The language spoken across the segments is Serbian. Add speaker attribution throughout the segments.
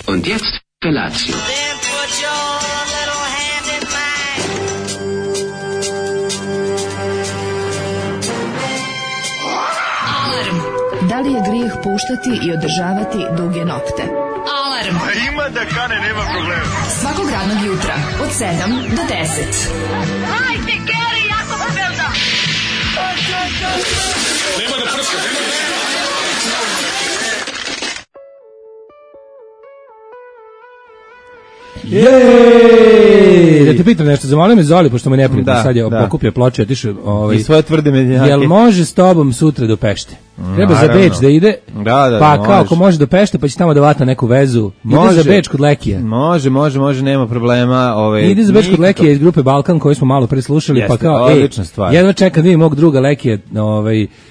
Speaker 1: Und jetzt Felatio.
Speaker 2: Da li je grijeh puštati i održavati duge nokte? Alarm!
Speaker 3: A ima da kane, nema problema.
Speaker 2: Svakog radnog jutra, od 7 do 10.
Speaker 4: Hajde, Geri, jako se velda!
Speaker 3: Nema da prska, nema da...
Speaker 5: Jej! Da te pitam nešto, zamolio me Zoli, pošto me neprijatno, sad je pokupio ploče, otišao...
Speaker 6: I svoje tvrde mednjake.
Speaker 5: Jel može s tobom sutra do Pešte? Treba za Beč da ide, pa kao ako može do Pešte, pa će tamo da vata neku vezu. Ide za Beč kod Lekija.
Speaker 6: Može, nema problema.
Speaker 5: Ide za Beč kod Lekija iz grupe Balkan, koju smo malo preslušali, pa kao, jedva čekam da vidim mog druga Lekija,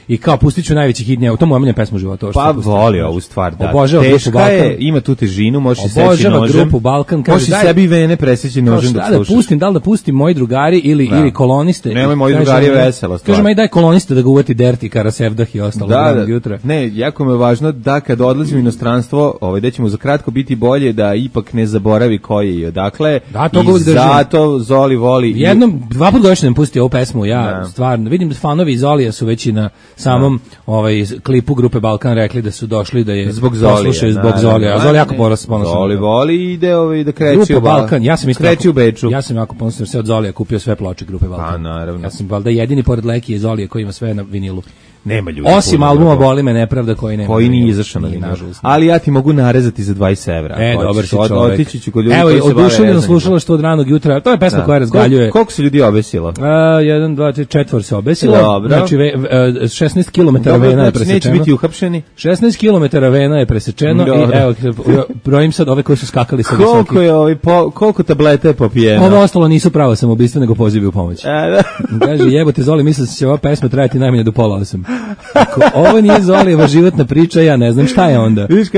Speaker 5: i kao pustit ću najveći hit njega, to mu omiljena pesma u životu.
Speaker 6: Pa voli ovu stvar, da.
Speaker 5: Obožava grupu Balkan.
Speaker 6: Ima tu težinu, možeš i seći nožem.
Speaker 5: Obožava grupu Balkan.
Speaker 6: Možeš sebi vene preseći nožem dok slušaš.
Speaker 5: Da li da pustim moji drugari ili koloniste.
Speaker 6: Nemoj, moji drugari je vesela stvar.
Speaker 5: Kažem, aj daj koloniste da ga uvati Derti, Karasevdah i ostalo ranog jutra.
Speaker 6: Ne, jako mi je važno da kad odlazim u inostranstvo, da ćemo za kratko biti bolje, da ipak ne zaboravi koji je i odakle.
Speaker 5: Da, to
Speaker 6: i zato Zoli voli.
Speaker 5: Jednom, 2 puta godišnje nam pusti ovu pesmu, stvarno, vidim da fanovi Zolija su već i na samom klipu grupe Balkan rekli da su došli da je poslušaju zbog Zolija. A Zoli jako ponosno.
Speaker 6: Zoli voli ide da kreći
Speaker 5: grupa Balkan.
Speaker 6: Kreći u Beču.
Speaker 5: Ja sam jako ponosno jer se od Zolija kupio sve ploče grupe Balkan.
Speaker 6: A, naravno.
Speaker 5: Ja sam valjda jedini pored Lekije Zolije koji ima sve na vinilu.
Speaker 6: Nema ljudi.
Speaker 5: Osim albuma Boli me nepravda koji nema.
Speaker 6: Koji nije izašao na vinilu. Ali ja ti mogu narezati za 20 evra.
Speaker 5: Dobar si čovek.
Speaker 6: Otići ću kod ljudi
Speaker 5: koji
Speaker 6: se bave.
Speaker 5: Evo, oduševljeno slušala što od ranog jutra. To je pesma koja razgaljuje.
Speaker 6: Koliko se ljudi obesilo?
Speaker 5: 1, 2, 3, 4 se obesilo.
Speaker 6: Dobro.
Speaker 5: Znači, 16 km vena je presečeno.
Speaker 6: Neće biti uhapšeni.
Speaker 5: 16 km vena je presečeno. I evo, brojim sad ove koji su skakali sa
Speaker 6: koliko tableta je popijeno?
Speaker 5: Ovo ostalo nisu pravo samoubistva, nego pozivi u pomoć. Kaže, jebote Zoli, mislim da će ova pesma trajati najmanje do 7:30. Ovo nije Zolijeva životna priča, ja ne znam šta je onda.
Speaker 6: Vidiš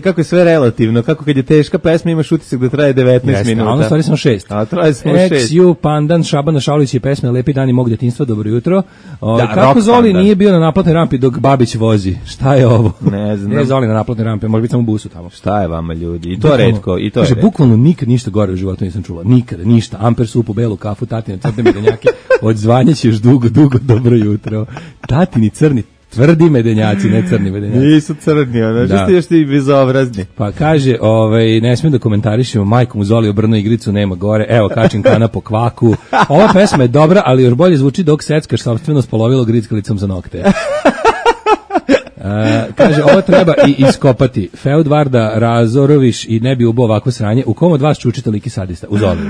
Speaker 6: kako je sve relativno, kako kad je teška pesma imaš utisak da traje 19 minuta.
Speaker 5: A ono stvari samo 6.
Speaker 6: A traje samo 6.
Speaker 5: Ex-U, Pandan, Šabana Šaulić i pesme Lepi dani mog djetinjstva, dobro jutro. Kako Zoli nije bio na naplatnoj rampi dok Babić vozi? Šta je ovo?
Speaker 6: Ne znam.
Speaker 5: Nije Zoli na naplatnoj rampi, može biti samo u busu tamo.
Speaker 6: Šta je vama ljudi? I to retko.
Speaker 5: Kaže, bukvalno nikad ništa gore u životu nisam čula. Nikada, ništa. Amper supu, belu kafu, tatine crne medenjake. Odzvanja ćeš dugo, dobro jutro. Tatini crni tvrdi medenjaci, ne crni medenjaci.
Speaker 6: Nisu crni, što ste još ti bezobrazni.
Speaker 5: Pa kaže, ne smijem da komentarišemo, majkom u Zoli obrnu igricu, nema gore, evo kačim kana po kvaku. Ova pesma je dobra, ali još bolje zvuči dok seckaš sopstveno spolovilo grickalicom za nokte. Kaže, ovo treba i iskopati. Feudvarda razoroviš i ne bi ubao ovako sranje. U kom od vas čučite liki sadista? U Zoliju.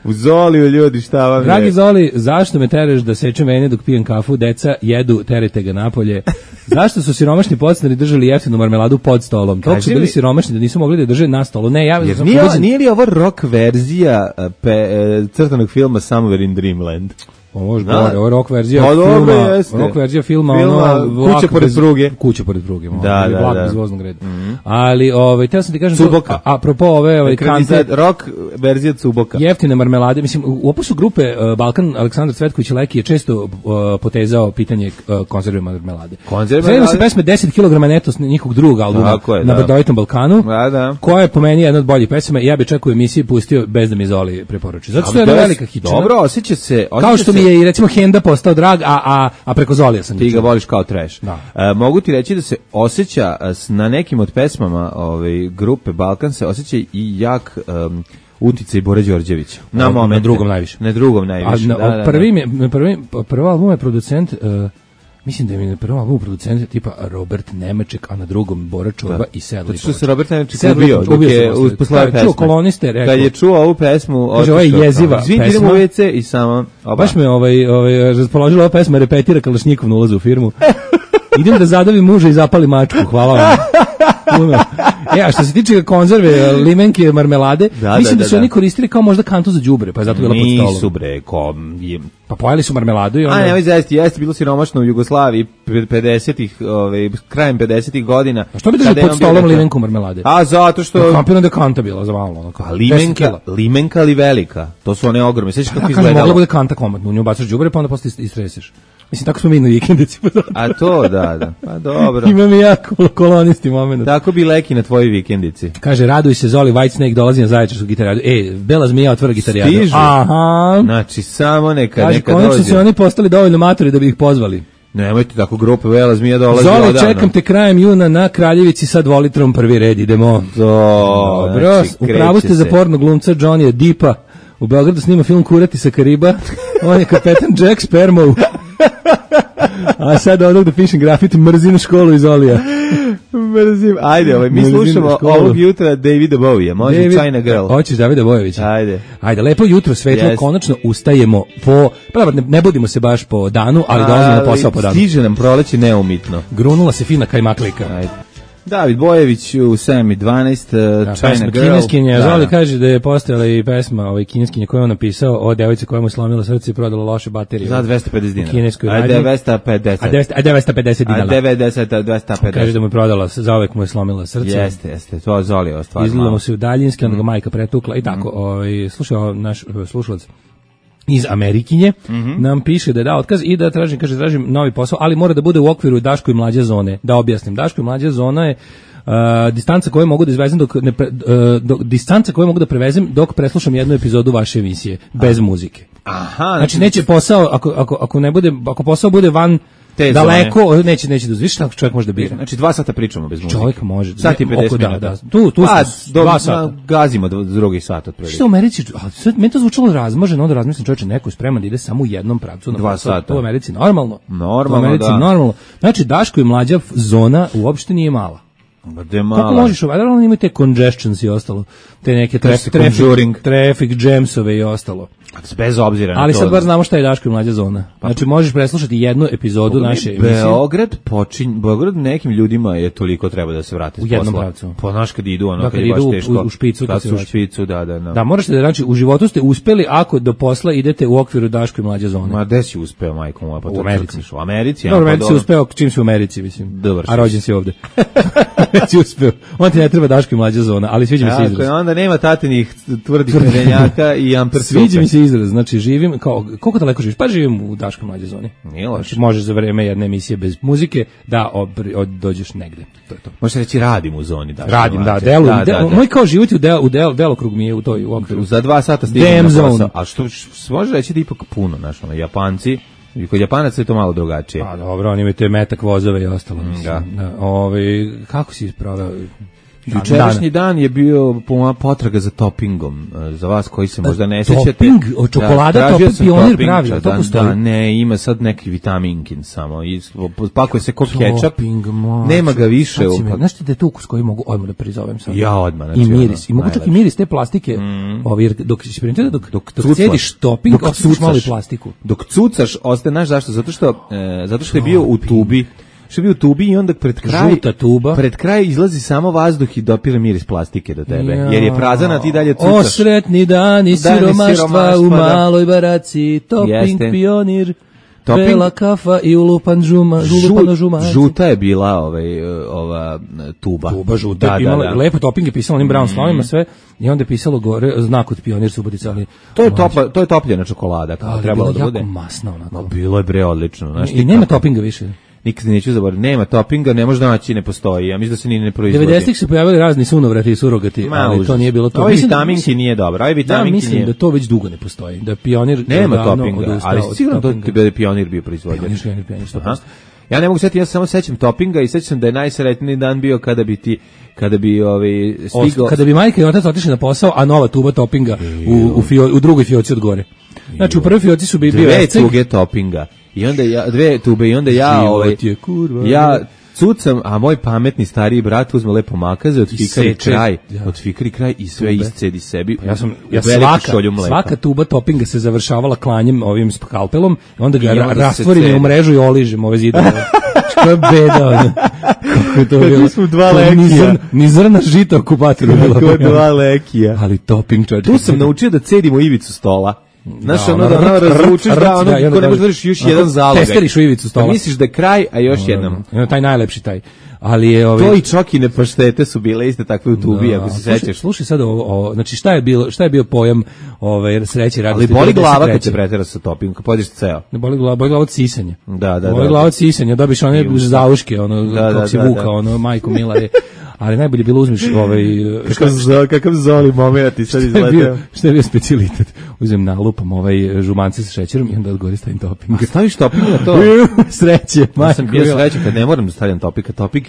Speaker 6: U Zoliju, ljudi, šta vam je?
Speaker 5: Dragi Zoli, zašto me teraš da sečem vene dok pijem kafu? Deca jedu, terete ga napolje. Zašto su siromašni podstanari držali jeftinu marmeladu pod stolom? Toliko su bili siromašni da nisu mogli da drže na stolu. Ne,
Speaker 6: nije li ovo rock verzija crtanog filma Somewhere in Dreamland?
Speaker 5: Ovo je rock verzija filma, Kuća pored pruge. Vlak bez voznog reda. Ali, teo sam ti kažem,
Speaker 6: Cuboka.
Speaker 5: Apropo ove
Speaker 6: kante, rock verzija Cuboka.
Speaker 5: Jeftine marmelade, mislim, u opusu grupe Balkan, Aleksandar Cvetković i Leki je često potezao pitanje konzerve marmelade. Zajemo se pesme 10 kg neto s njihovog drugog albuma na Brdovitom Balkanu, koja je po meni jedna od boljih pesama i ja bi čak u emisiji pustio bez da mi Zoli preporuči. Zato što je jedna velika hičina.
Speaker 6: Dobro, osjeća se.
Speaker 5: Kao što mi je i recimo Henda postao drag, a preko Zolija sam
Speaker 6: ti ga voliš kao trash. Mogu ti reći da se osjeća na nekim od pesmama grupe Balkan se osjeća i jak uticaj Bore Đorđevića.
Speaker 5: Na drugom najviše.
Speaker 6: Na drugom najviše.
Speaker 5: Prvi album je producent, mislim da je mi na prvom albumu producent tipa Robert Nemaček, a na drugom Bora Čorba i Sedla.
Speaker 6: Zato što se Robert Nemaček ubio posle ove pesme.
Speaker 5: Čuo koloniste, rekao.
Speaker 6: Kad je čuo ovu pesmu,
Speaker 5: kaže, ovo je jeziva pesma.
Speaker 6: Idemo u WC i samo...
Speaker 5: Baš me raspoložila ova pesma, repetira Kalašnjikov na ulazu u firmu. Idem da zadavim muža i zapali mačku, hvala vam. A što se tiče konzerve, limenke, marmelade, mislim da su oni koristili kao možda kantu za đubre, pa je zato bila pod stolom.
Speaker 6: Nisu bre,
Speaker 5: pa pojeli su marmeladu i onda...
Speaker 6: A ne, jeste bilo siromašno u Jugoslaviji 50-ih, krajem 50-ih godina.
Speaker 5: A što bi držali pod stolom limenku marmelade?
Speaker 6: A zato što...
Speaker 5: Kampirno da kanta bila za malo.
Speaker 6: A limenka ali velika, to su one ogromne. Sveći kako izgledalo.
Speaker 5: Mogla bude kanta komotno, u nju bacaš đubre pa onda posle istreseš. Mislim, tako smo mi na vikendici.
Speaker 6: A to, da. Pa dobro.
Speaker 5: Imam i ja kolonisti moment.
Speaker 6: Tako bi Leki na tvojoj vikendici.
Speaker 5: Kaže, raduj se, Zoli, Whitesnake dolazi na Zaječarsku gitarijadu. Bela zmija otvara gitarijadu.
Speaker 6: Stižu.
Speaker 5: Aha.
Speaker 6: Znači, samo neka
Speaker 5: kaže,
Speaker 6: dođe. Kaže,
Speaker 5: konačno su oni postali dovoljno matori da bi ih pozvali.
Speaker 6: Nemojte tako grupe, Bela zmija dolazi
Speaker 5: Zoli,
Speaker 6: odavno.
Speaker 5: čekam te krajem juna na Kraljevici sa 2 litrom prvi red, idemo. Dobro, znači, upravo ste za porno glumca Johnny Deepa. U Beogradu snima film Kurati sa Kariba. On je kapetan Jack Sparrow. A sad onog da pišem grafit, mrzim školu iz Olija.
Speaker 6: Mrzim. Ajde, mi slušamo ovog jutra Davida Bowija. Može China Girl.
Speaker 5: Hoćeš Davida Bojovića? Ajde, lepo jutro, svetlo, konačno ustajemo po... Ne budimo se baš po danu, ali dolazimo na posao po danu.
Speaker 6: Stiže nam proleće neumitno.
Speaker 5: Grunula se fina kajmaklika.
Speaker 6: Ajde. David Bojević u 7:12, China Girl.
Speaker 5: Kineskinja, Zoli kaže da je postojala i pesma kineskinja koju on napisao o devojci koja mu slomila srce i prodala loše baterije.
Speaker 6: Za 250 dinara.
Speaker 5: Kineskoj radnji.
Speaker 6: 250.
Speaker 5: A 950 dinara.
Speaker 6: 250.
Speaker 5: Kaže da mu je prodala, zauvek mu je slomila srce.
Speaker 6: Jeste, to je Zoli ostvarno.
Speaker 5: Izgledamo se u daljinski, onda ga majka pretukla i tako. Slušao naš slušalac iz Amerikinje, nam piše da je dao otkaz i da tražim novi posao, ali mora da bude u okviru Daško i mlađe zone. Da objasnim, Daško i mlađe zona je distanca koju mogu da izvezem distanca koju mogu da prevezem dok preslušam jednu epizodu vaše emisije bez muzike.
Speaker 6: Aha,
Speaker 5: znači neće posao ako posao bude van daleko, neće da uzviš, tako čovjek može da bira.
Speaker 6: Znači 2 sata pričamo bez muzike.
Speaker 5: Čovjek može.
Speaker 6: Sat i 50 minuta.
Speaker 5: Da. Tu 2 sata.
Speaker 6: Gazimo drugi sat otprilike.
Speaker 5: Što u Americi, meni to zvučalo razmaženo, onda razmislim čovječe, neko je spreman da ide samo u jednom pravcu na
Speaker 6: 2 sata.
Speaker 5: To u Americi normalno.
Speaker 6: Normalno.
Speaker 5: Znači Daško i mlađa zona uopšte nije mala. Kako možeš, naravno imaju te congestions i ostalo, te neke traffic jamsove i ostalo.
Speaker 6: Bez obzira na to.
Speaker 5: Ali sad bar znamo šta je Daško i mlađa zona. Znači možeš preslušati jednu epizodu naše emisije.
Speaker 6: Beograd nekim ljudima je toliko treba da se vrate s posla.
Speaker 5: U jednom pravcu.
Speaker 6: Po naš kad idu,
Speaker 5: kad je baš teško. U špicu.
Speaker 6: Kad su u špicu, da.
Speaker 5: Da, možete da, znači, u životu ste uspeli ako do posla idete u okviru Daško i mlađa zone.
Speaker 6: Ma, gde si uspeo, majko moja?
Speaker 5: U Americi.
Speaker 6: U Americi?
Speaker 5: Dobro, Americi si uspeo čim si u Americi, mislim.
Speaker 6: Dobar.
Speaker 5: A rođen si ovde. Si uspeo. On ti ne treba Daško i mlađa zona, ali sviđa mi se izraz.
Speaker 6: Onda nema tatinih tvrdih medenjaka i amper
Speaker 5: sviđa mi se izraz, znači živim, koliko daleko živiš? Pa živim u Daškoj mlađe zoni.
Speaker 6: Nije loše.
Speaker 5: Znači, možeš za vreme jedne emisije bez muzike da dođeš negde. To je to.
Speaker 6: Možeš reći radim u zoni Daškoj.
Speaker 5: Radim, da, moj kao životi u delokrug mi je u toj okviru.
Speaker 6: Za 2 sata stignem na posao. A što može reći da ipak puno, Japanci, i kod Japanaca je to malo drugačije.
Speaker 5: Pa dobro, oni imaju te metak vozove i ostalo. Kako si proveo?
Speaker 6: Jučerašnji dan je bio potraga za toppingom. Za vas koji se možda ne sećate.
Speaker 5: Topping, čokolada, topping, Pionir pravi, to postoji.
Speaker 6: Da, ne, ima sad neki vitaminkin samo. Pakuje se ko kečap. Nema ga više.
Speaker 5: Znaš ti da je tu ukus koji mogu odmah da prizovem sad?
Speaker 6: Ja odmah.
Speaker 5: I miris. I mogu čak i miris te plastike. Dok sjediš topping, osjetiš malo i plastiku.
Speaker 6: Dok cucaš, ostaje, znaš zašto? Zato što je bio u tubi. Što bi u tubi i onda pred kraj izlazi samo vazduh i dopire miris plastike do tebe, jer je prazana, ti dalje cucaš.
Speaker 5: O sretni dani siromaštva u maloj baraci, topping Pionir, bela kafa i ulupana žumac.
Speaker 6: Žuta je bila ova tuba.
Speaker 5: Tuba žuta, lepo topping je pisalo onim brown slovima sve i onda je pisalo gore znak od Pionir Subotica, ali
Speaker 6: to je topljena čokolada, kao trebalo da bude.
Speaker 5: Jako masno onako.
Speaker 6: Bilo je bre odlično.
Speaker 5: I nema toppinga više.
Speaker 6: Nikad neću zaboraviti. Nema toppinga, ne može naći, ne postoji. Ja mislim da se ni ne proizvodi.
Speaker 5: 90-ih se pojavili razni sunovrati i surogati, ali to nije bilo to.
Speaker 6: Ovaj vitaminki nije dobro.
Speaker 5: Mislim da to već dugo ne postoji. Da Pionir
Speaker 6: nema toppinga, ali sigurno da je Pionir bio proizvođač.
Speaker 5: Pionir 100%.
Speaker 6: Ja ne mogu setiti, ja se samo sećam toppinga i sećam da je najsretniji dan bio kada bi stigao. Kada bi majka i otac otišli na posao, a nova tuba toppinga u drugoj fioci od gore. Znači u prvoj fioci su bio esceg. 2 tuge toppinga. I onda 2 tube i onda ja cucam, a moj pametni stariji brat uzme lepo makaze, otfikari kraj i sve iscedi sebi.
Speaker 5: Svaka tuba toppinga se završavala klanjem ovim skalpelom, onda ga rastvorim u mrežu i oližem ove zidove. Što je beda, kako je to bilo.
Speaker 6: Mi smo 2 lekija.
Speaker 5: Ni zrna žita okupatoru bilo.
Speaker 6: Kako je 2 lekija.
Speaker 5: Ali topping čovječ.
Speaker 6: Tu sam naučio da cedimo ivicu stola. Znaš, ono da razvučeš da ono ko ne možeš držiš još jedan zalogaj.
Speaker 5: Testeriš u ivicu stola.
Speaker 6: Misliš da je kraj, a još jednom.
Speaker 5: Taj najlepši taj. Ali je
Speaker 6: to i čokine paštete su bile iste takve u tubi, ako se sećaš.
Speaker 5: Slušaj sad ovo, znači šta je bio pojam sreće radosti.
Speaker 6: Ali boli glava kad se pretera sa toppingom, kad pođeš ceo.
Speaker 5: Ne boli glava od sisanja.
Speaker 6: Da.
Speaker 5: Boli glava od sisanja, dobiš one zauške, kako si vuka, majko mila je. Ali najbolje bilo uzmeš
Speaker 6: kakav zoli moment i sad izleteo.
Speaker 5: Šta je bio specijalitet? Uzmem nalupam žumance sa šećerom i onda odgori stavim topping.
Speaker 6: A staviš topping na to?
Speaker 5: Sreće.
Speaker 6: Ja sam bio srećan kad ne moram da stavljam topping.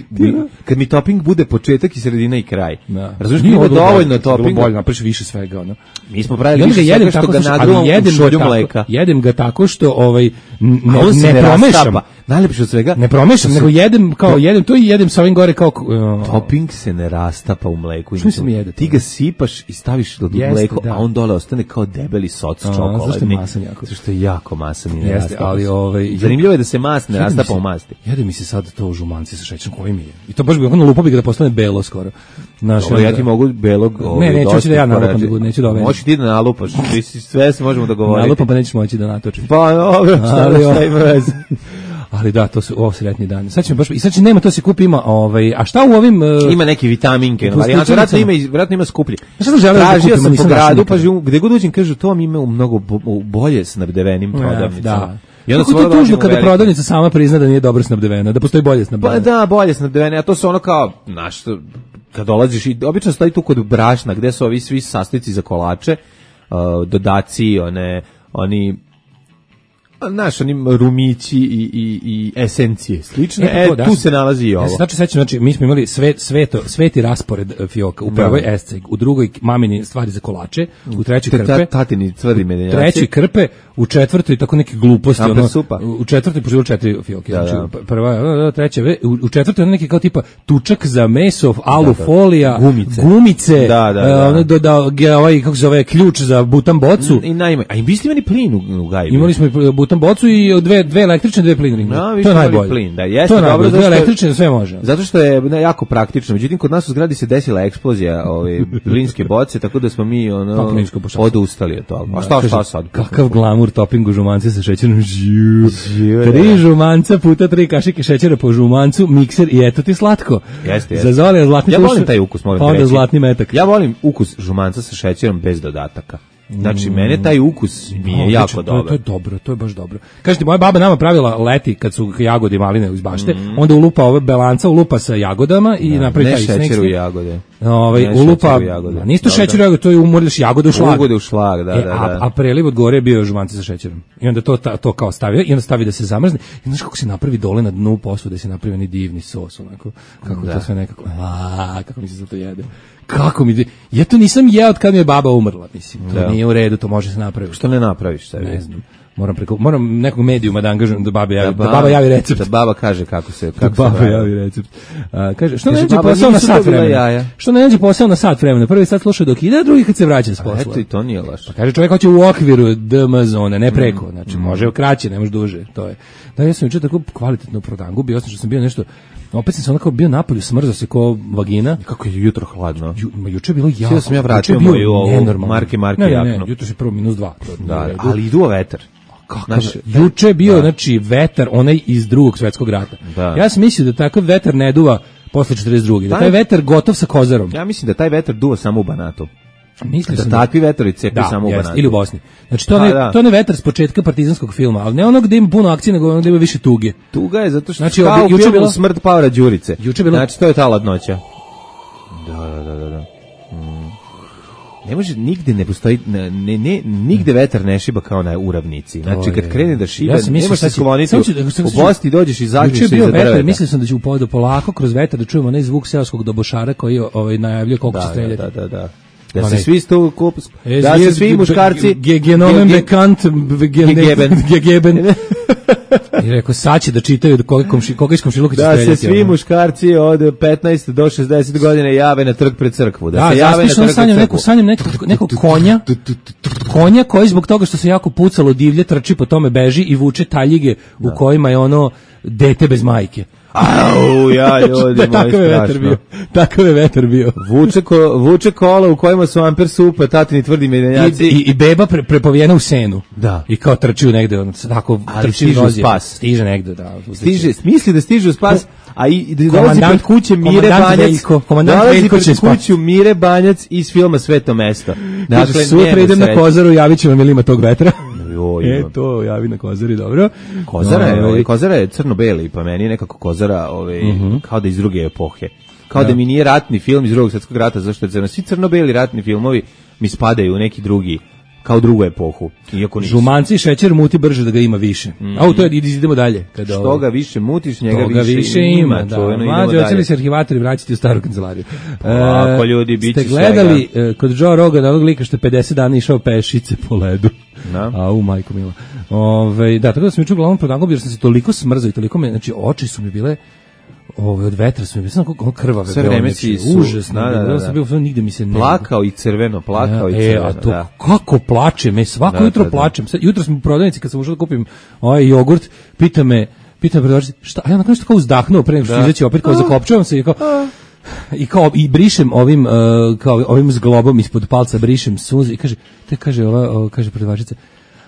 Speaker 6: Kad mi topping bude početak i sredina i kraj. Razumiješ, mi ima dovoljno toppinga.
Speaker 5: Bolje, napraviš više svega.
Speaker 6: Mi smo pravili više svega što ga nagruvam u šolju mleka.
Speaker 5: Jedem ga tako što ne promešam.
Speaker 6: Najlepše od svega.
Speaker 5: Ne promešam, nego jedem to i jedem sa ovim gore kao
Speaker 6: topping se ne rastapa u mleku.
Speaker 5: Što se mi jede?
Speaker 6: Ti ga sipaš i staviš do mleko, a on dole ostane kao debeli soc čokoladni.
Speaker 5: Zašto je masan jako?
Speaker 6: Zašto je jako masan i ne rastapa.
Speaker 5: Ali
Speaker 6: zanimljivo je da se mas ne rastapa u masti.
Speaker 5: Jede mi se sad to žumanci sa šećerom koji mi je. I to baš bi ono lupo bi ga da postane belo skoro.
Speaker 6: Ja ti mogu belog.
Speaker 5: Ne, neću da ja nalupam da neću da
Speaker 6: možeš ti da nalupaš. Sve se možemo dogovoriti.
Speaker 5: Nalupam pa nećeš moći da natočiš.
Speaker 6: Pa dobro, šta ima veze.
Speaker 5: Ali da, to su sretni dani. Sad ćemo baš i sad će nema, to se kupi ima, a šta u ovim
Speaker 6: ima neki vitaminke, varijanta, vjerojatno ima skuplje.
Speaker 5: Šta sam želeo da kupim,
Speaker 6: sam po gradu, pa gde god uđem kažu to vam ima u mnogo bolje snabdevenim prodavnicama.
Speaker 5: Da. I onda kako je tužno kada prodavnica sama prizna da nije dobro snabdevena, da postoji bolje snabdevena.
Speaker 6: Pa da, bolje snabdevene, a to su ono kao, znaš, kad dolaziš i obično stoji tu kod brašna, gde su ovi svi sastojci za kolače, dodaci, oni naš onim rumići i esencije slične, tu se nalazi i ovo.
Speaker 5: Znači, mi smo imali sveti raspored fioka, u prvoj esceg, u drugoj mamini stvari za kolače, u trećoj krpe,
Speaker 6: tatini tvrdi medenjaci,
Speaker 5: treći krpe, u četvrtoj tako neke gluposti, u četvrtoj poživilo 4 fioke, znači prva, treća, u četvrtoj ono neki kao tipa tučak za meso, alufolija, gumice, kako se zove, ključ za butan bocu.
Speaker 6: A i vi ste imali plin u gajbi?
Speaker 5: Imali smo butan bocu i dve električne, dve plinine. To je najbolje.
Speaker 6: Plin, da, jeste dobro,
Speaker 5: dve električne, sve može.
Speaker 6: Zato što je jako praktično. Međutim, kod nas u zgradi se desila eksplozija plinske boce, tako da smo mi odustali od toga. A šta sad?
Speaker 5: Kakav glamur topping u žumance sa šećerom. 3 žumanca puta 3 kašike šećera po žumancu, mikser i eto ti slatko.
Speaker 6: Jeste.
Speaker 5: Zazvalio zlatni
Speaker 6: tuš. Ja volim taj ukus, moram
Speaker 5: reći. Zlatni metak.
Speaker 6: Ja volim ukus žumanca sa šećerom bez dodataka. Znači, mene taj ukus mi je jako dobar.
Speaker 5: To je dobro, to je baš dobro. Kažete, moja baba nama pravila leti kad su jagode i maline iz bašte, onda ulupa ove belanca, ulupa sa jagodama i napravi taj snake.
Speaker 6: Ne šećer u jagode.
Speaker 5: Ulupa, nisto šećer u jagode, to je umorljaš jagode u šlag.
Speaker 6: Jagode u šlag, da.
Speaker 5: A preliv od gore je bio žumanci sa šećerom. I onda to kao stavio, i onda stavi da se zamrzne. I znaš kako se napravi dole na dnu posude, da se napravi oni divni sos, onako. Kako to sve nekako, kako mi se za to jede. Kako mi, ja to nisam jeo od kad mi je baba umrla, mislim, to nije u redu, to može se napraviti.
Speaker 6: Što ne napraviš sebi?
Speaker 5: Ne znam, moram nekog medijuma da angažujem da baba javi recept.
Speaker 6: Da baba kaže kako se
Speaker 5: javi recept. Kaže, što ne nađe posao na sat vremena? Što ne nađe posao na sat vremena? Prvi sat sluša dok ide, a drugi kad se vraća s posla.
Speaker 6: Eto i to nije loše.
Speaker 5: Pa kaže, čovjek hoće u okviru DM zone, ne preko, znači može kraće, ne može duže, to je. Da, ja sam juče tako kvalitetno prodangu, bio sam što sam bio nešto. Opet sam se onako bio napolju, smrzao se ko vagina.
Speaker 6: Kako je jutro hladno.
Speaker 5: Juče je bilo jako.
Speaker 6: Sve sam ja vratio moju marke jaknu.
Speaker 5: Ne, jutro je prvo -2.
Speaker 6: Da, ali iduo vetar.
Speaker 5: Juče je bio, znači, vetar, onaj iz Drugog svjetskog rata. Da. Ja sam mislio da takav vetar ne duva posle 42. Da taj vetar gotov sa kozarom.
Speaker 6: Ja mislim da taj vetar duva samo u Banatu.
Speaker 5: Mislim
Speaker 6: da takvi vetrovi cepi samo u Banatu.
Speaker 5: Ili u Bosni. Znači to ne vetar s početka partizanskog filma, ali ne ono gde ima puno akcije, nego ono gde ima više tuge.
Speaker 6: Tuga je zato što znači, kao juče bilo smrt Pavla Đurice. Znači to je ta ladnoća. Da. Ne može, nigde ne postoji, nigde vetar ne šiba kao na uravnici. Znači, kad krene da šiba, nemaš se skloniti, u Bosni dođeš i zađeš se iza drveta.
Speaker 5: Mislio sam da ću upovedu polako kroz vetar da čujemo onaj zvuk seoskog dobošara koji najavljuje koliko će streljati.
Speaker 6: Da. Da se svi da se svi muškarci
Speaker 5: genomen bekant gegeben. I rekao, sad će da čitaju koga iz komšiluka će streljati.
Speaker 6: Da se svi muškarci od 15 do 60 godina jave na trg pred crkvu. Da se jave na trg pred crkvu.
Speaker 5: Sanjam nekog konja koji zbog toga što se jako pucalo divlje, trči po tome, beži i vuče taljige u kojima je ono dete bez majke.
Speaker 6: Au, ja, ljudi,
Speaker 5: Takav je vetar bio.
Speaker 6: Vuče kola u kojima su amper supa, tatini tvrdi medenjaci.
Speaker 5: I beba prepovijena u senu.
Speaker 6: Da.
Speaker 5: I kao trči negde, tako trči
Speaker 6: u spas.
Speaker 5: Stiže negde, da.
Speaker 6: Misli da stiže u spas, a i dolazi pred kuće Mire Banjac. Dolazi pred kuću Mire Banjac iz filma Sveto mesto.
Speaker 5: Dakle, sutra idem na Kozaru, javit ću vam ili ima tog vetra. To javi na Kozari, dobro.
Speaker 6: Kozara je crno-beli, pa meni je nekako Kozara kao da iz druge epohe. Kao da mi nije ratni film iz Drugog svjetskog rata, zašto je crno. Svi crno-beli ratni filmovi mi spadaju u neki drugi, kao drugu epohu.
Speaker 5: Žumanci, šećer muti brže da ga ima više. To je, idemo dalje.
Speaker 6: Što ga više mutiš, njega više ima.
Speaker 5: Mlađe, hoće li se arhivatori vraćati u staru kancelariju?
Speaker 6: Ako ljudi, bit će
Speaker 5: svega. Ste gledali kod Joe Rogana, onog lika što 50 dana išao pešice po ledu? Majko mila. Da, tako da sam jučer uglavnom prodangao, jer sam se toliko smrzao i toliko me, znači oči su mi bile od vetra su mi bilo kako krvave.
Speaker 6: Sve vreme si
Speaker 5: užasno. Da. Nigde mi se ne...
Speaker 6: Plakao i crveno.
Speaker 5: A to kako plačem, svako jutro plačem. Jutro sam u prodavnici kad sam ušao da kupim ovaj jogurt, pita me prodavačica, šta? A ja nakon što kao uzdahnuo pre nego što izaći opet, kao zakopčavam se i brišem ovim zglobom ispod palca brišem suze i kaže prodavačica,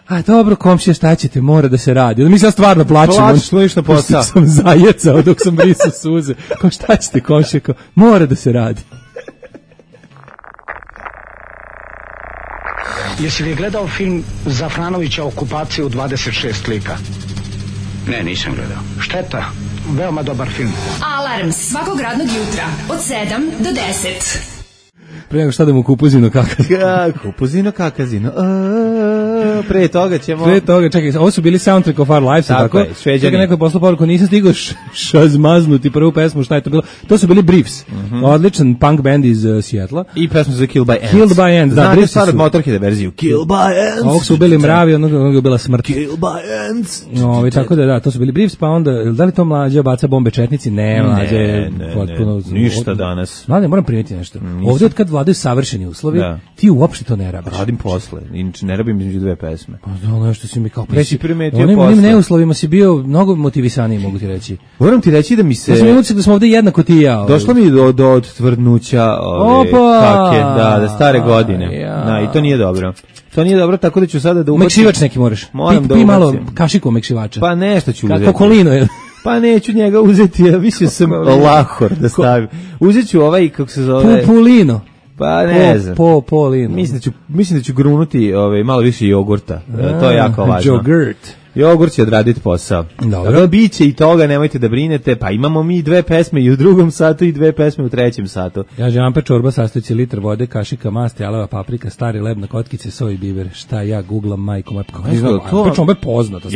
Speaker 5: a dobro, komšija, šta ćete, mora da se radi. Onda mi sad stvarno plačem.
Speaker 6: Plačeš na posao.
Speaker 5: Sam zajecao dok sam brisao suze. Kao šta ćete, komšija, mora da se radi.
Speaker 1: Jesi li gledao film Zafranovića Okupacija u 26 lika?
Speaker 7: Ne, nisam gledao.
Speaker 1: Šteta, veoma dobar film.
Speaker 2: Alarm svakog radnog jutra od 7 do 10.
Speaker 5: Pre nego šta da mu kupuzino kakazino.
Speaker 6: Kupuzino kakazino. Pre toga,
Speaker 5: čekaj, ovo su bili Soundtrack of Our Lives, tako? Čekaj, neko je poslao poruku, nisam stigao šazmaznuti prvu pesmu, šta je to bilo? To su bili Briefs, odličan punk band iz Seattle.
Speaker 6: I pesmu za Killed by Ants. Znate stvar od Motorhead verziju. Killed by Ants.
Speaker 5: Ovog su ubili mravi, onog je bila smrt.
Speaker 6: Killed by Ants.
Speaker 5: Tako da, to su bili Briefs, pa onda, da li to Mlađa baca bombe četnici? Ne, Mlađe.
Speaker 6: Ništa danas.
Speaker 5: Mlađe, moram primjetiti nešto. Ovdje od kad vladaju savršeni uslovi, ti uopšte to ne rabiš.
Speaker 6: Radim posle, inače ne rabim između dve pesme.
Speaker 5: Pa ono što si mi kao
Speaker 6: presi primetio posle.
Speaker 5: Onim neuslovima si bio mnogo motivisaniji, mogu ti reći.
Speaker 6: Moram ti reći da mi se...
Speaker 5: Ja sam imao da smo ovdje jednako ti i ja.
Speaker 6: Došlo mi do odtvrdnuća da stare godine. I to nije dobro. To nije dobro, tako da ću sada da ubacim...
Speaker 5: Mekšivač neki moraš. Pi malo kašiku mekšivača.
Speaker 6: Pa nešto ću uzeti.
Speaker 5: Kokolino je.
Speaker 6: Pa neću njega uzeti, ja mislio sam lahor da stavim. Uzet ću ovaj, kako se zove...
Speaker 5: Pupulino.
Speaker 6: Pa ne znam.
Speaker 5: Polino.
Speaker 6: Mislim da ću grunuti malo više jogurta. To je jako važno. Jogurt će odraditi posao. Dobro. Biće i toga, nemojte da brinete. Pa imamo mi dve pesme i u drugom satu i dve pesme u trećem satu.
Speaker 5: Amper čorba sastoji liter vode, kašika masti, jalova paprika, stari leb na kotkice, soj biber. Šta ja googlam, majko. Amper čorba je poznato.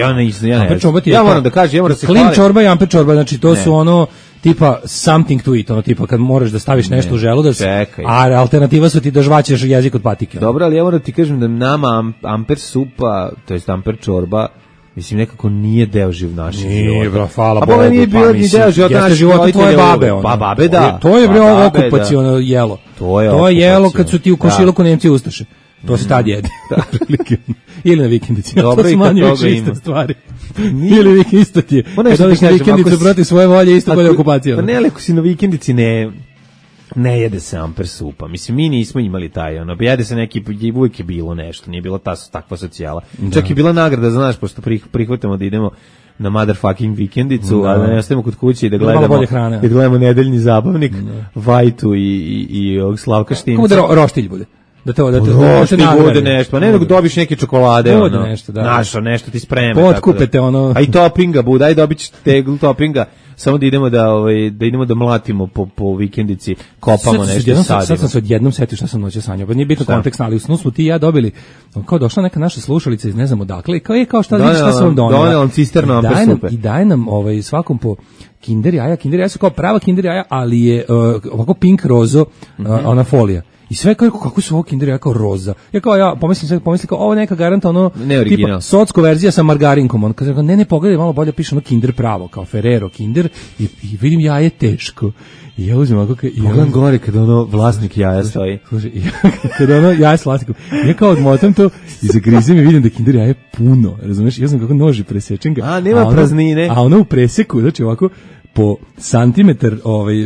Speaker 6: Ja moram da kažem,
Speaker 5: Clean čorba i amper čorba, znači to su ono tipa something to eat, ono tipa kad moraš da staviš nešto u želudac, a alternativa su ti da žvaćeš jezik od patike.
Speaker 6: Dobro, ali ja moram ti kažem da nama amper supa, to jest amper čorba, mislim, nekako nije deo našeg života.
Speaker 5: Nije, bro, hvala Bogu.
Speaker 6: A ovo nije bio ni deo života našeg
Speaker 5: života tvoje babe.
Speaker 6: Pa babe, da.
Speaker 5: To je, bre, okupaciono jelo. To je jelo kad su ti u komšiluku Nemci ustaše. To se tad jede. Ili na vikendici.
Speaker 6: Dobro, i kad toga
Speaker 5: ima. Stvari. Ili vikendica ti je. Kad odiš na vikendicu protiv svoje volje, isto kod je okupacija.
Speaker 6: Pa ne, ali ako si na vikendici ne jede se amper supa. Mislim, mi nismo imali taj, jede se neki, uvijek je bilo nešto, nije bila takva socijala. Čak je bila nagrada, znaš, pošto prihvatamo da idemo na motherfucking vikendicu, a da ne ostavimo kod kuće i da gledamo nedeljni zabavnik, Vajtu i ovog Slavka Štimca.
Speaker 5: Kako da roštilj bude? Da
Speaker 6: bude nešto, pa ne da dobiš neke čokolade, nešto ti spreme.
Speaker 5: Potkupete ono.
Speaker 6: A i topinga bude, aj dobit ćete teglu topinga, samo da idemo da mlatimo po vikendici, kopamo nešto, sadimo.
Speaker 5: Sad sam se odjednom setio šta sam noće sanjao, pa nije bitno kontekst, ali u snu smo ti i ja dobili, kao došla neka naša slušalica iz ne znam odakle, i kao šta vidiš šta sam vam donela.
Speaker 6: Donela cisterno amper supe.
Speaker 5: I daje nam svakom po kinder jaja su kao prava kinder jaja, ali je ovako pink rozo, ona folija. I sve kako su ovo kinder jaja kao roza. Ja pomislim kao ovo neka garanta tipa socko verzija sa margarinkom. On kaže ne pogledaj malo bolje, piše kinder pravo, kao Ferrero kinder i vidim jaje teško. I ja uzmem ovako
Speaker 6: pogledam gore kada vlasnik jaja stoji.
Speaker 5: Slušaj, kada jaje s vlasnikom. Ja kao odmotam to i zagrizem i vidim da kinder jaje puno. Razumeš? Ja znam kako noži presečem ga.
Speaker 6: A nema praznine.
Speaker 5: A ono u preseku, znači ovako po santimetar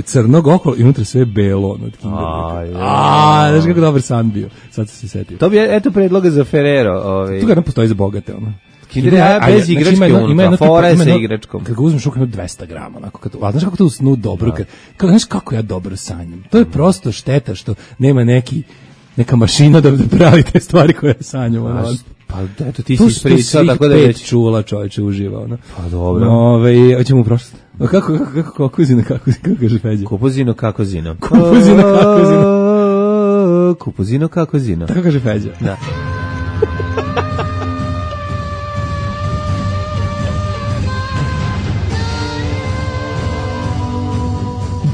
Speaker 5: crnog okolo i unutra sve belo. Znaš kako dobar san bio. Sad se setio.
Speaker 6: To bi, eto, predloga za Ferrero.
Speaker 5: Tu ga nam postoji za bogate,
Speaker 6: Kinder bez igračke unutra, fora je sa igračkom.
Speaker 5: Kad ga uzmeš ukupno 200 grama, znaš kako to u snu dobro, znaš kako ja dobro sanjam. To je prosto šteta što nema neka mašina da pravi te stvari koje sanjam.
Speaker 6: Pa eto, ti si ispričao, tako da već
Speaker 5: čula, čovječe, uživao.
Speaker 6: Pa dobro.
Speaker 5: Hoćemo u prošlost. Kako kakuzino, kako kaže Feđa?
Speaker 6: Kupuzino, kakozino.
Speaker 5: Kupuzino, kakozino.
Speaker 6: Kupuzino, kakozino.
Speaker 5: Tako kaže Feđa.
Speaker 6: Da.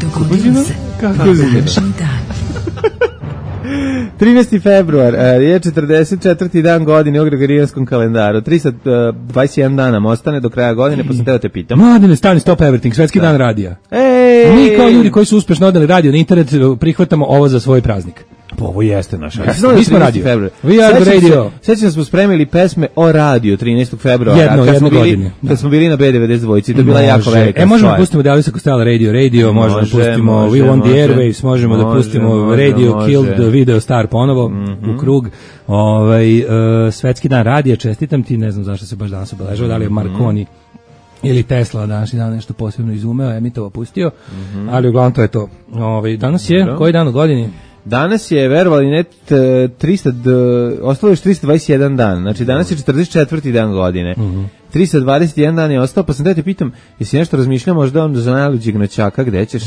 Speaker 2: Dogodilo se.
Speaker 5: Kako zine?
Speaker 6: 13. februar je 44. dan godine u Gregorijanskom kalendaru. 321 dana nam ostane do kraja godine, pa sam teo te pitam.
Speaker 5: Mladine, stani, stop everything, svetski dan radija. Mi kao ljudi koji su uspešno odali radio na internet prihvatamo ovo za svoj praznik.
Speaker 6: Pa ovo jeste naš radio.
Speaker 5: Mi smo radio. We are the radio.
Speaker 6: Sećam se smo spremili pesme o radio 13. februara. Kad smo bili na B92, to je bila jako velika stvar.
Speaker 5: Možemo da pustimo Elvisa Costello Radio, možemo da pustimo We Want the Airwaves, možemo da pustimo Radio Killed the Video Star ponovo u krug. Svetski dan radija, čestitam ti, ne znam zašto se baš danas obeležava, da li je Marconi ili Tesla današnji dan nešto posebno izumeo, emitovao, pustio, ali uglavnom to je to. Danas je, koji dan u godini?
Speaker 6: Danas je, verovali ne, ostalo još 321 dan, znači danas je 44. dan godine. 321 dan je ostao, pa sam da te pitam, jesi nešto razmišljao možda on za najluđeg noćaka, gde ćeš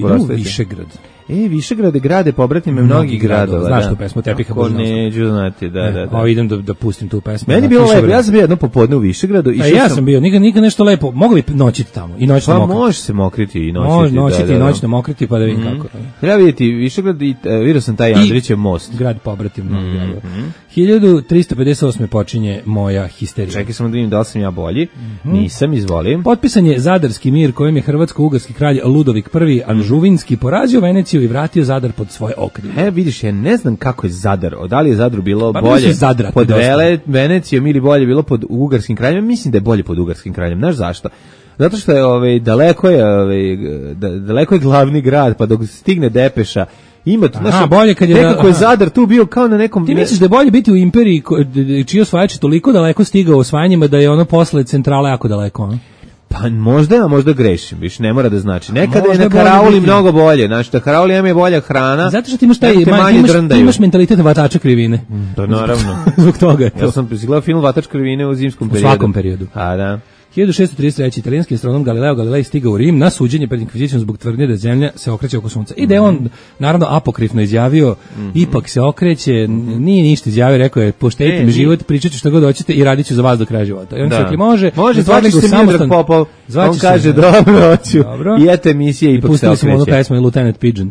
Speaker 6: porastati?
Speaker 5: Višegrad.
Speaker 6: Višegrad je grade, pobratime mnogih gradova.
Speaker 5: Znaš tu pesmu, Tepiha Božanovskog?
Speaker 6: Neću znati, da.
Speaker 5: Idem da pustim tu pesmu.
Speaker 6: Meni je bilo lepo, ja sam bio jedno popodne u Višegradu.
Speaker 5: Ja sam bio, nikad nešto lepo, mogu li noćiti tamo i noćno mokriti?
Speaker 6: Pa može se mokriti i noćiti.
Speaker 5: Može noćiti i noćno mokriti, pa da vidim kako.
Speaker 6: Treba vidjeti Višegrad i vidio sam taj Andrićev most.
Speaker 5: Grad pobratim mnogih gradova. 1358. počinje moja histerija.
Speaker 6: Čekaj samo da vidim da li sam ja bolji. Nisam, izvolim.
Speaker 5: Potpisan je Zadarski mir kojim je hrvatsko-ugarski kralj Ludovik I Anžuvinski porazio Veneciju i vratio Zadar pod svoje okrilje.
Speaker 6: Vidiš, ja ne znam kako je Zadar. Da li je Zadru bilo bolje pod Venecijom ili bolje bilo pod ugarskim kraljem? Mislim da je bolje pod ugarskim kraljem. Znaš zašto? Zato što je daleko je glavni grad, pa dok stigne depeša ima tu,
Speaker 5: bolje kad je
Speaker 6: nekako je Zadar tu bio kao na nekom.
Speaker 5: Ti misliš da je bolje biti u imperiji čiji osvajač je toliko daleko stigao osvajanjima da je ono posle centrale jako daleko,
Speaker 6: Pa možda grešim, više ne mora da znači. Nekada je na karauli mnogo bolje, znači da karauli je bolja hrana.
Speaker 5: Zato što ti imaš mentalitet vatača krivine.
Speaker 6: To naravno.
Speaker 5: Zbog toga je to.
Speaker 6: Ja sam gledao film Vatač krivine u zimskom periodu.
Speaker 5: U svakom periodu.
Speaker 6: A da.
Speaker 5: 1633. italijanski astronom Galileo Galilei stigao u Rim na suđenje pred inkvizicijom zbog tvrdnje da zemlja se okreće oko sunca. I da je on naravno apokrifno izjavio, ipak se okreće, nije ništa izjavio, rekao je poštedite mi život, pričat ću što god hoćete i radit ću za vas do kraja života. I on se rekli, može,
Speaker 6: zvači se Miodrag Popov, on kaže dobro, hoću, i eto emisije ipak se okreće.
Speaker 5: Pustili smo onu pesmu i Lieutenant Pigeon.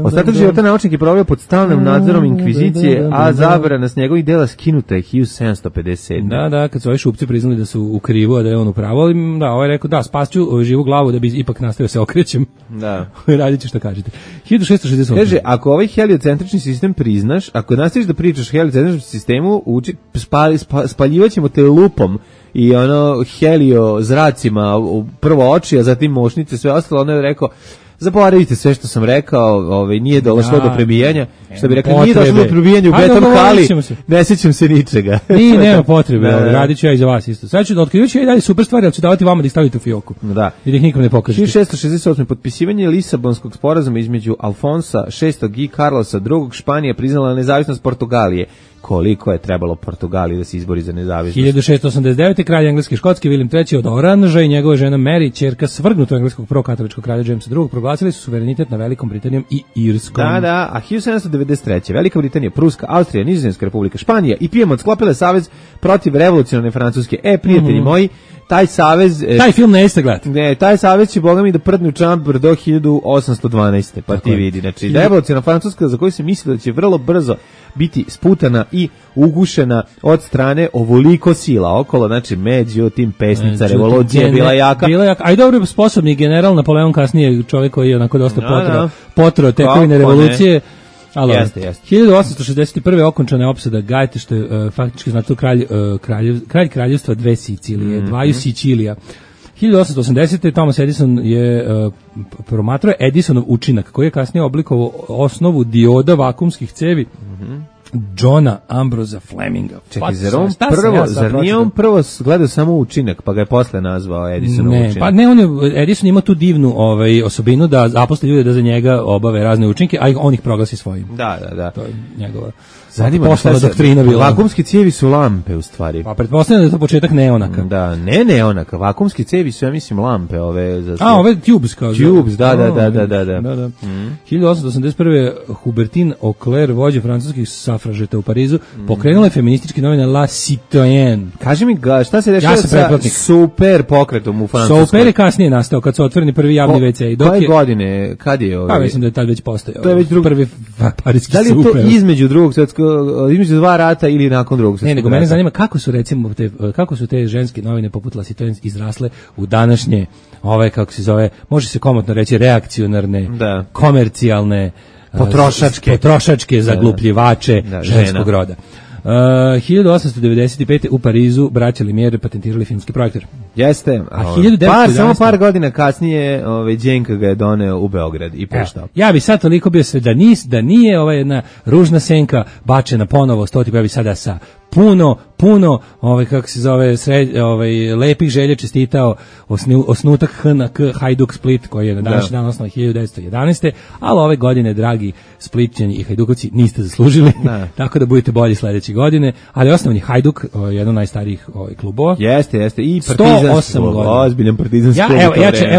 Speaker 6: Ostatak života naučnik je proveo pod stalnim nadzorom inkvizicije, a zabrana s njegovih dela skinuta je 1757.
Speaker 5: Da, kad su ovi šupci priznali da su u krivu, a da je on u pravu, ali da, ovaj rekao, da, spašću živu glavu da bi ipak nastavio se okrećem.
Speaker 6: Da.
Speaker 5: Radit ću što kažete. 1668.
Speaker 6: Kaže, ako ovaj heliocentrični sistem priznaš, ako nastaviš da pričaš o heliocentričnom sistemu, spaljivaćemo te lupom i helio zracima prvo oči, a zatim mošnice, sve ostalo. Ono je rekao, zaboravite sve što sam rekao, nije došlo do prebijanja, što bi rekli, nije došlo do prebijanja u beton hali, ne sjećam se ničega.
Speaker 5: Nema potrebe, radit ću ja i za vas isto. Sad ću da otkrivaću ja i dalje super stvari, ali ću davati vama da ih stavite u fioku.
Speaker 6: Da.
Speaker 5: I da ih nikom ne pokažete.
Speaker 6: 1668. potpisivanje Lisabonskog sporazuma između Alfonsa VI i Carlosa II. Španija priznala nezavisnost Portugalije. Koliko je trebalo Portugaliji da se izbori za nezavisnost.
Speaker 5: 1689. kralj engleski škotski William III od Oranža i njegova žena Mary, ćerka svrgnutog engleskog prokatoličkog kralja Jamesa II, proglasili su suverenitet na Velikom Britanijom i Irskom.
Speaker 6: Da, a 1793. Velika Britanija, Pruska, Austrija, Nizozemska republika, Španija i Pijemont sklopile savez protiv revolucionarne Francuske. Prijatelji moji, taj savez...
Speaker 5: Taj film ne jeste gledati.
Speaker 6: Ne, taj savez će, boga mi, da prdne u čambr do 1812. Pa ti vidi. Znači, revolucionarna Francuska, za koju se misli da će vrlo brzo biti sputana i ugušena od strane ovoliko sila okolo, znači među tim pesnica revolucija bila jaka.
Speaker 5: A i dobro sposobni general Napoleon, kasnije čovjek koji je onako dosta potro tekovine revolucije.
Speaker 6: Jeste.
Speaker 5: 1861. okončana je opsada Gajete, što je faktički znači kralj kraljevstva dve Sicilije, dvaju Sicilija. 1880. Thomas Edison je promatrao Edisonov učinak, koji je kasnije oblikovao osnovu dioda vakumskih cevi Johna Ambrosa Fleminga.
Speaker 6: Čekaj, zar nije on prvo gledao samo učinak, pa ga je posle nazvao Edisonov učinak?
Speaker 5: Pa ne, Edison ima tu divnu osobinu da zaposli ljude da za njega obave razne učinke, a on ih proglasi svojim.
Speaker 6: Da.
Speaker 5: To je njegova
Speaker 6: poslovna doktrina bila. Vakumske cijevi su lampe u stvari.
Speaker 5: Pa pretpostavljam da je to početak neonaka.
Speaker 6: Da, ne neonaka, vakumske cijevi su, ja mislim, lampe ove.
Speaker 5: Ove tubes kao.
Speaker 6: Tubes, da.
Speaker 5: 1881. Hubertin Auclair, vođa francuskih safražeta u Parizu, pokrenula je feminističke novine La Citoyenne.
Speaker 6: Kaži mi, šta se dešava sa super pokretom u Francuskoj?
Speaker 5: Super je kasnije nastao, kad su otvoreni prvi javni WC.
Speaker 6: Koje godine, kad je ovo?
Speaker 5: Pa mislim da je tad već postojao.
Speaker 6: To je već
Speaker 5: prvi parijski
Speaker 6: super. Da li je to između drugog svjetskog, između dva rata ili nakon drugog svjetskog rata?
Speaker 5: Ne, nego mene zanima kako su te ženske novine poput La Citoyenne izrasle u današnje, kako se zove, može se komotno reći reakcionarne, komercijalne, potrošačke zaglupljivače ženskog roda. 1895. u Parizu braća Lumière patentirali filmski projektor.
Speaker 6: Jeste. Samo par godina kasnije Đenka ga je doneo u Beograd i puštao.
Speaker 5: Ja bi sad toliko bio sve da nije ova jedna ružna senka bačena ponovo ja bi sada sa puno kako se zove lepih želja čestitao osnutak HNK Hajduk Split, koji je na današnji dan osnovan 1911. Ali ove godine, dragi Splitčani i Hajdukovci, niste zaslužili, tako da budete bolji sledeće godine, ali osnovan je Hajduk, jedan od najstarijih klubova.
Speaker 6: Jeste, i partizanski klub, ozbiljan partizanski klub.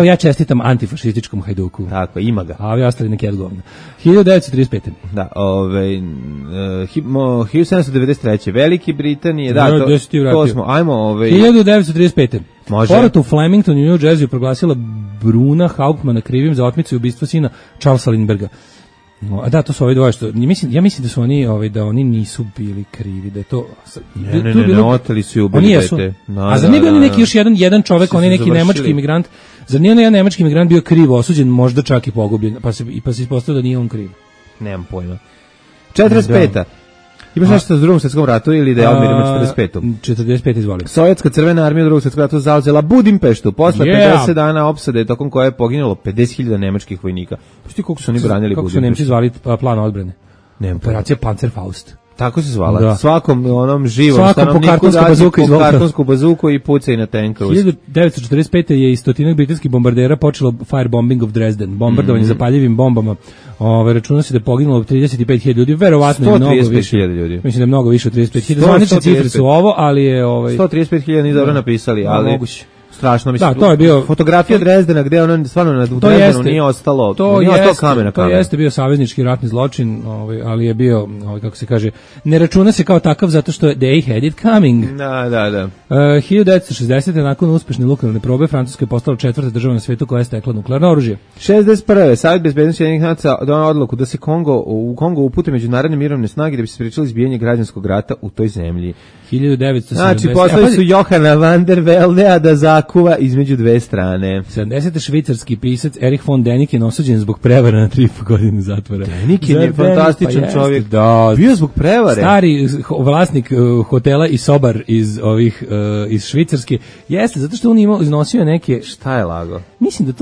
Speaker 5: Ja čestitam antifašističkom Hajduku.
Speaker 6: Tako, ima ga.
Speaker 5: A ovi ostali neki odgovno. 1935.
Speaker 6: Da, 1793. Velike Britanije, to smo, ajmo
Speaker 5: 1935.
Speaker 6: Može.
Speaker 5: Porot u Flemingtonu, New Jersey, proglasila Bruna Hauptmana krivim za otmicu i ubistvo sina Charlesa Lindberga. Da, to su ovi dvoje što ja mislim da su oni da oni nisu bili krivi, da je to
Speaker 6: ne, oteli su i ubili dete.
Speaker 5: A za nije bio neki još jedan čovek, on je neki nemački imigrant. Za nije jedan nemački imigrant bio krivo osuđen, možda čak i pogubljen, pa se ispostavilo da nije on kriv.
Speaker 6: Nemam pojma. 45. Imaš nešto s drugom svjetskom ratu ili da je odmirimo 45.
Speaker 5: 45, izvolim.
Speaker 6: Sovjetska crvena armija u drugom svjetskom ratu zauzela Budimpeštu posle 50 dana opsade, tokom koje je poginulo 50.000 nemačkih vojnika. Pusti koliko su oni branili Budimpeštu.
Speaker 5: Kako su Nemci zvali plan odbrane? Operacija Panzerfaust.
Speaker 6: Tako se zvala. Da. Svakom onom živom
Speaker 5: stanovniku
Speaker 6: po kartonsku bazuku i pucaj na tenka.
Speaker 5: 1945. je iz stotinak britanskih bombardera počelo firebombing of Dresden. Bombardovanje zapaljivim bombama. Računa se da je poginulo 35.000 ljudi, verovatno je mnogo više.
Speaker 6: Ljudi.
Speaker 5: Mislim da je mnogo više od 35.000. Zvanične cifre su ovo, ali je
Speaker 6: 135.000 nije dobro napisali, ali
Speaker 5: moguće.
Speaker 6: Strašno, mislim.
Speaker 5: Da, to je bio
Speaker 6: fotografija Drezdena gde ono stvarno na Drezdenu nije ostalo, kamena.
Speaker 5: To jeste bio saveznički ratni zločin, ali je bio, kako se kaže, ne računa se kao takav zato što they had it coming.
Speaker 6: Da.
Speaker 5: 1960. nakon uspešne nuklearne probe Francuska je postala četvrta država na svetu koja je stekla nuklearno oružje.
Speaker 6: 61. Savjet bezbednosti Ujedinjenih nacija doneo odluku da se u Kongo upute međunarodne mirovne snage da bi se sprečilo izbijanje građanskog rata u toj zemlji.
Speaker 5: 1970.
Speaker 6: Znači, poslali su Johana van der Veldea da zakuva između dve strane.
Speaker 5: 70. švicarski pisac Erich von Däniken osuđen zbog prevara na 3,5 godine zatvora.
Speaker 6: Däniken je fantastičan čovjek. Bio zbog prevare.
Speaker 5: Stari vlasnik hotela i sobar iz Švicarske. Jeste, zato što on iznosio neke...
Speaker 6: Šta je lago?
Speaker 5: Mislim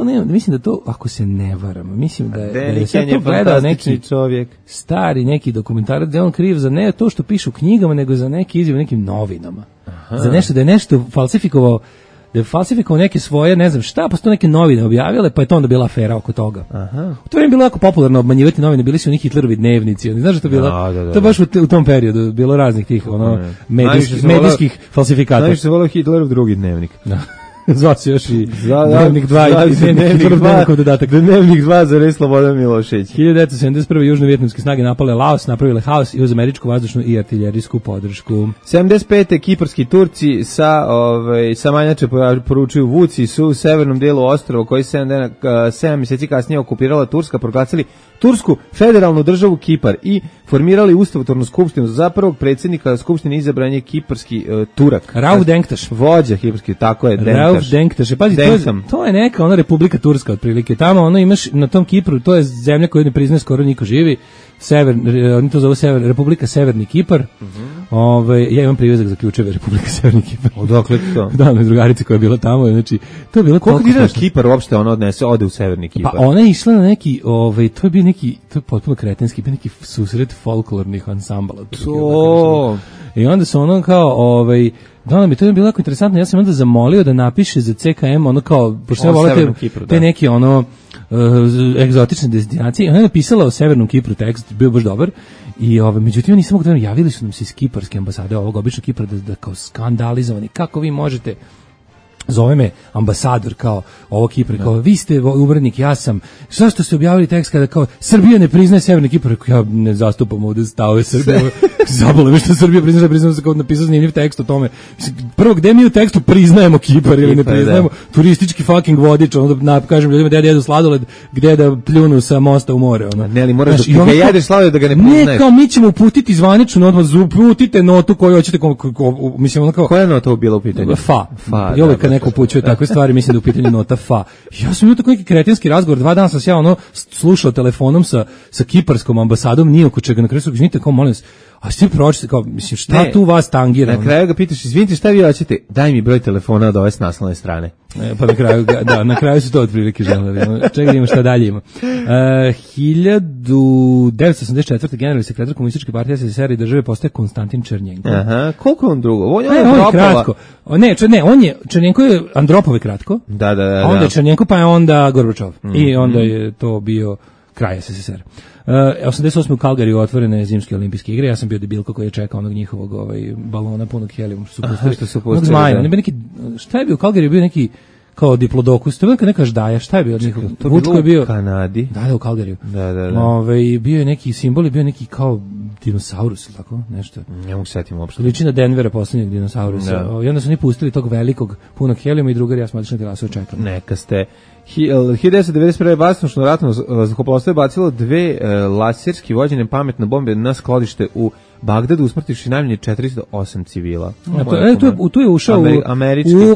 Speaker 5: da to, ako se ne varam, mislim da je
Speaker 6: sad to gledao neki
Speaker 5: čovjek. Stari neki dokumentarac da je on kriv za ne to što piše u knjigama, nego za neki izjav u nekim novinama. Za nešto, da je nešto falsifikovao, neke svoje, ne znam šta, pa su to neke novine objavile, pa je to onda bila afera oko toga. U to vrijeme bilo jako popularno obmanjivati novine, bili su oni Hitlerovi dnevnici, znaš što je bilo? To je baš u tom periodu bilo raznih tih medijskih falsifikata.
Speaker 6: Najviše se volio Hitlerov drugi dnevnik.
Speaker 5: Zvao se još i Dnevnik 2 i
Speaker 6: Dnevnik 2 za Slobodan Milošević.
Speaker 5: 1971. južno-vjetnamske snage napale Laos, napravile haos i uz američku vazdušnu i artiljerijsku podršku.
Speaker 6: 75. kiparski Turci sa Manjače poručuju Vuci su u severnom delu ostrva koji 7 mjeseci kasnije okupirala Turska, proglasili Tursku federalnu državu Kipar i formirali ustavotvornu skupštinu. Za prvog predsjednika skupštine izabran je kiparski Turak.
Speaker 5: Rauf Denktaš.
Speaker 6: Vođa kiparski, tako je,
Speaker 5: Rauf Denktaš. Pazi, to je neka ona Republika Turska otprilike. Tamo imaš na tom Kipru, to je zemlja koju ne priznaje skoro niko živi. Oni to zovu Republika Severni Kipar. Ja imam privezak za ključeve Republike Severni Kipar.
Speaker 6: Odakle to?
Speaker 5: Da, na drugarici koja je bila tamo, znači to je bilo
Speaker 6: koliko dinara Kipar uopšte ona ode u Severni Kipar.
Speaker 5: Pa ona je išla na neki, to je bio neki, to je potpuno kretenski, bio neki susret folklornih ansambala.
Speaker 6: To.
Speaker 5: I onda su ono kao, da, mi to je bilo jako interesantno, ja sam onda zamolio da napiše za CKM, ono kao, pošto ja volim te neki, egzotične destinacije, ona je napisala o Severnom Kipru tekst, bio baš dobar, i međutim, ja nisam mogu da javili su nam se iz kiparske ambasade, ovog običnog Kipra, da kao skandalizovani, kako vi možete, zove me ambasador kao ovo Kipra, kao vi ste urednik, ja sam, zašto ste objavili tekst kada kao Srbija ne priznaje Severni Kipar, ja ne zastupam ovde stavove Srbije, zabole me što Srbija priznaje kao napisao zanimljiv tekst o tome. Prvo, gde mi u tekstu priznajemo Kipar ili ne priznajemo turistički fucking vodič, onda kažem ljudima da jedu sladoled, gde da pljunu sa mosta u more.
Speaker 6: Ne, ali moraš da jedeš sladoled da ga ne priznaješ.
Speaker 5: Ne, kao mi ćemo uputiti zvaničnu odmah, uputite notu koju hoćete, mislim ono kao...
Speaker 6: Koja nota je bila u pitanju?
Speaker 5: Fa. Neko upućuje takve stvari, mislim da u pitanju nota fa. Ja sam imao tako neki kretenski razgovor, 2 dana sam se ja slušao telefonom sa kiparskom ambasadom, nije oko čega, na kraju su izvinite, kao molim vas, a svi pročite, kao, mislim, šta tu vas tangira?
Speaker 6: Na kraju ga pitaš, izvinite, šta vi hoćete? Daj mi broj telefona od ove s naslovne strane.
Speaker 5: Pa na kraju su to otprilike želeli. Čekaj da ima šta dalje ima. 1984. generalni sekretar Komunističke partije SSSR i države postaje Konstantin Černjenko.
Speaker 6: Aha, koliko on drugo? On je
Speaker 5: kratko. On je, Černjenko je Andropove kratko.
Speaker 6: Da.
Speaker 5: A onda je Černjenko, pa je onda Gorbačov. I onda je to bio kraj SSSR. 88. u Kalgariju otvorene zimske olimpijske igre, ja sam bio debilko koji je čekao onog njihovog balona punog helijuma što su pustili. Zmaja, šta je bio u Kalgariju, bio neki kao diplodokus, to je neka ždaja, šta je bio od njihov?
Speaker 6: Vučko je bio u Kanadi.
Speaker 5: Da, u Kalgariju.
Speaker 6: Da.
Speaker 5: Bio je neki simbol, bio neki kao dinosaurus ili tako, nešto.
Speaker 6: Ne mogu setim uopšte.
Speaker 5: Liči na Denvera, poslednjeg dinosaurusa. I onda su oni pustili tog velikog punog helijuma i drugari, ja smo otišli na terasu čekali.
Speaker 6: Neka ste. 1991. vazdušno ratno vazduhoplovstvo je bacilo 2 laserski vođene pametne bombe na skladište u Bagdadu, usmrtivši najmanje 408 civila.
Speaker 5: Tu je ušao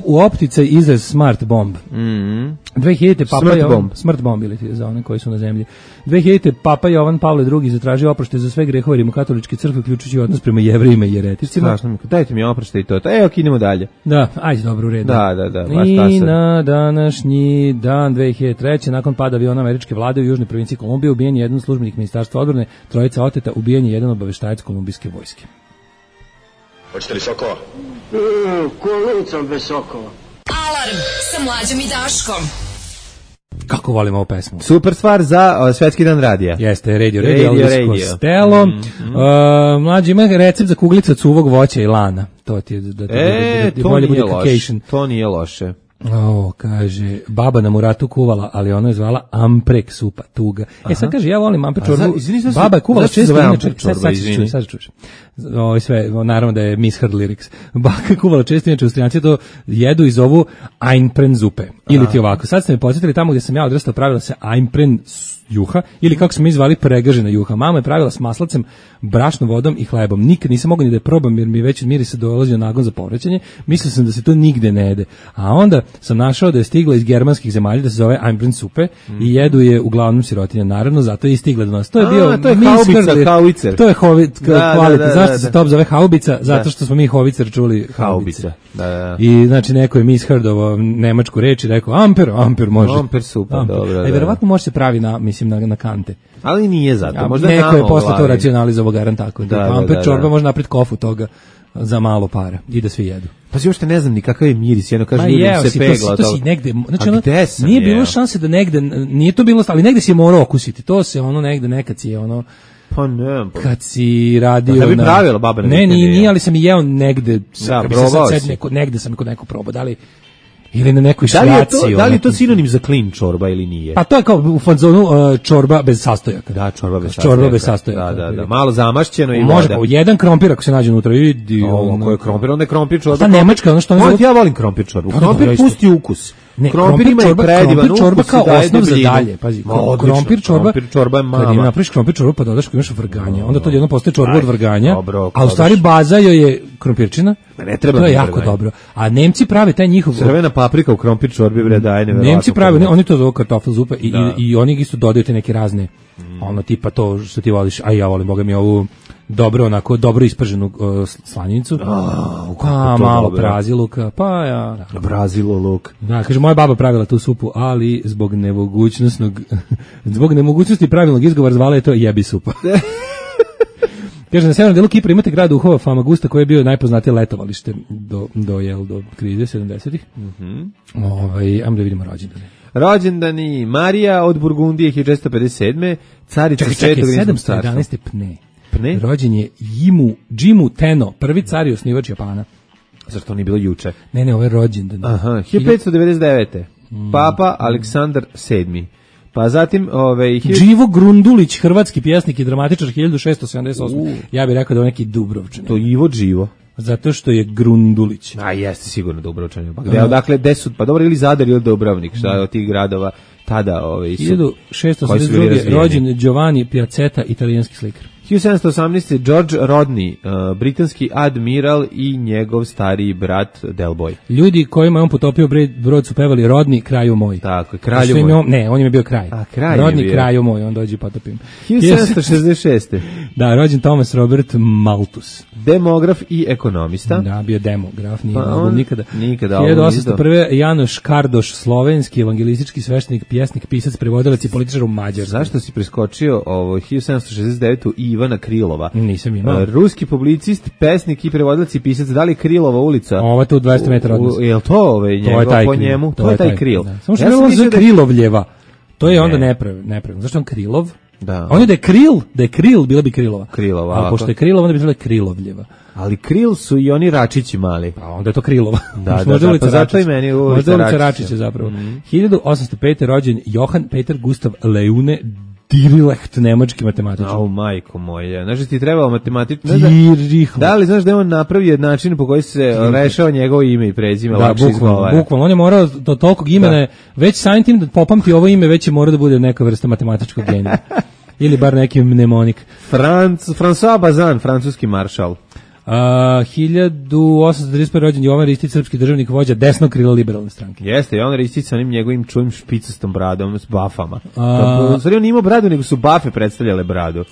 Speaker 5: u opticaj izraz smart bomb. 2000. Papa Jovan, smart bomb ili za one koji su na zemlji. 2000. Papa Jovan Pavle II zatražio oproštaj za sve grehove rimokatoličke crkve, uključujući odnos prema Jevrejima i jereticima.
Speaker 6: Dajte mi oproštaj i to. Evo, idemo dalje.
Speaker 5: Da, ajde, dobro, u redu.
Speaker 6: Da.
Speaker 5: I na današnji dan 2003. nakon pada aviona američke vlade u južnoj provinciji Kolumbije ubijen je jedan službenik ministarstva odbrane, 3 oteta, ubijen je jedan obaveštajac kolumbijske vojske.
Speaker 3: Hoćete li sokova?
Speaker 4: Kolicom bez sokova.
Speaker 2: Alarm sa Mlađom i Daškom.
Speaker 5: Kako volim ovu pesmu.
Speaker 6: Super stvar za Svetski dan radija.
Speaker 5: Jeste, Radio Costello. Mlađi ima recept za kuglice od suvog voća i lana. To ti je
Speaker 6: to nije loše.
Speaker 5: Kaže, baba na Muratu kuvala, ali ono je zvala amprek supa, tuga. Sad kaže, ja volim amprek čorbu. Baba je kuvala često, inače, sad čuješ. Sve, naravno da je misheard lyrics. Baka kuvala često, inače Austrijanci to jedu i zovu Einpren zupe. Ili ti ovako. Sad ste me podsjetili tamo gdje sam ja odrastao, pravila se Einpren juha, ili kako smo mi zvali pregažena juha. Mama je pravila s maslacem, brašnom vodom i hlebom. Nikad nisam mogao ni da je probam jer mi već od mirisa dolazio nagon za povraćanje. Mislio sam da se to nigde ne jede. A onda sam našao da je stigla iz germanskih zemalja, da se zove Einpren supe i jedu je uglavnom sirotinja. Naravno, zato je i stigla do nas. To je bio
Speaker 6: to je haubica.
Speaker 5: To je kvalitet. Zašto se to zove haubica? Zato što smo mi hovicer čuli haubica.
Speaker 6: Da.
Speaker 5: I znači neko je misheardovo nemačku reč i rekao amper može.
Speaker 6: Amper supa, dobro.
Speaker 5: Verovatno može se pravi na kante.
Speaker 6: Ali nije zato. Možda
Speaker 5: neko je posle to racionalizovao garant tako. Amper čorba može napraviti kofu toga za malo para i da svi jedu.
Speaker 6: Pa si uopšte ne znam ni kakav je miris, jedno kaže ljudima se pegla.
Speaker 5: To si negde, znači nije bilo šanse da negde, nije to bilo, ali negde si je morao okusiti. To se ono negde, nekad si je ono,
Speaker 6: pa ne,
Speaker 5: kad si radio
Speaker 6: na... Da bi pravila baba na...
Speaker 5: Ne, nije, ali sam i jeo negde, negde sam kod neko probao, da li... Ili na nekoj šljaci.
Speaker 6: Da li je to sinonim za clean čorba ili nije?
Speaker 5: Pa to je kao u fazonu čorba bez sastojaka.
Speaker 6: Da, čorba bez sastojaka. Da. Malo zamašćeno i voda.
Speaker 5: Može, jedan krompir ako se nađe unutra.
Speaker 6: Ko je krompir, onda je krompir čorba.
Speaker 5: Ta nemačka, ono što oni
Speaker 6: zove... Ja volim krompir čorbu. Krompir pusti ukus. Krompir ima predivan ukus.
Speaker 5: Čorba kao osnov za dalje. Pazi, krompir
Speaker 6: čorba je mama.
Speaker 5: Kad napraviš krompir čorbu pa dodaš imaš vrganja. Onda to jedno postaje čorba od vrganja. A u stvari baza joj je krompirčina.
Speaker 6: Ne treba.
Speaker 5: To je jako dobro. A Nemci prave taj njihov
Speaker 6: crvena paprika u krompir čorbi daje neverovatno.
Speaker 5: Nemci prave, oni to zovu kartofel zupa i oni isto dodaju te neke razne ono tipa to što ti voliš, a ja volim boga mi ovu dobro, onako, dobro isprženu slaninicu. Malo praziluka, pa ja.
Speaker 6: Braziloluk.
Speaker 5: Da, kaže, moja baba pravila tu supu, ali zbog nemogućnosti pravilnog izgovora zvala je to jebi supa. Kaže, na severnom delu Kipra imate grad duhova Famagusta koji je bio najpoznatije letovalište do krize 70-ih. Ajmo da vidimo rođendane.
Speaker 6: Rođendani Marija od Burgundije 1457. Carica Svetog Rimskog carstva.
Speaker 5: 711. Pne. Rođen je Jimu Teno, prvi car i osnivač Japana.
Speaker 6: Zar to nije bilo juče?
Speaker 5: Ne, ovo je rođendan.
Speaker 6: Aha, 1599. Papa Aleksandar VII. Pa zatim
Speaker 5: Živo Grundulić, hrvatski pjesnik i dramatičar 1678. Ja bih rekao da je neki Dubrovčanin.
Speaker 6: To Ivo Živo.
Speaker 5: Zato što je Grundulić.
Speaker 6: A jeste sigurno Dubrovčanin. Dakle, pa dobro, ili Zadar ili Dubrovnik, šta od tih gradova tada su
Speaker 5: 1682. rođen Giovanni Piazzetta, italijanski slikar.
Speaker 6: 1718. George Rodney, britanski admiral i njegov stariji brat Delboy.
Speaker 5: Ljudi kojima je on potopio brod su pevali Rodney, kraju moj.
Speaker 6: Tako, kralju moj.
Speaker 5: Ne, on je bio kraj. Rodney, kraju moj, on dođe potopim.
Speaker 6: 1766.
Speaker 5: Da, rođen Thomas Robert Malthus.
Speaker 6: Demograf i ekonomista.
Speaker 5: Da, bio demograf, nije mogao nikada.
Speaker 6: 1801.
Speaker 5: Janoš Kardoš, slovenski evangelistički sveštenik, pjesnik, pisac, prevodilac i političar u Mađarskoj.
Speaker 6: Zašto si preskočio 1769. Ivana Krilova?
Speaker 5: Nisam imao.
Speaker 6: Ruski publicist, pesnik i prevodilac i pisac. Da li Krilova ulica?
Speaker 5: Ovo je tu 200 metara od nas.
Speaker 6: Je li to po njemu? To je taj Kril.
Speaker 5: Samo što je zove Krilovljeva. To je onda nepravilno. Zašto on Krilov?
Speaker 6: Da.
Speaker 5: On je da je Kril, bila bi Krilova.
Speaker 6: Krilova.
Speaker 5: A pošto je Krilova, onda bi bila Krilovljeva.
Speaker 6: Ali Kril su i oni Račići mali.
Speaker 5: Pa onda je to Krilova.
Speaker 6: Da, pa zato i meni
Speaker 5: ulica Račića zapravo. 1805. rođen Johann Peter Gustav Leune Dirichlet, nemački matematičar.
Speaker 6: Au, majko moja. Znaš da ti trebao matematičar? Da li znaš da je on napravio način po koji se rešava njegovo ime i prezime?
Speaker 5: Da, bukvalno. On je morao do tolikog imena, već samim tim da popamti ovo ime, već je morao da bude neka vrsta matematičkog genija. Ili bar neki mnemonik.
Speaker 6: François Bazin, francuski maršal.
Speaker 5: 1835. rođen Jovan Ristić, srpski državnik, vođa desnog krila liberalne stranke.
Speaker 6: Jeste, Jovan Ristić sa onim njegovim čujim špicastom bradom, s bafama. Sorry, on nije imao bradu, nego su bafe predstavljale bradu.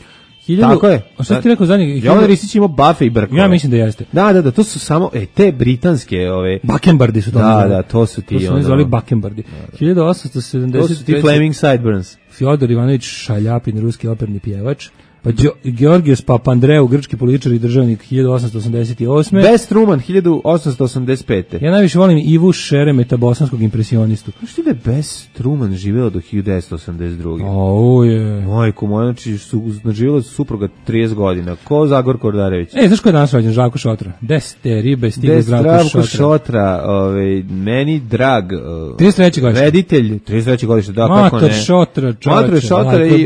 Speaker 6: Tako je.
Speaker 5: A šta ti rekao za njega?
Speaker 6: Jovan Ristić imao bafe i brkove.
Speaker 5: Ja mislim da jeste.
Speaker 6: Da, to su samo te britanske
Speaker 5: Bakembardi su to.
Speaker 6: Da, to su ti.
Speaker 5: To su oni zvali Bakembardi. 1870.
Speaker 6: To su ti Flaming Sideburns.
Speaker 5: Fjodor Ivanović Šaljapin, ruski operni pjevač. Pa Georgijos Papandreou, grčki političar i državnik 1888.
Speaker 6: Best Truman 1885.
Speaker 5: Ja najviše volim Ivu Šeremeta, bosanskog impresionistu.
Speaker 6: Što da je Best Truman živjela do 1982. Majko moja, znači živjela su supruga 30 godina. Ko Zagor Kordarević?
Speaker 5: Znaš ko je danas rođen? Žaljko Šotra. Deste ribe stigu Zdravko
Speaker 6: Šotra. Meni drag
Speaker 5: 33. godište.
Speaker 6: Reditelj 33. godište, da, kako ne.
Speaker 5: Mator Šotra,
Speaker 6: i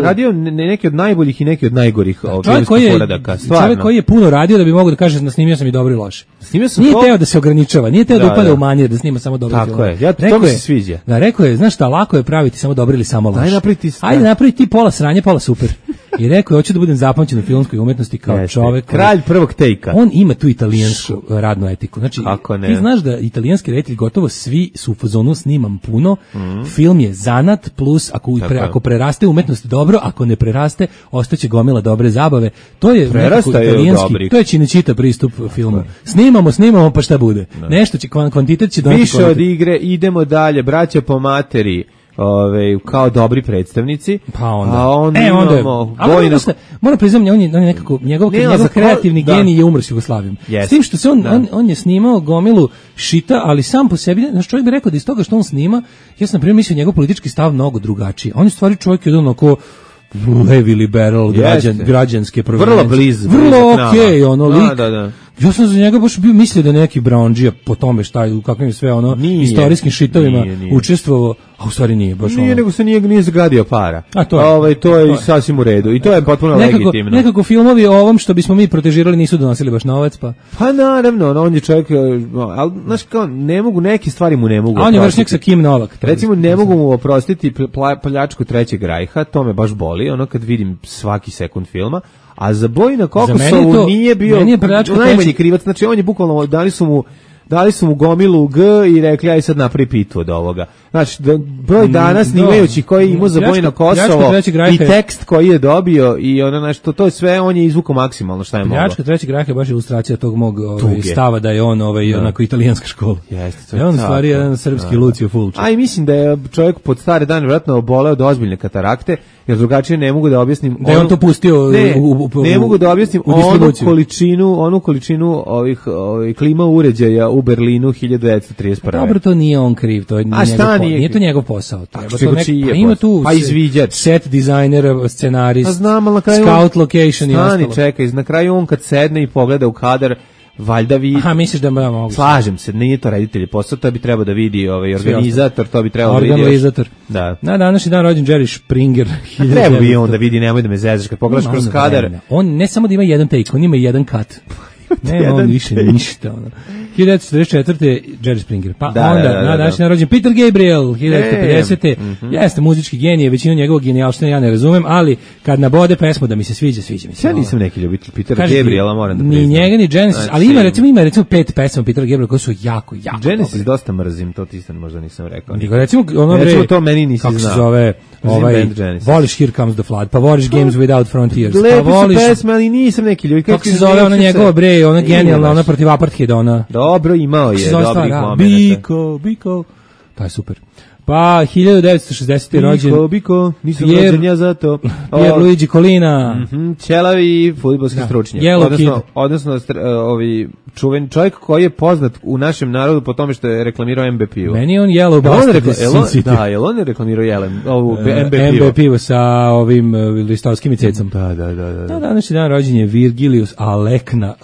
Speaker 6: radio neki od najboljih i neki od najgorih filmskih poradaka.
Speaker 5: Čovjek koji je puno radio da bi mogao da kaže da snimio sam i dobro i loše. Nije teo da se ograničava, nije teo da upada u manir, da snima samo dobre filmove.
Speaker 6: Tako je, to mi se sviđa.
Speaker 5: Da, rekao je, znaš šta, lako je praviti samo dobro ili samo loše.
Speaker 6: Ajde
Speaker 5: napravi ti pola sranje, pola super. I rekao je, hoću da budem zapamćen u filmskoj umetnosti kao čovjek.
Speaker 6: Kralj prvog tejka.
Speaker 5: On ima tu italijansku radnu etiku. Znači, ti znaš da italijanski reditelji gotovo svi su u fazonu snimam puno, film je zanat, plus ako preraste umetnost dobro, ako ne preraste, ostaće gomila dobre zabave. To je italijanski, to je Cinecittà pristup filmu. Snimamo, pa šta bude. Nešto će, kvantitet će doneti.
Speaker 6: Više od igre, idemo dalje, braća po materi. Kao dobri predstavnici.
Speaker 5: Pa onda.
Speaker 6: A onda imamo
Speaker 5: moram priznati, on je nekako njegov kreativni genij je umro s Jugoslavijom. S tim što se on je snimao gomilu šita, ali sam po sebi, znači čovjek bi rekao da iz toga što on snima, ja sam na primjer mislio njegov politički stav mnogo drugačiji. On je stvari čovjek jedan onako levi liberal, građanske
Speaker 6: vrlo blizu.
Speaker 5: Vrlo okej, ono lik.
Speaker 6: Da.
Speaker 5: Ja sam za njega baš bio mislio da je neki brownđija po tome u kakvim sve istorijskim šitovima učestvovao, a u stvari nije baš
Speaker 6: Nije, nego se nije zagadio para. A to je sasvim u redu i to je potpuno legitimno.
Speaker 5: Nekako filmovi o ovom što bismo mi protežirali nisu donosili baš novac, pa.
Speaker 6: Pa naravno, on je čovjek, ali znaš kao, ne mogu, neke stvari mu ne mogu.
Speaker 5: A on je vršnik sa Kim Novak.
Speaker 6: Recimo, ne mogu mu oprostiti pljačku Trećeg rajha, to me baš boli, kad vidim svaki sekund filma. A za Bojina Kokosovu nije bio najmanji krivac, znači on je bukvalno, dali su mu dali su mu gomilu G i rekli aj sad napravi pitu od ovoga. Znači, broj dana snimajući koji imao za Bojno Kosovo i tekst koji je dobio i ono nešto, to je sve, on je izvukao maksimalno šta je moglo.
Speaker 5: Pljačka trećeg rajha je baš ilustracija tog mog stava da je on onako italijanska škola.
Speaker 6: Jeste,
Speaker 5: to je on stvari jedan srpski Lucio Fulci.
Speaker 6: A i mislim da je čovjek pod stare dane vjerojatno oboleo od ozbiljne katarakte, jer drugačije ne mogu da objasnim.
Speaker 5: Da je on to pustio
Speaker 6: ne mogu da objasnim onu količinu ovih klima uređaja u Berlinu 1931.
Speaker 5: Dobro, to nije on kriv, to je nije to njegov posao.
Speaker 6: Ima tu izviđač,
Speaker 5: set dizajner, scenarist,
Speaker 6: kraju
Speaker 5: scout location i ostalo.
Speaker 6: Čekaj, na kraju on kad sedne i pogleda u kadar, valjda vidi.
Speaker 5: Aha, misliš da mogu.
Speaker 6: Slažem se, nije to reditelj posao, to bi trebao da vidi organizator, to bi trebao da vidi.
Speaker 5: Organizator. Da. Na današnji dan rođen Jerry Springer.
Speaker 6: Treba bi on da vidi, nemoj da me zezaš kad pogledaš kroz kadar.
Speaker 5: On ne samo da ima jedan take, on ima jedan cut. Ne, on više ništa. 1944. Jerry Springer. Pa onda, na današnji dan rođen Peter Gabriel, 1950. Jeste muzički genije, većinu njegovog genijalština ja ne razumem, ali kad nabode pesmu da mi se sviđa mi se.
Speaker 6: Ja nisam neki ljubitelj Petera Gabriela, moram da priznam.
Speaker 5: Ni njega, ni Genesis, ali ima recimo 5 pesama Petera Gabriela koje su jako
Speaker 6: Genesis dosta mrzim, to ti možda nisam rekao.
Speaker 5: Recimo
Speaker 6: to meni nisi znao.
Speaker 5: Kako se zove, voliš Here Comes the Flood, pa voliš Games Without Frontiers,
Speaker 6: pa voliš pesme, ali nisam neki ljubitelj.
Speaker 5: Kako se zove ona njegova ona genijalna, ona protiv apartheida, ona.
Speaker 6: Dobro, imao je dobrih momenta.
Speaker 5: Biko, pa je super. Pa 1960. rođen
Speaker 6: Biko, nisam rođen ja za to.
Speaker 5: Pierluigi Collina.
Speaker 6: Ćelavi fudbalski stručnjak. Odnosno čuven čovjek koji je poznat u našem narodu po tome što je reklamirao MB pivo.
Speaker 5: Meni je on Yellow Bastard.
Speaker 6: Da, je on je reklamirao
Speaker 5: MB pivo sa ovim listovskim cecom.
Speaker 6: Da.
Speaker 5: Na današnji dan rođen je Virgilius Alekna,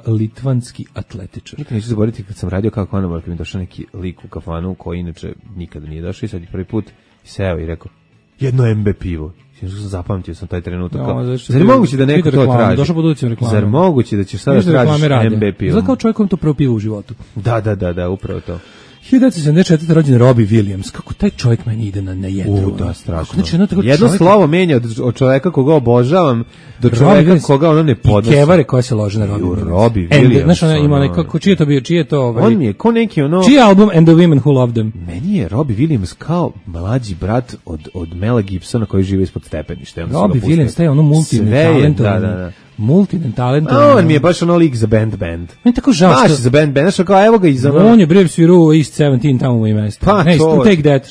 Speaker 5: litvanski atletičar.
Speaker 6: Nikad neću zaboraviti kad sam radio kako ono, kad mi došao neki lik u kafanu koji inače nikada nije došao i sad je prvi put seo i rekao jedno MB pivo. Zapamtio sam taj trenutak. Zar je moguće da neko to traži? Zar moguće da ćeš sada tražiš MB pivo?
Speaker 5: Zar kao čovjek kom to prvo pivo u životu?
Speaker 6: Da, upravo to.
Speaker 5: 1974. rođen Robbie Williams. Kako taj čovjek meni ide na jedru.
Speaker 6: Da, strašno. Jedno slovo menja od čovjeka koga obožavam do čovjeka koga ono ne podnosi.
Speaker 5: I kevare koja se lože na Robbie
Speaker 6: Williams.
Speaker 5: Znaš, ona ima nekako, čije je to?
Speaker 6: On mi je ko neki ono...
Speaker 5: Čiji album And the Women Who Loved Them?
Speaker 6: Meni je Robbie Williams kao mlađi brat od Mela Gibsona koji žive ispod stepeništa.
Speaker 5: Robbie Williams, taj ono multitalentovan.
Speaker 6: On mi je baš ono lik za band.
Speaker 5: Meni tako žao što...
Speaker 6: za band, znaš kao evo ga iz ono...
Speaker 5: On je bre svirao East 17 tamo u mestu.
Speaker 6: Pa to...
Speaker 5: Take That.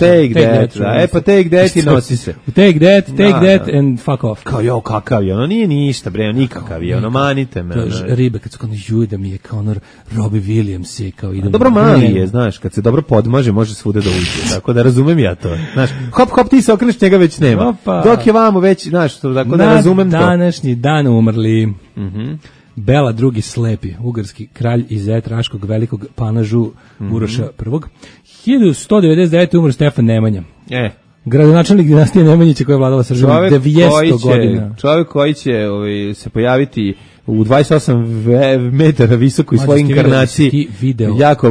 Speaker 6: Pa Take That i nosi se.
Speaker 5: Take That and fuck off.
Speaker 6: Kao kakav je, ono nije ništa bre, nikakav je, ono manite me.
Speaker 5: Ribe kad su kao da mi je kao ono Robbie Williams je kao idem...
Speaker 6: Dobro mali je, znaš, kad se dobro podmaže može svuda da uđe, tako da razumem ja to. Znaš, hop ti se okreneš, njega već nema. Dok je vamo već, znaš, tako da razumem to.
Speaker 5: Današnji dan umrli Bela II Slepi, ugarski kralj i zet Raškog velikog panažu Uroša I. 1199. umro Stefan Nemanja. Gradonačelnik dinastije Nemanjića koja je vladala Srbijom 200 godina.
Speaker 6: Čovjek koji će se pojaviti u 28 metara visoko i svoj inkarnaciji jako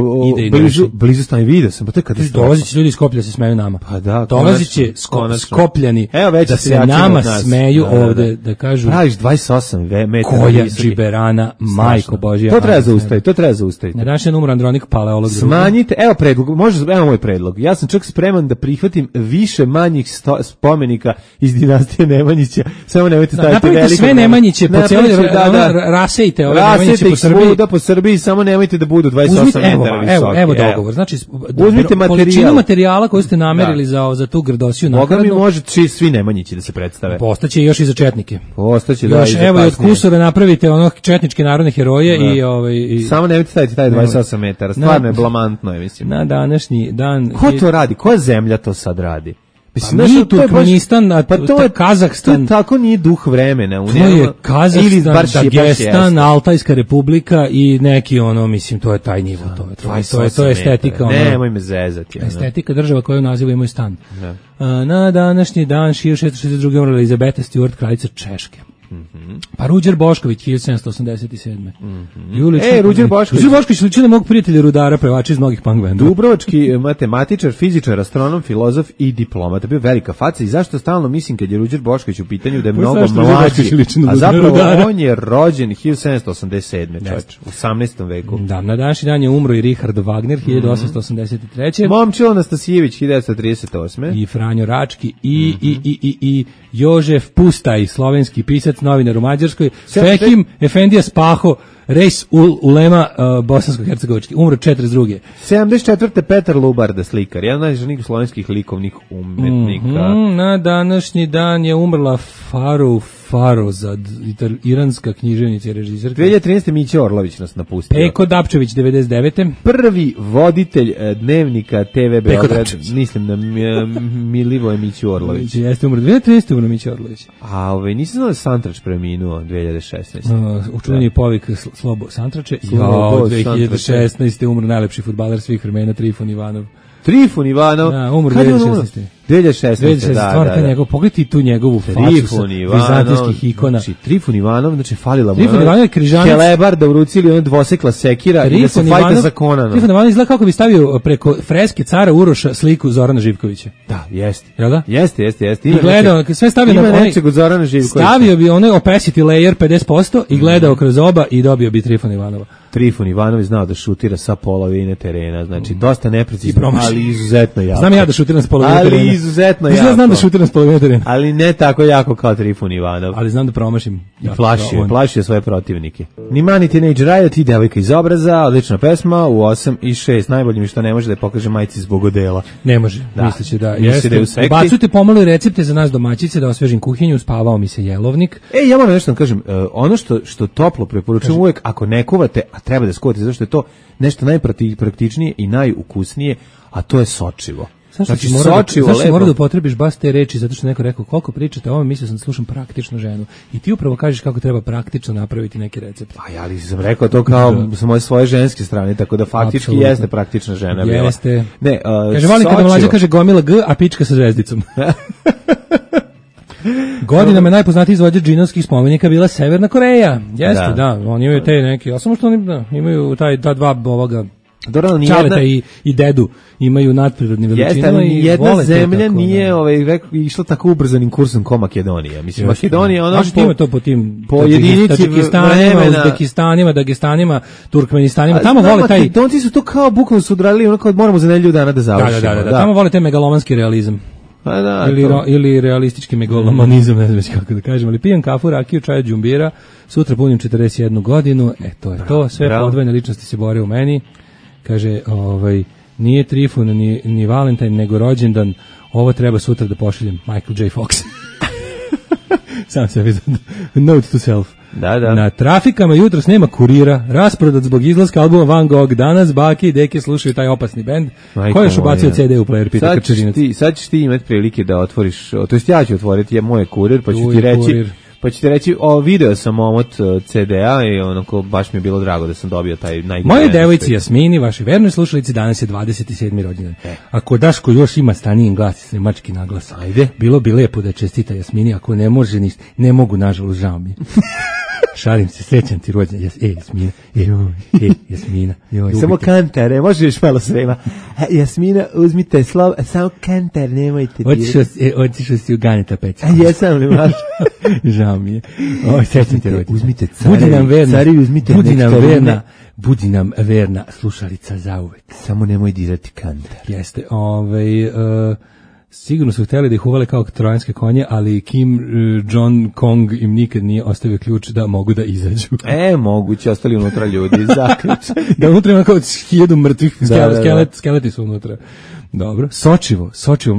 Speaker 6: blizu stane video sam, pa to je katastrofa.
Speaker 5: Dolaziće ljudi iz Skoplja se smeju nama.
Speaker 6: Pa da,
Speaker 5: dolaziće Skopljani da se nama smeju ovde, da kažu
Speaker 6: praviš 28 metara
Speaker 5: koja džiberana, majko Božja.
Speaker 6: To treba zaustaviti.
Speaker 5: Na današnji numar Andronik Paleolog.
Speaker 6: Smanjite, evo moj predlog. Ja sam čak spreman da prihvatim više manjih spomenika iz dinastije Nemanjića. Samo nemojte staviti veliko.
Speaker 5: Napravite sve Nemanjiće po cijeloj rasejte ove Nemanjiće
Speaker 6: po Srbiji, samo nemojte da budu 28 metara visoki.
Speaker 5: Evo dogovor. Znači,
Speaker 6: uzmite
Speaker 5: količinu materijala koju ste namerili za tu grdosiju
Speaker 6: nakladnu. Boga mi može svi Nemanjići da se predstave.
Speaker 5: Postaće još i za četnike.
Speaker 6: Postaće,
Speaker 5: da. Još evo i od Kusura napravite ono četničke narodne heroje i...
Speaker 6: Samo nemojte staviti taj 28 metara. Stvarno je blamantno, mislim.
Speaker 5: Na današnji dan...
Speaker 6: Ko to radi? Koja zemlja to sad radi?
Speaker 5: Nije Turkmenistan, to je Kazahstan.
Speaker 6: To tako nije duh vremena.
Speaker 5: To je Kazahstan, Dagestan, Altajska republika i neki ono, mislim, to je taj nivo. To je estetika.
Speaker 6: Nemoj me zezati.
Speaker 5: Estetika država koja u nazivu imaju stan. Na današnji dan 1662. umrla Elizabeta Stewart, kraljica Češke. Pa Ruđer Bošković 1787.
Speaker 6: Ruđer
Speaker 5: Bošković liči na mog prijatelja rudara, pevača iz mnogih punk benda.
Speaker 6: Dubrovački matematičar, fizičar, astronom, filozof i diplomata. Bio velika faca i zašto stalno mislim kad je Ruđer Bošković u pitanju da je mnogo mlađi, a zapravo on je rođen 1787. čovječ, u 18. veku.
Speaker 5: Da, na današnji dan je umro i Richard Wagner 1883.
Speaker 6: Momčilo Anastasijević 1938.
Speaker 5: I Franjo Rački i Jožef Pustaj, slovenski pisac, novinar u Mađarskoj, Fehim Efendija Spaho, Rejs Ulema bosansko-hercegovički, umro 42.
Speaker 6: 74. Petar Lubarda, slikar, jedan od najvažnijih slovenskih likovnih umetnika.
Speaker 5: Na današnji dan je umrla Farozad, iranska književnica i režiserka.
Speaker 6: 2013. Mića Orlović nas napustio.
Speaker 5: Peko Dapčević, 99.
Speaker 6: Prvi voditelj dnevnika TV Beograd, mislim da Milivoje Miću Orlović.
Speaker 5: Jeste umro, 2013. umro Mića Orlović.
Speaker 6: A nisam znao da Santrač preminuo 2016.
Speaker 5: Učuveni povik Slobo Santrače. 2016. umro najlepši fudbaler svih vremena, Trifon Ivanov.
Speaker 6: Trifon Ivanov?
Speaker 5: Da, umro 2016.
Speaker 6: 2016.
Speaker 5: Da. Njegov, pogledaj tu njegovu facu sa vizantijskih ikona.
Speaker 6: Znači, Trifon Ivanov, znači, falila mu.
Speaker 5: Trifon Ivanov je križanac.
Speaker 6: Kelebar da urucili ona dvosekla sekira i da se fajta za Konana.
Speaker 5: Trifon Ivanov izgleda kako bi stavio preko freske cara Uroša sliku Zorana Živkovića.
Speaker 6: Da, jeste.
Speaker 5: Jel da?
Speaker 6: Jeste.
Speaker 5: I gledao, sve stavio
Speaker 6: na onaj, nečeg od Zorana Živkovića.
Speaker 5: Stavio bi onaj opacity layer 50% i gledao kroz oba i dobio bi Trifon Ivanova.
Speaker 6: Trifon Ivanov je znao da šutira sa polovine terena, znači dosta neprecizno, ali izuzetno jako.
Speaker 5: Znam ja da šutiram sa polovine terena.
Speaker 6: Ali izuzetno jako.
Speaker 5: Znam da šutiram sa polovine terena.
Speaker 6: Ali ne tako jako kao Trifon Ivanov.
Speaker 5: Ali znam da promašim.
Speaker 6: I plašio svoje protivnike. Ni Mani Teenage Riot i Devojka iz obraza, odlična pesma u 8 i 6. Najbolje mi što ne može da je pokaže majci zbog odela.
Speaker 5: Ne može, misleće da jeste. Bacujte pomalo recepte za nas domaćice da osvežim kuhinju, spavao mi se jelovnik.
Speaker 6: Ja moram nešto da kažem, ono što toplo preporučujem uvek, ako ne kuvate, a treba da skuvate, zašto je to nešto najpraktičnije i najukusnije, a to je sočivo.
Speaker 5: Znači, zašto mora da upotrebiš baš te reči, zato što neko rekao koliko pričate o ovome, mislio sam da slušam praktičnu ženu. I ti upravo kažeš kako treba praktično napraviti neki recept.
Speaker 6: Ali sam rekao to kao sa moje svoje ženske strane, tako da faktički jeste praktična žena.
Speaker 5: Jeste.
Speaker 6: Ne,
Speaker 5: kaže, volim kada mlađa kaže gomila G, a pička sa zvezdicom. Godinama je najpoznatiji izvođač džinovskih spomenika bila Severna Koreja. Jeste, da, oni imaju te neke, a samo što oni imaju ta dva ovoga Čaleta i dedu imaju nadprirodni veličinu.
Speaker 6: Jeste, ali jedna zemlja nije išla tako ubrzanim kursom ko Makedonija. Mislim, Makedonija ono
Speaker 5: ima to po tim
Speaker 6: Tadžikistanima,
Speaker 5: Uzbekistanima, Dagestanim, Turkmenistanima. Tamo vole taj...
Speaker 6: Makedonci su to kao bukvalno su odradili ono kao moramo za nedelju dana da završimo.
Speaker 5: Da, tamo vole taj megalomanski realizam. Ili realistički megalomanizam, ne znam kako da kažem, ali pijem kafu, rakiju, čaj, džumbira, sutra punim 41 godinu, to je to, sve podvojene ličnosti se bore u meni. Kaže, nije Trifun ni Valentine, nego rođendan, ovo treba sutra da pošaljem Michael J. Fox. Sam se vizam. Note to self.
Speaker 6: Da.
Speaker 5: Na trafikama jutros nema kurira, rasprodat zbog izlaska albuma Van Gogh. Danas bake i deke slušaju taj opasni bend. Ko je još ubacio CD u player, pita Krčerinac.
Speaker 6: Sad ćeš ti imati prilike da otvoriš, to jest ja ću otvoriti moj kurir, pa ću ti reći, video sam omot CD-a i onako baš mi je bilo drago da sam dobio taj najgore.
Speaker 5: Moje devojci Jasmini, vaši vernoj slušalici, danas je 27. rođendan. Ako Daško još ima stanijen glas i sremački naglas, bilo bi lepo da čestita Jasmini, ako ne može ništa, ne mogu, nažalost, žao mi. Šalim se, srećan ti rođendan. Jasmina, Jasmina.
Speaker 6: Samo kantare, možeš malo srema. Jasmina, uzmite slov, samo kantar, nemojte dirati.
Speaker 5: Otišao si u Ganeta Pečka.
Speaker 6: Jesam li maš?
Speaker 5: Žao mi je. Srećan ti rođendan.
Speaker 6: Uzmite
Speaker 5: carevi, uzmite nektarine. Budi nam verna slušalica zauvek.
Speaker 6: Samo nemoj dirati kantar.
Speaker 5: Jeste, sigurno su htjeli da ih uvale kao trojanske konje, ali Kim Jong im nikad nije ostavio ključ da mogu da izađu.
Speaker 6: Moguće, ostali unutra ljudi, zaključ.
Speaker 5: Da unutra ima kao 1000 mrtvih, skeleti su unutra. Dobro, Sočivo,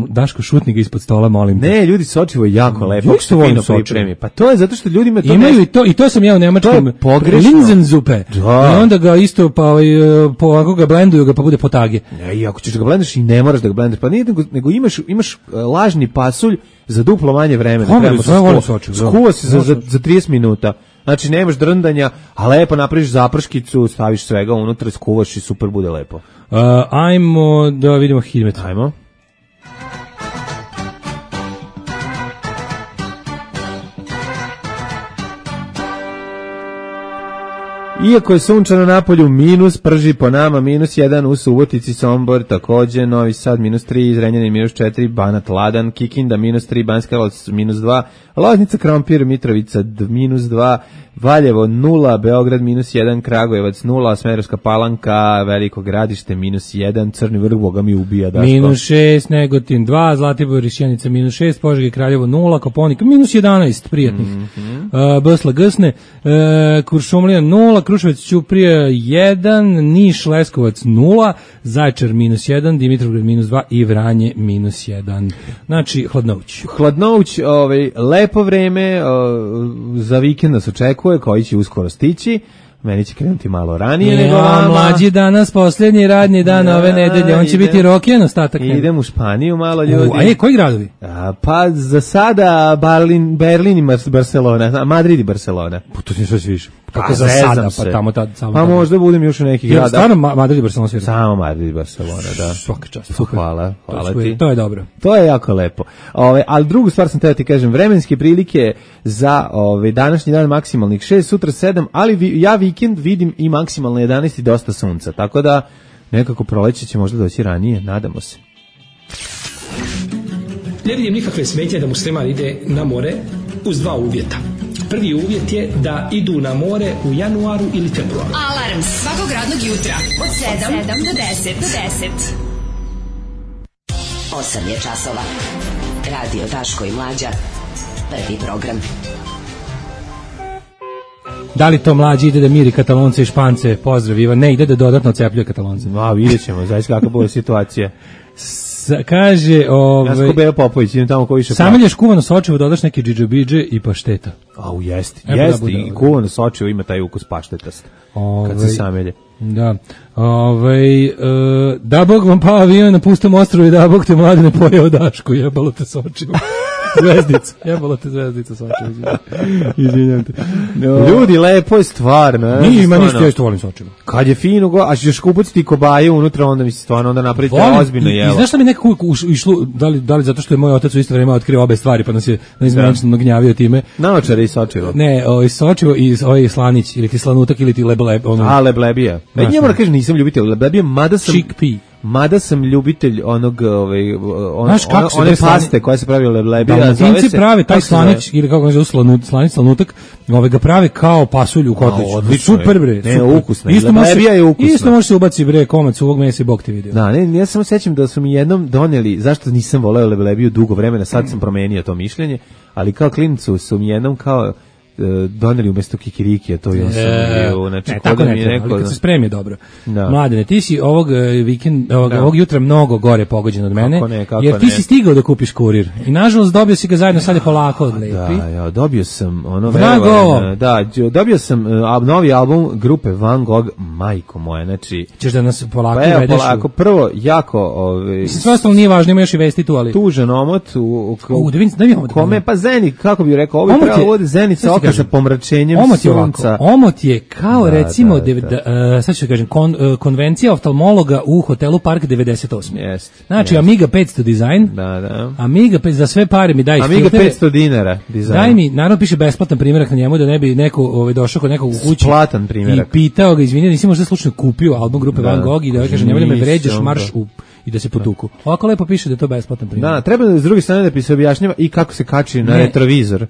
Speaker 5: Daško, šutni ga ispod stola, molim te.
Speaker 6: Ne, ljudi, Sočivo je jako lepo.
Speaker 5: Što volim Sočivo?
Speaker 6: Pa to je zato što ljudima to
Speaker 5: imaju i to sam ja u nemačkom.
Speaker 6: To je pogrešno.
Speaker 5: Linzenzupe. I onda ga isto, ako ga blenduju, ga pa bude potage.
Speaker 6: I ako ćeš ga blendeš i ne moraš da ga blendeš, pa nije, nego imaš lažni pasulj za duplo manje vremena. Skuva se za 30 minuta. Znači, nemaš drndanja, a lepo napraviš zaprškicu, staviš svega unutra, skuvaš i super bude lepo.
Speaker 5: Ajmo da vidimo Hidmet.
Speaker 6: Ajmo. Iako je sunčano napolju, minus, prži po nama, -1 u Subotici, Sombor, takođe, Novi Sad, -3, Zrenjanin, -4, Banat, Ladan, Kikinda, -3, Banjska Karlovac, -2, Loznica, Krompir, Mitrovica, -2, Valjevo, 0, Beograd, -1, Kragujevac, 0, Smederevska Palanka, Veliko Gradište, -1, Crni Vrh, Boga mi ubija, Daško.
Speaker 5: -6, Negotin, 2, Zlatibor i Sjenica, -6, Požega i Kraljevo, 0, Koponik, -11, prijatnih. Bsla, Gsne, Kuršumlija, 0, Kruševac, Ćuprija, 1, Niš, Leskovac, 0, Zaječar, -1, Dimitrovgrad, -2 i Vranje, -1. Znači, Hladnovuć.
Speaker 6: Hladnovuć, lepo vreme, za vikend nas očekuje, koji će uskoro stići. Meni će krenuti malo ranije nego vama.
Speaker 5: Mlađi danas, posljednji radni dan ove nedelje, on će biti rokijan ostatak.
Speaker 6: Idem u Španiju malo, ljudi.
Speaker 5: Koji gradovi?
Speaker 6: Pa za sada Berlin i Barcelona, Madrid i Barcelona.
Speaker 5: Pa to ti sve više. Kako za sada, pa tamo samo.
Speaker 6: Pa možda budem još u nekih grada.
Speaker 5: Stvarno Madrid i Barcelona svira?
Speaker 6: Samo Madrid i Barcelona, da.
Speaker 5: Svaka čast.
Speaker 6: Hvala ti.
Speaker 5: To je dobro.
Speaker 6: To je jako lepo. Ali drugu stvar sam teo ti kažem, vremenske prilike za današnji dan maksimalnih 6, sutra 7, ali ja vikend vidim i maksimalno 11 i dosta sunca, tako da nekako proleće će možda doći ranije, nadamo se.
Speaker 8: Ne vidim nikakve smetnje da musliman ide na more uz dva uvjeta. Prvi uvjet je da idu na more u januaru ili februaru.
Speaker 2: Alarm svakog radnog jutra od 7 do 10.
Speaker 9: 8 je časova. Radio Daško i Mlađa. Prvi program.
Speaker 5: Da li to mlađi ide da miri Katalonce i Špance? Pozdrav, Ivan. Ne, ide da dodatno cepljuje Katalonce.
Speaker 6: Vidjet ćemo, zaista kakva bude situacija.
Speaker 5: Kaže,
Speaker 6: ja sam Beo Popović, idem tamo ko više
Speaker 5: samelješ kuvano sočivo, dodaš neke džidžabidže i pašteta.
Speaker 6: Jeste, i kuvano sočivo ima taj ukus paštetast, kad se samelje.
Speaker 5: Da, da Bog vam pao avion na pustom ostrovu i da Bog te mlade ne pojeo Dašku, jebalo te sočivo. Zvezdica, jebalo te zvezdica sočivo. Izvinjam te.
Speaker 6: Ljudi, lepo je stvarno.
Speaker 5: Ima ništa, ja isto volim sočivo.
Speaker 6: Kad je fino, a ćeš kupati kobaje unutra, onda mi se stvarno, onda napravite ozbiljno jelo.
Speaker 5: I znaš šta mi nekako išlo, da li zato što je moj otac u isto vreme otkrio obe stvari, pa nas je neizmenično gnjavio time.
Speaker 6: Naočare i sočivo.
Speaker 5: Ne, sočivo i slanić, ili ti slanutak, ili ti lebleb.
Speaker 6: Leblebija. Ja moram kažem, nisam ljubitelj leblebija, mada sam ljubitelj onog one paste koja se pravi leblebija.
Speaker 5: Dalmatinci prave taj slanić, ili kako se zove slanić, slanutak, ga prave kao pasulju u kotliću. Super bre.
Speaker 6: Ne, ukusno. Leblebija je ukusna.
Speaker 5: Isto može se ubaci bre komad suvog mesa i Bog te vidio.
Speaker 6: Da, ja samo sećam da su mi jednom doneli, zašto nisam voleo leblebiju dugo vremena, sad sam promenio to mišljenje, ali kao klincu su mi jednom kao doneli umjesto kikirikija, to ja sam bio, znači
Speaker 5: tako ne treba, kad se spremi dobro. Mladene, ti si ovog jutra mnogo gore pogođen od mene, jer ti si stigao da kupiš kurir i nažalost dobio si ga zajedno, sad je polako odlepi.
Speaker 6: Da, dobio sam dobio sam novi album grupe Van Gogh, majko moja, znači
Speaker 5: ćeš da nas polako uvedeš?
Speaker 6: Polako, prvo jako
Speaker 5: sve ostalo nije važno, ima još i vesti tu, ali
Speaker 6: tužan omot kome, pa Zenit, kako bih rekao, ovo je pravo Zenica sa pomračenjem sunca.
Speaker 5: Omot je kao recimo, sad ću kažem, konvencija oftalmologa u hotelu Park 98. Znači Amiga 500 dizajn, Amiga 500 za sve pare mi daj
Speaker 6: Amiga 500 dinara dizajn.
Speaker 5: Daj mi, naravno piše besplatan primjerak na njemu da ne bi neko došao kod nekog u kući
Speaker 6: platan primjerak
Speaker 5: i pitao ga, izvini, nisi možda slučajno kupio album grupe Van Gogh i da kaže nemoj da me vređaš, marš u i da se potuku. Ovako lepo piše da je to besplatan primjer.
Speaker 6: Da, treba da s druge strane da se objašnjava i kako se kači na retrovizor,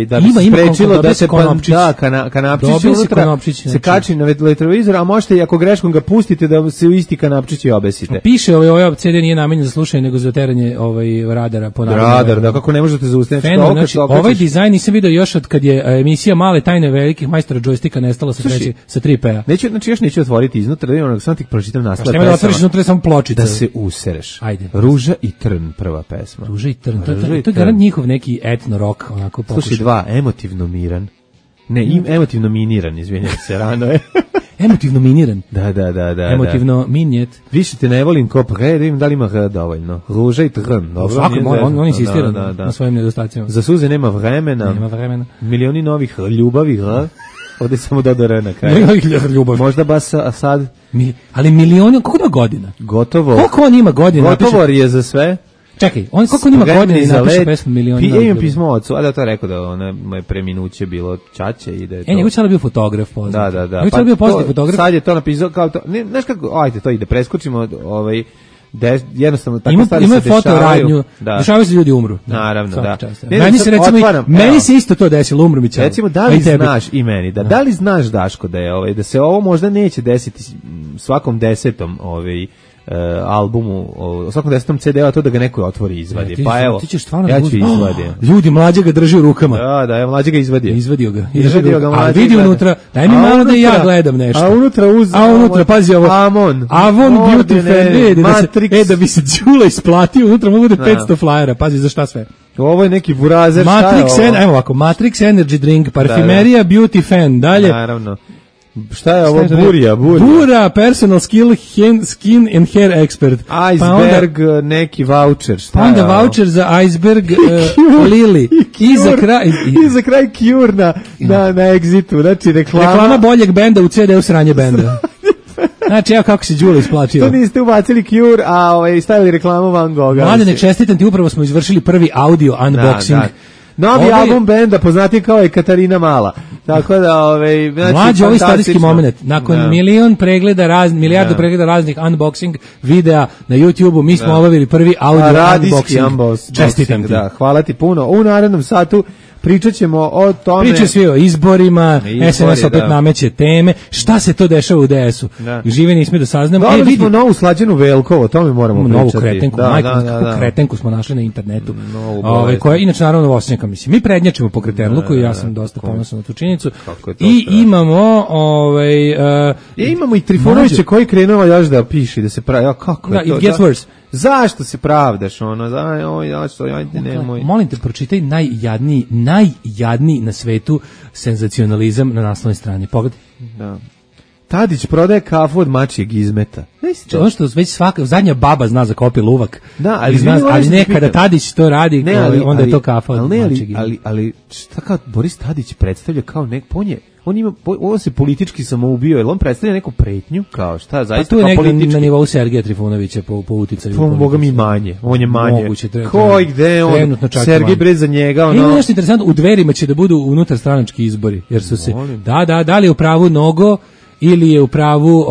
Speaker 6: da bi se sprečilo da se kanapčić unutra se kači na retrovizor, a možete i ako greškom ga pustite da se u isti kanapčić i obesite.
Speaker 5: Piše ovaj CD nije namenjen za slušanje nego za teranje radara po naravno.
Speaker 6: Radar, da kako ne možete zaustaviti.
Speaker 5: Znači, ovaj dizajn nisam video još od kad je emisija Male tajne velikih majstora džojstika nestala sa 3P-a.
Speaker 6: Neću, znači još neću otvoriti iznutra, da imam samo ti pročitam naslov.
Speaker 5: Nema da otvoriš unutra samo pločica.
Speaker 6: Se usereš.
Speaker 5: Ajde.
Speaker 6: Ruža i trn, prva pesma.
Speaker 5: Ruža i trn. To je garant njihov neki etno rock, onako pokušaj.
Speaker 6: Slušaj, 2, emotivno miran. Ne, emotivno miniran, izvinjam se, rano je.
Speaker 5: Emotivno miniran?
Speaker 6: Da.
Speaker 5: Emotivno minjet.
Speaker 6: Više te ne volim ko pre, da im da li ima dovoljno. Ruža i trn. Dobro,
Speaker 5: on insistira na svojim nedostacima.
Speaker 6: Za suze nema vremena. Milioni novih ljubavi, ovdje samo dodara na kraju. Možda bas sad.
Speaker 5: Ali milioni, koliko ima godina?
Speaker 6: Gotovo.
Speaker 5: Koliko on ima godina?
Speaker 6: Gotovo je za sve.
Speaker 5: Čekaj, on koliko ima godina i napiše pesmu miliona.
Speaker 6: Ja imam pismo ocu, a da to rekao da ona moje preminuće bilo ćaće i da je to.
Speaker 5: Njegov čale bio fotograf poznat.
Speaker 6: Da.
Speaker 5: Njegov čale bio poznat fotograf.
Speaker 6: Sad je to napisao kao to. Ne, znaš kako, ajde to ide, preskočimo jednostavno tako stvari se dešavaju.
Speaker 5: Fotoradnju, dešavaju se ljudi umru.
Speaker 6: Naravno, da.
Speaker 5: Meni se recimo meni se isto to desilo, umru mi ćao.
Speaker 6: Recimo, da li znaš i meni, da li znaš, Daško, da je da se ovo možda neće desiti svakom 10. albumu, u svakom 10. CD-u, to da ga neko otvori i izvadi. Pa evo, ja ću izvadi.
Speaker 5: Ljudi, mlađe ga drži u rukama.
Speaker 6: Da, ja mlađe ga izvadio.
Speaker 5: Izvadio ga
Speaker 6: mlađe.
Speaker 5: A vidi unutra, daj mi malo da ja gledam nešto.
Speaker 6: A
Speaker 5: unutra, pazi ovo. Avon Beauty Fan,
Speaker 6: Matrix.
Speaker 5: Da bi se Đula isplatio, unutra mogu da 500 flajera, pazi za šta sve.
Speaker 6: Ovo je neki burazer,
Speaker 5: Matrix Energy Drink, parfimerija Beauty Fan, dalje.
Speaker 6: Naravno. Šta je ovo?
Speaker 5: Bura, personal skill, skin and hair expert.
Speaker 6: Iceberg, neki voucher.
Speaker 5: Pa onda voucher za Iceberg, Lili. I
Speaker 6: za kraj Cure na Exitu. Znači
Speaker 5: reklama boljeg benda u CD-u sranje benda. Znači, evo kako se Đula isplačio.
Speaker 6: To niste ubacili Cure, a stavili reklamu Van Gogha.
Speaker 5: Mladene, čestitam ti, upravo smo izvršili prvi audio unboxing.
Speaker 6: Novi album benda, poznati kao je Katarina Mala. Tako da, znači,
Speaker 5: mlađi ovaj istorijski moment. Nakon milijardu pregleda raznih unboxing videa na YouTube-u, mi smo obavili prvi audio unboxing. Čestitam ti.
Speaker 6: Hvala ti puno. U narednom satu pričat ćemo o tome.
Speaker 5: Priča svi o izborima, SNS opet nameće teme. Šta se to dešava u DS-u? Žive nismo da saznamo.
Speaker 6: Dobili smo novu slađenu Velkovo, o tome moramo pričati.
Speaker 5: Novu kretenku, kretenku smo našli na internetu. Koja inače naravno Vosnjaka, mislim. Mi prednjačimo po kretenluku i ja sam dosta ponosan na tu činjenicu. I imamo
Speaker 6: imamo i Trifunovića koji krenuo još da piše, da se pravi. Kako je to?
Speaker 5: It gets worse.
Speaker 6: Zašto se pravdaš nemoj.
Speaker 5: Molim te, pročitaj najjadniji na svetu senzacionalizam na naslovnoj strani. Pogledaj.
Speaker 6: Da. Tadić prodaje kafu od mačijeg izmeta.
Speaker 5: Ono što već svaka zadnja baba zna za kopi luvak.
Speaker 6: Da,
Speaker 5: ali nekada Tadić to radi, onda je to kafa od mačijeg izmeta.
Speaker 6: Ali šta kao Boris Tadić predstavlja kao on se politički samoubio, jer on predstavlja neku pretnju, kao šta, zaista
Speaker 5: kao politički. Pa tu je nekako na nivou Sergeja Trifunovića po uticaju.
Speaker 6: Po Boga mi manje, on je manje.
Speaker 5: Moguće,
Speaker 6: ko i gde on, Sergej bre za njega.
Speaker 5: Ima nešto interesantno, u Dverima će da budu unutar stranački izbori, jer su se, da li je u pravu Nogo, ili je u pravu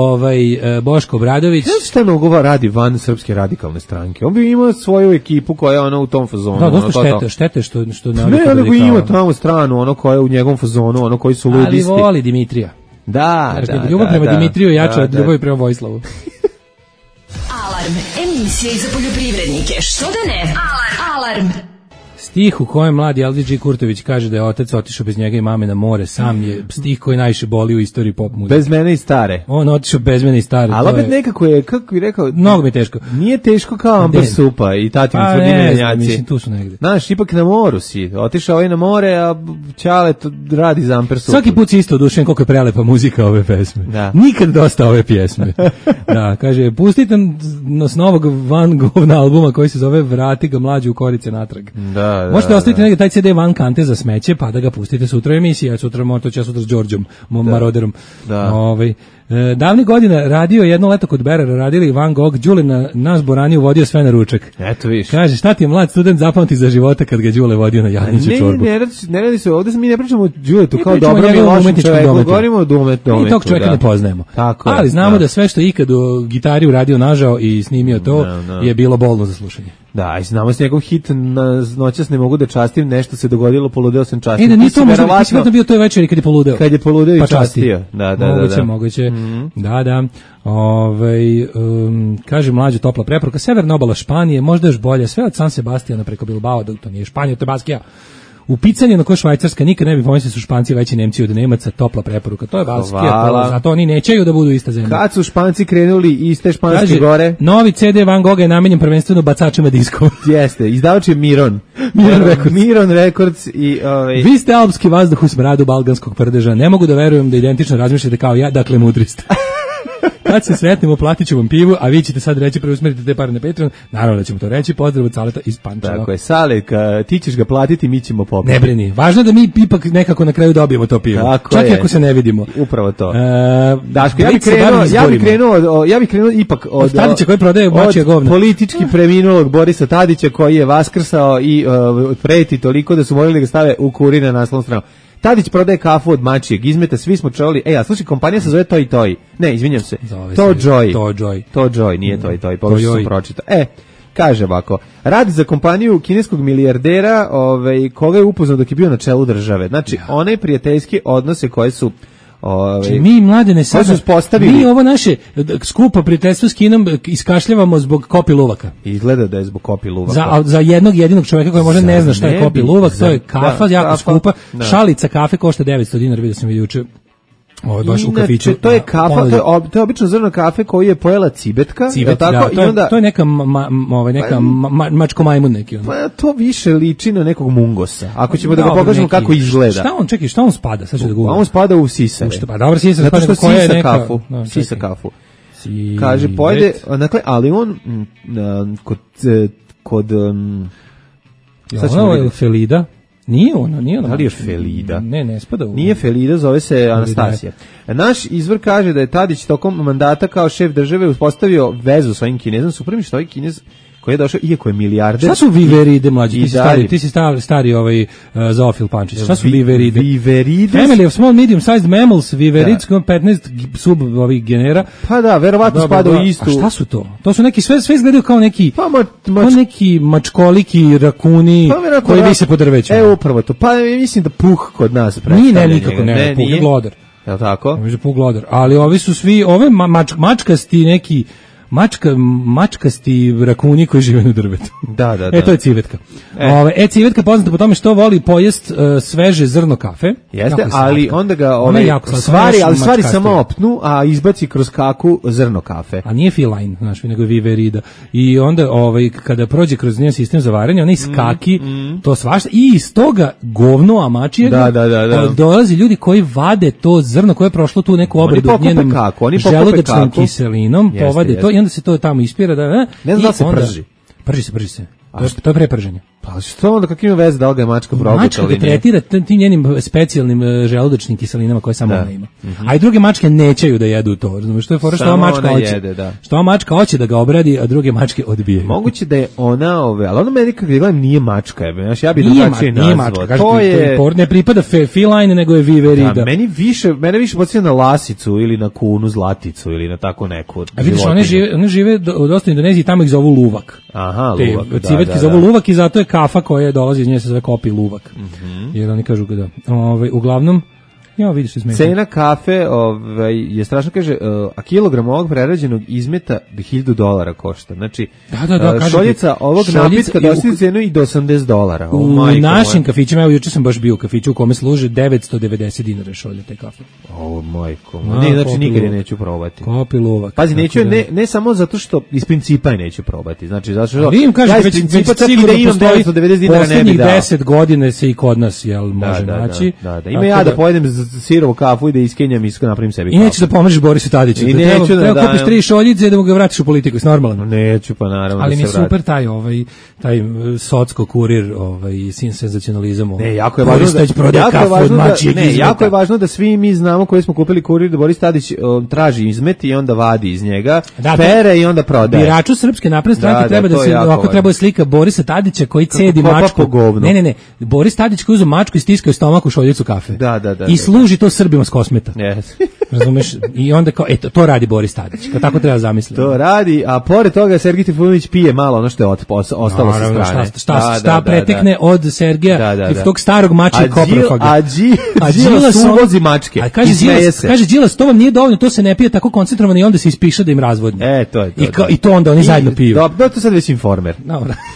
Speaker 5: Boško Obradović.
Speaker 6: Šta Nogova radi van Srpske radikalne stranke? On bi imao svoju ekipu koja je u tom fazonu.
Speaker 5: Da, dosta štete što
Speaker 6: ne, nego ima tamo stranu, koja je u njegovom fazonu, koji su ludisti.
Speaker 5: Ali voli Dimitrija.
Speaker 6: Da.
Speaker 5: Ljubav prema Dimitriju jača od ljubavi prema Vojislavu.
Speaker 9: Alarm, emisija za poljoprivrednike. Što da ne? Alarm.
Speaker 5: Stih u kojem mladi LDG Kurtović kaže da je otac otišao bez njega i mame na more, sam je stih koji najviše boli u istoriji pop muzike.
Speaker 6: Bez mene i stare.
Speaker 5: On otišao bez mene i stare.
Speaker 6: Ali opet nekako je, kako bi rekao,
Speaker 5: mnogo mi je teško.
Speaker 6: Nije teško kao Amber Supa i Tati Tvrdinenjaci.
Speaker 5: Mislim, tu su negde.
Speaker 6: Znaš, ipak na moru si. Otišao na more, a Ćale radi za Amber Supa.
Speaker 5: Svaki put si isto odušen koliko je prelepa muzika ove pesme.
Speaker 6: Da.
Speaker 5: Nikad dosta ove pjesme. Da, kaže, pustite nas novog Van Gogh albuma koji se zove Vrati ga mlađu u korice natrag.
Speaker 6: Da.
Speaker 5: Možete ostaviti negdje taj CD van kante za smeće, pa da ga pustite sutra u emisiji, ja sutra s Đorđom, Maroderom.
Speaker 6: Da.
Speaker 5: Davnih godina radio jedno leto kod Berera, radili Van Gogh, Đule na Zborani uvodio sve na ručak.
Speaker 6: Eto viš.
Speaker 5: Kaže, šta ti je mlad student zapamti za života kad ga Đule vodio na Jadniću čorbu?
Speaker 6: Ne radi se, ovdje mi ne pričamo o Đuletu kao dobrom i lošem čoveku, govorimo o dometu.
Speaker 5: Mi tog čovjeka ne poznajemo. Ali znamo da sve što je ikad u gitari uradio nažao i snimio to je bilo bolno za slušanje.
Speaker 6: Da, i znamo s njegov hit noćas ne mogu da častim, nešto se dogodilo, poludeo sam častim.
Speaker 5: Da nije to možda bio toj večeri kad je poludeo.
Speaker 6: Kad je poludeo i častio.
Speaker 5: Moguće. Da. Kaže mlađu topla preporuka, severna obala Španije, možda još bolje, sve od San Sebastijana preko Bilbao, da to nije Španija, to je Baskija. U picanju na koje Švajcarska nikad ne bi pomislili su Španci veći Nemci od Nemaca, topla preporuka. To je Baskija, zato oni nećeju da budu ista zemlja.
Speaker 6: Kad su Španci krenuli iste španske gore?
Speaker 5: Novi CD Van Gogha je namenjen prvenstveno bacačima diskova.
Speaker 6: Jeste, izdavač je Miron Records i
Speaker 5: Vi ste alpski vazduh u smradu balganskog prdeža. Ne mogu da verujem da identično razmišljate kao ja, dakle mudri ste. Kad se sretnemo, platit ću vam pivu, a vi ćete sad reći preusmerite te pare na Patreon. Naravno da ćemo to reći. Pozdrav od Saleta iz Pančeva.
Speaker 6: Tako je, Sale, ti ćeš ga platiti, mi ćemo popiti.
Speaker 5: Ne brini. Važno je da mi ipak nekako na kraju dobijemo to pivo. Čak i ako se ne vidimo.
Speaker 6: Upravo to. Daško, ja bih krenuo ipak od
Speaker 5: Tadića koji prodaje mačje govna.
Speaker 6: Politički preminulog Borisa Tadića koji je vaskrsao i preti toliko da su morali da ga stave u Kurir na naslovnu stranu. Tadić prodaje kafu od mačijeg izmeta, svi smo čuli. A slušaj, kompanija se zove Toy Toy. Ne, izvinjam se. To Joy, nije Toy Toy. Pogrešno sam pročitao. Kaže ovako, radi za kompaniju kineskog milijardera, koga je upoznao dok je bio na čelu države. Znači, one prijateljske odnose koje su
Speaker 5: mi mladene sad mi ovo naše skupo prijateljstvo s Kinom iskašljavamo zbog Kopi Luvaka.
Speaker 6: Izgleda da je zbog Kopi Luvaka.
Speaker 5: Za jednog jedinog čovjeka koji možda ne zna šta je Kopi Luvak, to je kafa jako skupa. Šalica kafe košta 900 dinara, vidio sam juče. Ovo je baš u kafiću.
Speaker 6: To je kafa, to je obično zrno kafe koju je pojela cibetka.
Speaker 5: To je neka mačko majmun neki.
Speaker 6: Pa to više liči na nekog mungosa. Ako ćemo da ga pokažemo kako izgleda.
Speaker 5: Šta on spada? Sad ću da govorim.
Speaker 6: On spada u sisare.
Speaker 5: Dobro, sisare spada koja je neka.
Speaker 6: Sisa kafu. Kaže, pojede, dakle, ali on kod
Speaker 5: Ovo je Felida. Nije ono.
Speaker 6: Da li je Felida?
Speaker 5: Ne spada u...
Speaker 6: Nije Felida, zove se Anastasija. Naš izvor kaže da je Tadić tokom mandata kao šef države uspostavio vezu s ovim Kinezom. Su prvi što ovaj Kinez koji je došao, iako je milijarder...
Speaker 5: Šta su viveride, mlađi? Ti si stari zoofil Pančić. Šta su viveride?
Speaker 6: Viveride?
Speaker 5: Family of small medium sized mammals, viveridski, 15 sub ovih genera.
Speaker 6: Pa da, verovatno spada u istu.
Speaker 5: A šta su to? To su neki, sve izgledaju kao neki, kao neki mačkoliki, rakuni, koji vise po drveću.
Speaker 6: Upravo to. Pa mislim da puh kod nas predstavlja.
Speaker 5: Nije, nikako ne, puh je glodar.
Speaker 6: Je li tako?
Speaker 5: Mislim puh glodar. Ali ovi su svi, ove mačkasti neki, mačkasti rakuni koji žive na drvetu.
Speaker 6: Da.
Speaker 5: To je civetka. Civetka poznata po tome što voli pojest sveže zrno kafe.
Speaker 6: Jeste, ali onda ga stvari samo opnu, a izbaci kroz kaku zrno kafe.
Speaker 5: A nije feline, znaš, nego viverida. I onda kada prođe kroz njen sistem za varenje, ona iskaki, to svašta, i iz toga govno amačijega dolazi ljudi koji vade to zrno koje je prošlo tu neku obradu njenom želudačnom kiselinom, povade to i onda se to tamo ispira
Speaker 6: ne znam da se prži.
Speaker 5: Prži se. To je preprženje.
Speaker 6: Pa što onda kakve ima veze da ga je mačka probutala?
Speaker 5: Mačka ga tretira tim njenim specijalnim želudačnim kiselinama koje samo ona ima. A i druge mačke nećeju da jedu to. Razumiješ, što je fora što ova mačka hoće. Što ova mačka hoće da ga obradi, a druge mačke odbijaju.
Speaker 6: Moguće da je ona, ali ona meni kako gledam nije mačka, ja bih drugačije nazvao.
Speaker 5: To je ne pripada feline, nego je viverida.
Speaker 6: Mene više podsjeća na lasicu ili na kunu, zlaticu ili na tako neku.
Speaker 5: A vidiš, one žive dosta u Indoneziji, tamo ih zovu luvak.
Speaker 6: Aha, luvak.
Speaker 5: Civetki zovu luvak i zato je kafa koja dolazi iz nje se zove Kopi Luvak. Jer oni kažu da. Uglavnom, vidiš se smeta.
Speaker 6: Cena kafe je strašno, kaže, a kilogram ovog prerađenog izmeta $1,000 košta. Znači, šoljica ovog napitka dostiže cenu i do $80.
Speaker 5: U našim kafićima, juče sam baš bio u kafiću u kome služe $990 šolje te kafe.
Speaker 6: Majko. Ne, znači nikad je neću probati.
Speaker 5: Kopi Luvak.
Speaker 6: Pazi, neću, ne samo zato što iz principa je neću probati. Znači, zato što
Speaker 5: ja iz principa čak i da imam
Speaker 6: $990 ne bi
Speaker 5: poslednjih 10 godina se i kod nas može naći.
Speaker 6: Ima ja da pojedem sirovu kafu i da iskenjam i napravim sebi kafu.
Speaker 5: I nećeš da pomeriš Borisu Tadiću. Treba kupiš 3 šoljice i da mu ga vratiš u politiku, je normalno.
Speaker 6: Neću, pa naravno.
Speaker 5: Ali mi je super taj socko kurir, senzacionalizam.
Speaker 6: Ne, jako je važno da svi mi znamo koji smo kupili kurir da Boris Tadić traži izmet i onda vadi iz njega, pere i onda prodaje.
Speaker 5: Biraču Srpske napredne stranke treba da se ovako treba slika Borisa Tadića koji cedi mačku. Ne. Boris Tadić koji uzeo mačku i stiskao stomak u šoljicu kafe. I služi to Srbima s Kosmeta. Razumeš? I onda kao, to radi Boris Tadić. Tako treba zamisliti.
Speaker 6: To radi, a pored toga Sergej Trifunović pije malo ono što je ostalo sa strane.
Speaker 5: Šta pretekne od Sergeja, tog starog mačka koprofaga.
Speaker 6: A Đilas uvozi mačke.
Speaker 5: Kaže Đilas, to vam nije dovoljno, to se ne pije tako koncentrovano i onda se ispiše da im razvodni.
Speaker 6: To je to.
Speaker 5: I to onda oni zajedno piju.
Speaker 6: Dobro, to sad već Informer.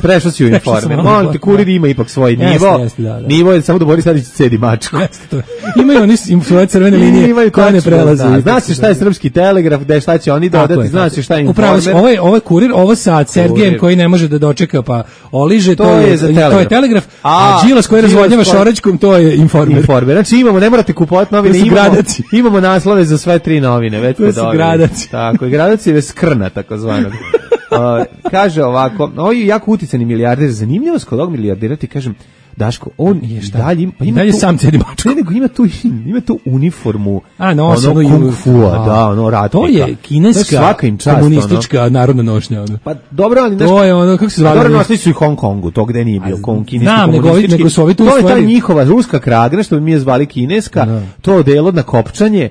Speaker 6: Prešao si u Informer. Molim te, kurir ima ipak svoj nivo. Nivo je samo da Boris Tadić cedi mačku.
Speaker 5: Imaju oni svoje crvene linije koje ne prelaze. prelazu.
Speaker 6: Zna se šta je Srpski telegraf, gde šta će oni dodati, zna se šta je Informer.
Speaker 5: Ovo je kurir, ovo sa Sergejem koji ne može da dočeka, pa oliže, to je telegraf, a Đilas koji razvodnjava šoračkom, to je Informer.
Speaker 6: Znači imamo, ne morate kupovati novine, imamo naslove za sve 3 novine, već
Speaker 5: to su gradaci.
Speaker 6: Tako, i gradaci je skrna, takozvanog. Kaže ovako, ovo je jako uticani milijarder, zanimljivost kod ovog milijardera, ti kažem, Daško, on je dalje, pa ima
Speaker 5: dalje sam cedi mačku.
Speaker 6: Ne, nego ima tu uniformu,
Speaker 5: ono
Speaker 6: kung fu-a, da, ono ratnika.
Speaker 5: To je kineska komunistička narodna nošnja.
Speaker 6: Pa dobro, ali
Speaker 5: to je ono, kako se zove?
Speaker 6: Dobro, nosili su i Hong Kongu, to gde nije bio kineski
Speaker 5: komunistički. Nego su ovi tu stvari.
Speaker 6: To je ta njihova ruska kragna, što bi mi je zvali kineska, to odelo na kopčanje,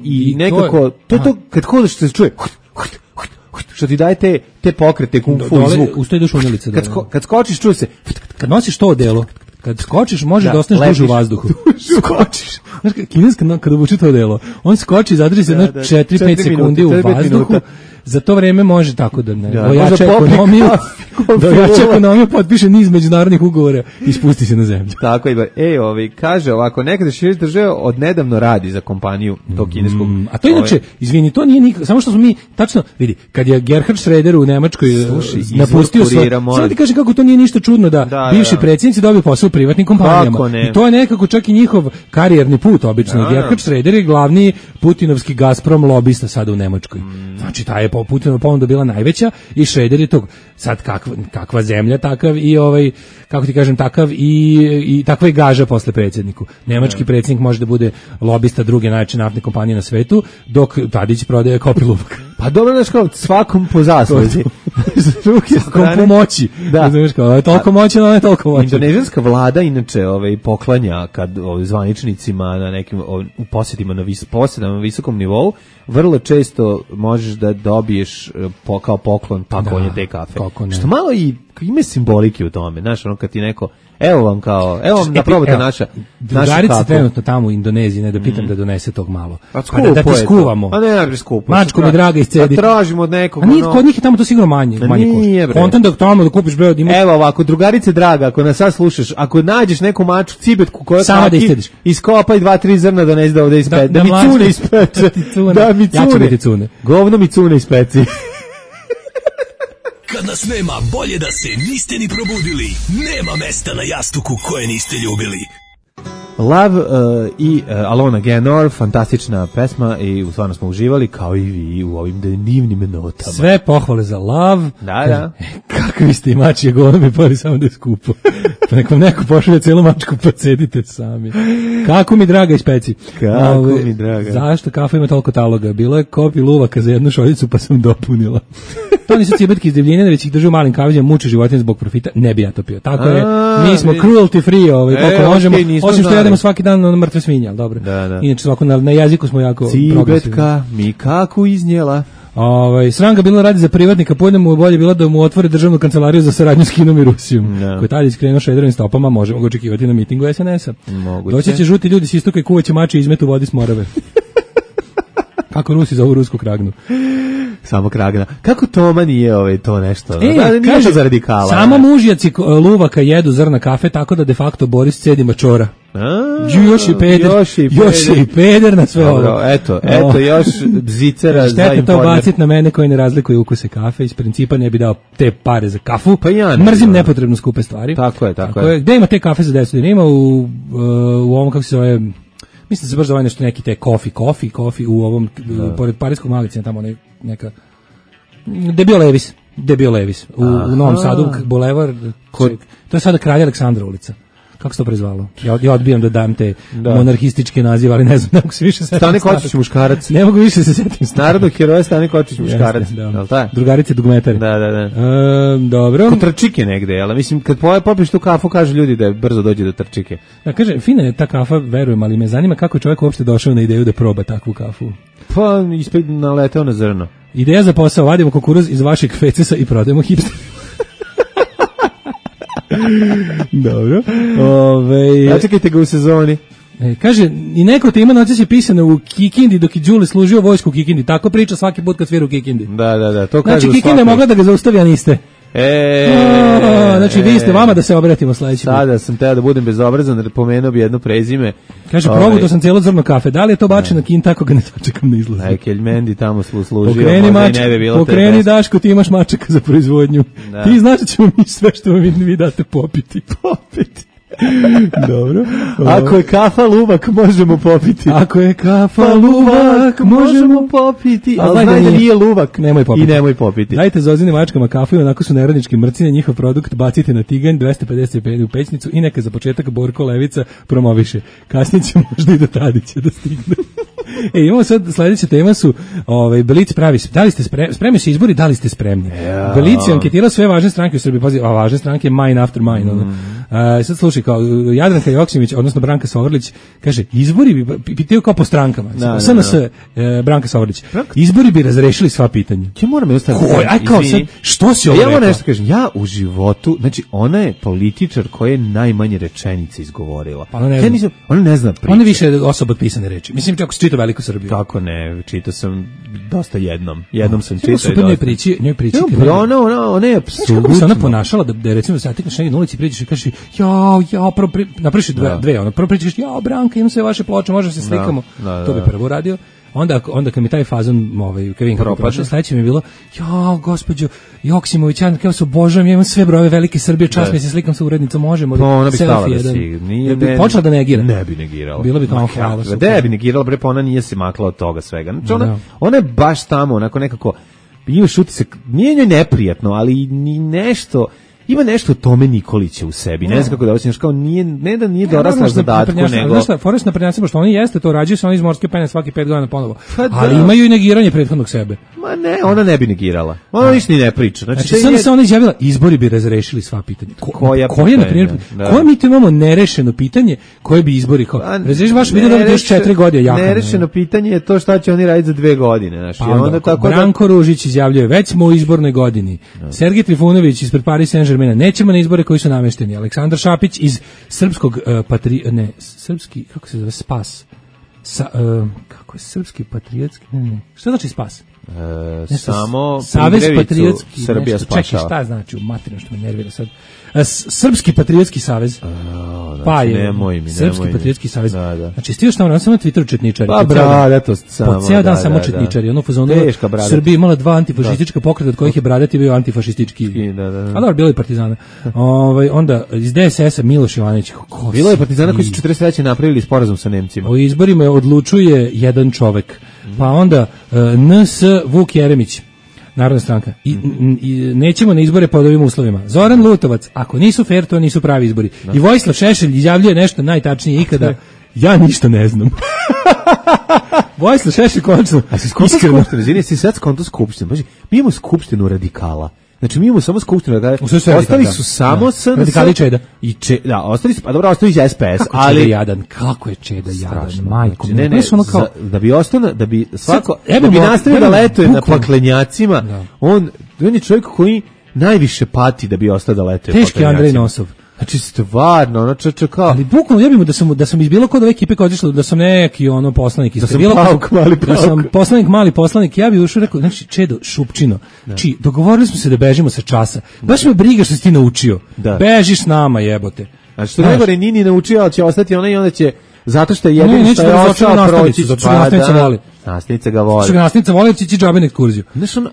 Speaker 6: i nekako, to kad hodeš se čuje, što ti daje te pokrete kung fu zvuk.
Speaker 5: Ustoji duš unjelice.
Speaker 6: Kad skočiš, čuje se.
Speaker 5: Kad nosiš to odelo, kad skočiš, može da ostaneš duže u vazduhu.
Speaker 6: Skočiš.
Speaker 5: Znaš, kineska kada obuče to odelo, on skoči, zadrži se 4-5 sekundi u vazduhu, za to vreme može tako da ne. Dojača ekonomiju, potpiše niz međunarodnih ugovora i spusti se na zemlju.
Speaker 6: Tako je. Kaže ovako, nekada Širić država odnedavno radi za kompaniju tog kineskog.
Speaker 5: A to inače, izvini, to nije nikako, samo što smo mi, tačno, vidi, kad je Gerhard Schröder u Nemačkoj napustio sve, samo ti kaže kako to nije ništa čudno da bivši predsjednici dobiju posao u privatnim kompanijama. I to je nekako čak i njihov karijerni put, obično. Gerhard Schröder je glavni putinovski Gazprom lobista sada u Nemačkoj. Znači, ta je Putinova ponuda bila najveća i Schröder je tog, sad kakva zemlja, takav i kako ti kažem, takav i takva je gaža posle predsjedniku. Nemački predsjednik može da bude lobista druge najveće naftne kompanije na svetu, dok Tadić prodaje kopiluvak.
Speaker 6: Pa dobro, znaš kao, svakom po zasluzi.
Speaker 5: Svakom po moći. Da. Znaš kao, je toliko moći, no je toliko moći.
Speaker 6: Indonežanska vlada, inače, poklanja kad zvaničnicima na nekim u posjetima na visokom nivou, vrlo često možeš da dobiješ kao poklon pakovanje te kafe. Što malo i ima simbolike u tome, znaš, ono kad ti neko, evo vam da probate naša
Speaker 5: drugarica trenutno tamo u Indoneziji, ne da pitam da donese tog malo. Da ti skuvamo.
Speaker 6: Pa ne skupo.
Speaker 5: Mačko mi draga iscedi.
Speaker 6: Da tražimo od nekog.
Speaker 5: A kod njih je tamo to sigurno manje košta. Kontent da tamo da kupiš breo.
Speaker 6: Evo ovako, drugarice draga, ako nas sad slušaš, ako nađeš neku mačku cibetku koja iskopaj 2-3 zrna donesi da ovde ispeče. Da mi cune ispeče. Da mi cune. Govno mi cune ispeci.
Speaker 10: Kad nas nema, bolje da se niste ni probudili. Nema mesta na jastuku koje niste ljubili.
Speaker 6: Love i Alona Gaynor, fantastična pesma i stvarno smo uživali kao i vi u ovim divnim notama.
Speaker 5: Sve pohvale za Love.
Speaker 6: Da.
Speaker 5: Kakvi ste imači, govno mi pari samo da je skupo. Pa nek vam neko pošalje cijelu mačku, pa cedite sami. Kako mi draga ispeci.
Speaker 6: Kako mi draga.
Speaker 5: Zašto kafa ima toliko taloga? Bilo je kopi luvaka za jednu šoljicu, pa sam dopunila. To nisu cibetki iz divljine, već ih drže u malim kaviđama, muče životinje zbog profita. Ne bi ja to pio. Tako je, mi smo cruelty free, koliko možemo, osim što jedemo svaki dan na mrtve svinje, ali dobro.
Speaker 6: Da.
Speaker 5: Inače svako na jeziku smo jako progresivni.
Speaker 6: Cibetka mi kako iznijela.
Speaker 5: Sranga bilo radi za privatnika, pojedemo bolje bilo da mu otvore državnu kancelariju za saradnju s Kinom i Rusijom. Koji tada iskrenuo Šrederovim stopama, možemo ga očekivati na mitingu SNS-a. Doći će žuti ljudi s istoka i kuvaće mače izmet u vodi s Morave. Kako Rusi zovu rusku kragnu.
Speaker 6: Samo kragna. Kako Toma nije to nešto?
Speaker 5: Kaže,
Speaker 6: za radikala.
Speaker 5: Samo mužjaci luvaka jedu zrna kafe, tako da de facto Boris cedi mačora. Još je i peder na sve ovo.
Speaker 6: Eto, još bzicera za Informer.
Speaker 5: Šteta to bacit na mene koji ne razlikuje ukuse kafe. Iz principa ne bi dao te pare za kafu.
Speaker 6: Pa ja
Speaker 5: mrzim nepotrebno skupe stvari.
Speaker 6: Tako je.
Speaker 5: Gde ima te kafe za 10? Nema u ovom, kako se zove... Mislim da se baš zove nešto neki te kofi u ovom, pored parijskog magazina, tamo neka... Debio Levis. U Novom Sadu, bulevar, to je sada Kralja Aleksandra ulica. Kako se to prezvalo? Ja odbijam da dam te monarhističke nazive, ali ne znam, ne mogu se više setim.
Speaker 6: Stane Kočić muškarac.
Speaker 5: Ne mogu više se setim.
Speaker 6: Narodnog heroja Stane Kočić muškarac.
Speaker 5: Drugarice dugmetari.
Speaker 6: Da.
Speaker 5: Dobro.
Speaker 6: Kod Trčike negde, jel? Mislim, kad popiješ tu kafu, kažu ljudi da brzo dođe do Trčike.
Speaker 5: Da, kaže, fina je ta kafa, verujem, ali me zanima kako je čovjek uopšte došao na ideju da proba takvu kafu.
Speaker 6: Pa, ispred naleteo na zrno.
Speaker 5: Ideja za posao, vadimo kukuruz iz vašeg fecesa i prodajemo hipster. Dobro.
Speaker 6: Načekajte ga u sezoni.
Speaker 5: Kaže, i neko te ima noćas je pisano u Kikindi dok je Đule služio vojsku u Kikindi. Tako priča svaki put kad svira u Kikindi.
Speaker 6: Da, to kaže.
Speaker 5: Znači, Kikinda je mogla da ga zaustavi, a niste. Znači vi ste vama da se obratimo sledeći.
Speaker 6: Sada sam teo da budem bezobrazan, jer pomenuo bi jedno prezime.
Speaker 5: Kaže, progutao sam cijelo zrno kafe. Da li je to bačena kin, tako ga ne dočekam na izlazu.
Speaker 6: Kelj Mendi tamo služio.
Speaker 5: Pokreni Daško, ti imaš mačaka za proizvodnju. Ti znaš da ćemo mi sve što vi date popiti. Dobro.
Speaker 6: Ako je kafa luvak, možemo popiti.
Speaker 5: Ako je kafa luvak, možemo popiti.
Speaker 6: Ali znaj da nije luvak,
Speaker 5: nemoj popiti.
Speaker 6: I nemoj popiti.
Speaker 5: Dajte Zozine mačkama kafu i onako su neradnički mrcine, njihov produkt bacite na tiganj, 250 u pećnicu i neka za početak Borko Levica promoviše. Kasnije će možda i do Tadića da stigne. Imamo sad, sledeća tema su Blic pravi, da li ste spremni se izbori, da li ste spremni? Blic je anketirao sve važne stranke u Srbiji, pazi, a važne stranke mine after mine. Sad slušaj, kao Jadranka Joksimović, odnosno Branka Sovrlić, kaže, izbori bi pitaju kao po strankama. SNS, Branka Sovrlić, izbori bi razrešili sva pitanja.
Speaker 6: Ja moram jednostavno...
Speaker 5: Što si ovo rekao?
Speaker 6: Ja moram nešto kažem, ja u životu, znači, ona je političar koja je najmanje rečenice izgovorila. Ona ne zna priče.
Speaker 5: Ona više osoba od pisane reči. Mislim, čak si čitao Veliku Srbiju.
Speaker 6: Kako ne, čitao sam dosta jednom. Jednom sam čitao i
Speaker 5: super njoj priči.
Speaker 6: Ona je apsolutno...
Speaker 5: Kako bi se ona ponašala da recimo da se atikneš negdje na ulici, priđeš i kažeš, napraviš dve, prvo pričaš, Branka, imam sve vaše ploče, možda se slikamo. To bi prvo radio. Onda kad mi taj fazon, Kevin kako prošao, sledeće mi je bilo, gospođo Joksimović, ja kao se obožavam, ja imam sve brojeve Velike Srbije, čas mi se slikam sa urednicom, možemo.
Speaker 6: Ona bi stala da si,
Speaker 5: bi počela da negira.
Speaker 6: Ne bi negirala.
Speaker 5: Bilo bi kao hvala.
Speaker 6: Da bi negirala, bre, pa ona nije se makla od toga svega. Znači ona je baš tamo, onako nekako, imaš utisak, nije njoj neprijatno, ali ni nešto... Ima nešto Tome Nikolića u sebi, ne znam kako da osjećaš, kao ne da nije dorasla zadatku, nego...
Speaker 5: Znaš šta, Forest naprednjaci, pošto oni jeste to, rađaju se oni iz morske pene svaki 5 godina ponovo, ali imaju i negiranje prethodnog sebe.
Speaker 6: Ma ne, ona ne bi negirala, ona ništa ni ne priča.
Speaker 5: Znači sada se ona izjavila, izbori bi razrešili sva pitanja. Koje, na primjer, koje mi to imamo nerešeno pitanje, koje bi izbori, kao, razreši vaš video da bi još 4 godine jaka.
Speaker 6: Nerešeno pitanje je to šta će oni raditi za 2 godine, znači, onda tako...
Speaker 5: Branko Ružić izjavljuje, već smo u izbornoj godini, Sergej Trifunović ispred Paris Saint-Germain, nećemo na izbore koji su namešteni. Aleksandar Šapić iz srpskog srpski, kako se zove, Spas. Kako je srpski patriotski? Šta znači Spas?
Speaker 6: Samo
Speaker 5: Savez patriotski
Speaker 6: Srbija spašava.
Speaker 5: Čekaj, šta znači u materinu što me nervira sad? Srpski patriotski savez. Pa je Srpski patriotski savez. Znači svi još tamo sam na Twitteru četničari.
Speaker 6: Pa bradatost samo.
Speaker 5: Po ceo dan samo četničari. Ono fazonu Srbija imala 2 antifašistička pokreta od kojih je Bradati bio antifašistički. A dobro, bilo je partizana. Onda iz DSS-a Miloš Jovanović.
Speaker 6: Bilo je partizana koji su 43. napravili sporazum sa Nemcima.
Speaker 5: O izborima odlučuje jedan čovek. Pa onda NS Vuk Jeremić, Narodna stranka. I nećemo na izbore pod ovim uslovima. Zoran Lutovac, ako nisu fair, to nisu pravi izbori. I Vojislav Šešelj izjavljuje nešto najtačnije ikada. Ja ništa ne znam. Vojislav Šešelj konačno.
Speaker 6: A si skonto skupštinu, izvini, si sad skonto skupštinu. Mi imamo skupštinu radikala. Znači mi imamo samo skupštinu, ostali su samo SNS.
Speaker 5: Radikali Čeda.
Speaker 6: Da, ostali su, pa dobro, ostali su SPS,
Speaker 5: ali Čeda kako je Čeda jadan, majko.
Speaker 6: Ne, da bi ostalo, da bi svako, da bi nastavio da letuje na paklenjacima, on je čovjek koji najviše pati da bi ostao da letuje na paklenjacima. Teški Andrej Nosov. Znači stvarno, ono kao...
Speaker 5: Ali bukvalno ja bih da sam iz bilo kod ove ekipe koja otišla, da sam neki poslanik iz bilo da sam mali poslanik, ja bih ušao rekao, znači Čedo, Šupčino, dogovorili smo se da bežimo sa časa. Baš me briga što si ti naučio. Bežiš s nama, jebote.
Speaker 6: Znači što najgore nini naučio, ali će ostati ona i onda će zato što je jedino što je ostao proći.
Speaker 5: Zato što nastavnica voli.
Speaker 6: Nastavnica ga voli.
Speaker 5: Što ga nastavnica voli, će ti džabe nek kurziju.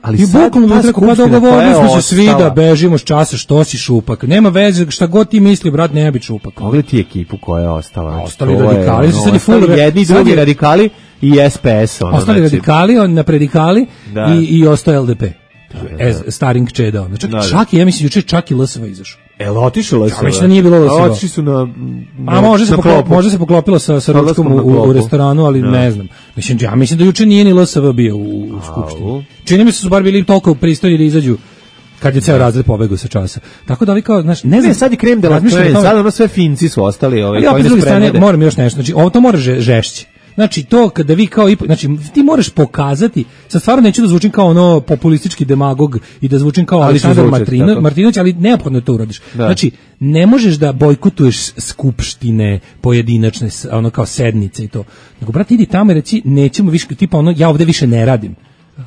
Speaker 6: Ali sad ta skupština
Speaker 5: dogovorili smo se svi da bežimo s časa, što si šupak. Nema veze, šta god ti misli, brat, ne bi šupak.
Speaker 6: Pogledaj ti ekipu koja je ostala.
Speaker 5: Ostali radikali.
Speaker 6: Jedni i drugi radikali i SPS.
Speaker 5: Ostali radikali, napredikali i ostao LDP. Staring Čeda. Čak i, ja mislim, juče čak i LSV izašao.
Speaker 6: Otišao LSV?
Speaker 5: Ja mislim da nije bilo LSV.
Speaker 6: Otišli su na
Speaker 5: može se poklopilo sa ručkom u restoranu, ali ne znam. Ja mislim da juče nije ni LSV bio u skupštini. Čini mi se su bar bili toliko pristojni da izađu kad je ceo razred pobegao sa časa. Tako da vi kao, znaš, ne znam,
Speaker 6: sad je krem de la creme, sad ono sve Finci su ostali,
Speaker 5: koji ne spremede. Moram još nešto, znači ovo to mora žešći. Znači to kada vi kao znači ti moraš pokazati, sad stvarno neću da zvučim kao ono populistički demagog i da zvučim kao Aleksandar Martinović, ali neophodno to uradiš. Znači ne možeš da bojkotuješ skupštine pojedinačne, ono kao sednice i to. Nego brate idi tamo i reci nećemo više, tipa ono ja ovde više ne radim.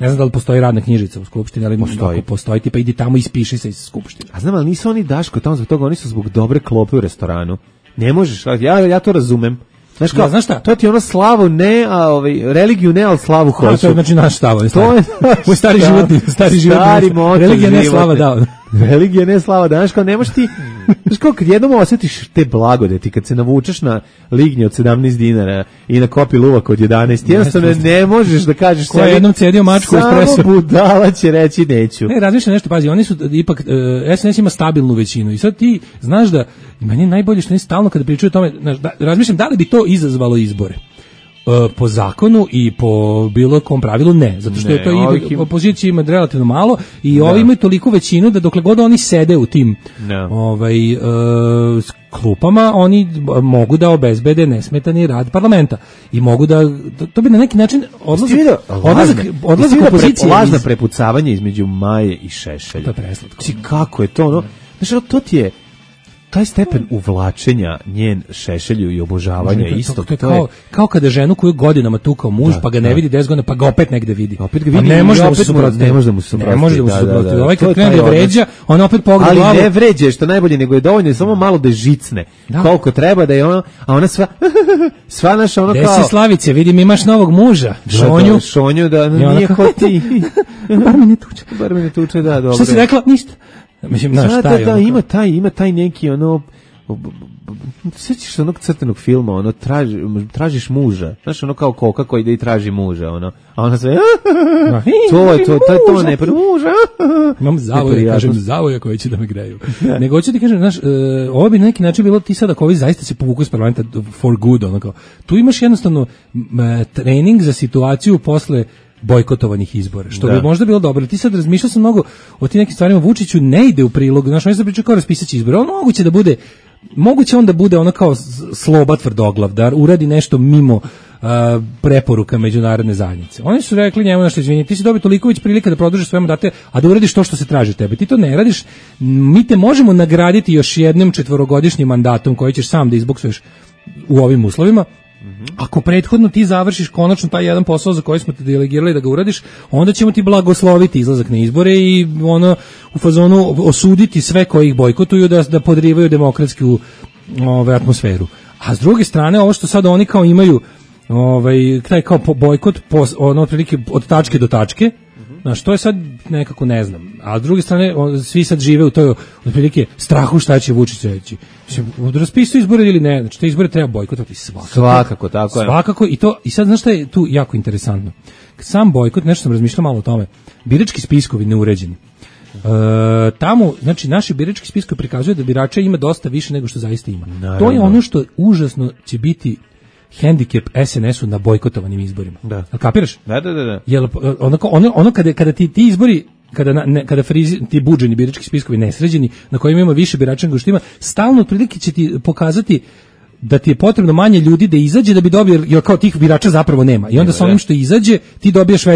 Speaker 5: Ne znam da li postoji radna knjižica u Skupštini, ali ako postoji, tipa idi tamo i ispiši se iz Skupštine.
Speaker 6: A znam, ali nisu oni, Daško, tamo zbog toga, oni su zbog dobre klope u restoranu. Ne možeš, ja to razumem. Znaš kao,
Speaker 5: znaš šta?
Speaker 6: To ti ono slavu ne, a religiju ne, ali slavu hoću.
Speaker 5: To je znači naš stav. To je stari životni. Religija ne slava da.
Speaker 6: Religija ne slava da. Znaš kao, nemaš ti, znaš kao, kad jednom osjetiš te blagodeti, kad se navučeš na lignje od 17 dinara i na kopi luvak od 11, jednostavno ne možeš da kažeš
Speaker 5: ko je jednom cedio mačku u espresso.
Speaker 6: Samo budala će reći neću.
Speaker 5: Ne, razmišljam nešto, pazi, oni su ipak, SNS ima stabilnu većinu i sad ti znaš da, meni je najbolje što oni stalno kada pričaju o tome, razmišljam da li bi to izazvalo izbore. Po zakonu i po bilo kom pravilu ne, zato što je to i opozicija ima relativno malo i ovi imaju toliko većinu da dokle god oni sede u tim klupama, oni mogu da obezbede nesmetani rad parlamenta i mogu da to bi na neki način odlazak opozicije.
Speaker 6: Lažna prepucavanje između Maje i Šešelja.
Speaker 5: To je preslatko.
Speaker 6: Kako je to ono? Znači, to ti je taj stepen uvlačenja njen Šešelju i obožavanja isto.
Speaker 5: To je kao kada ženu koju godinama tukao muž, pa ga ne vidi 10 godina, pa ga opet negde vidi.
Speaker 6: Opet ga vidi, ne može da mu se suprotstavi.
Speaker 5: Ovaj kad krene da vređa, on opet pogleda glavu.
Speaker 6: Ali ne vređe, što najbolje, nego je dovoljno samo malo da žicne. Koliko treba da je ono, a ona sva naša ono kao...
Speaker 5: Desi Slavice, vidim imaš novog muža.
Speaker 6: Šonju da nije ko ti.
Speaker 5: Bar me ne tuče,
Speaker 6: da, dobro.
Speaker 5: Šta si rekla? Ništa. Mislim,
Speaker 6: ima taj neki ono, sjećaš onog crtenog filma, ono tražiš muža, znaš ono kao koka koji ide i traži muža, ono, a ona sve to ne muža.
Speaker 5: Imam zavoja koji će da me greju. Nego hoću ti kažem, znaš, ovo bi na neki način bilo ti sad ako ovi zaista se povuku iz parlamenta for good, ono kao, tu imaš jednostavno trening za situaciju posle bojkotovanih izbora, što bi možda bilo dobro. Ti sad razmišljao sam mnogo o tim nekim stvarima, Vučiću ne ide u prilog, znaš, on se priča kao raspisaće izbore, on moguće on da bude ono kao sloba tvrdoglav, da uradi nešto mimo preporuka međunarodne zajednice. Oni su rekli njemu nešto, izvini, ti si dobio toliko već prilika da produžiš svoje mandate, a da uradiš to što se traži od tebe. Ti to ne radiš, mi te možemo nagraditi još jednim 4-godišnjim mandatom koji ćeš sam da izboksuješ u ovim uslovima. Ako prethodno ti završiš konačno taj jedan posao za koji smo te delegirali da ga uradiš, onda ćemo ti blagosloviti izlazak na izbore i ono u fazonu osuditi sve koji ih bojkotuju da podrivaju demokratsku atmosferu. A s druge strane, ovo što sad oni kao imaju taj kao bojkot ono otprilike od tačke do tačke, znaš, to je sad nekako ne znam. A s druge strane, svi sad žive u toj otprilike strahu šta će Vučić reći. Raspisuju izbore ili ne, znači te izbore treba bojkotovati
Speaker 6: svakako, tako je.
Speaker 5: Svakako, i sad znaš šta je tu jako interesantno. Sam bojkot, nešto sam razmišljao malo o tome, birački spiskovi neuređeni. Tamo, znači, naši birački spiskovi prikazuju da birača ima dosta više nego što zaista ima. Naravno. To je ono što užasno će biti hendikep SNS-u na bojkotovanim izborima.
Speaker 6: Da.
Speaker 5: Kapiraš?
Speaker 6: Da.
Speaker 5: Jel, ono kada ti izbori, kada ti buđeni birački spiskovi nesređeni, na kojima ima više birača nego što ima, stalno otprilike će ti pokazati da ti je potrebno manje ljudi da izađe da bi dobio, jer kao tih birača zapravo nema. I onda sa onim što izađe, ti dobiješ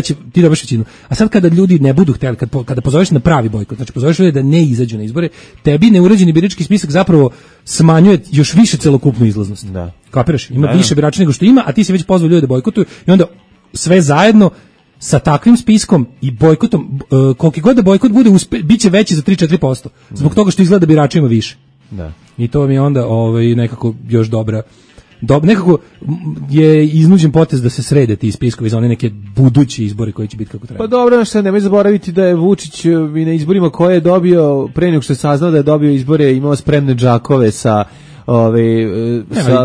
Speaker 5: većinu. A sad kada ljudi ne budu htjeli, kada pozoveš na pravi bojkot, znači pozoveš ljudi da ne izađu na izbore, tebi neuređeni birački spisak zapravo smanjuje još više celokupnu izlaznost.
Speaker 6: Da.
Speaker 5: Kapiraš? Ima više birača nego što ima, a ti si već pozvao ljude da bojkotuju i onda sve zajedno sa takvim spiskom i bojkotom, koliki god da bojkot bude, biće veći za 3-4%. Zbog toga što izgleda da birača ima više.
Speaker 6: Da.
Speaker 5: I to mi je onda nekako još dobra. Nekako je iznuđen potez da se srede ti spiskovi za one neke buduće izbore koji će biti kako treba.
Speaker 6: Pa dobro, što nemoj zaboraviti da je Vučić i na izborima koje je dobio, pre nego što je saznao da je dobio izbore, imao spremne džakove sa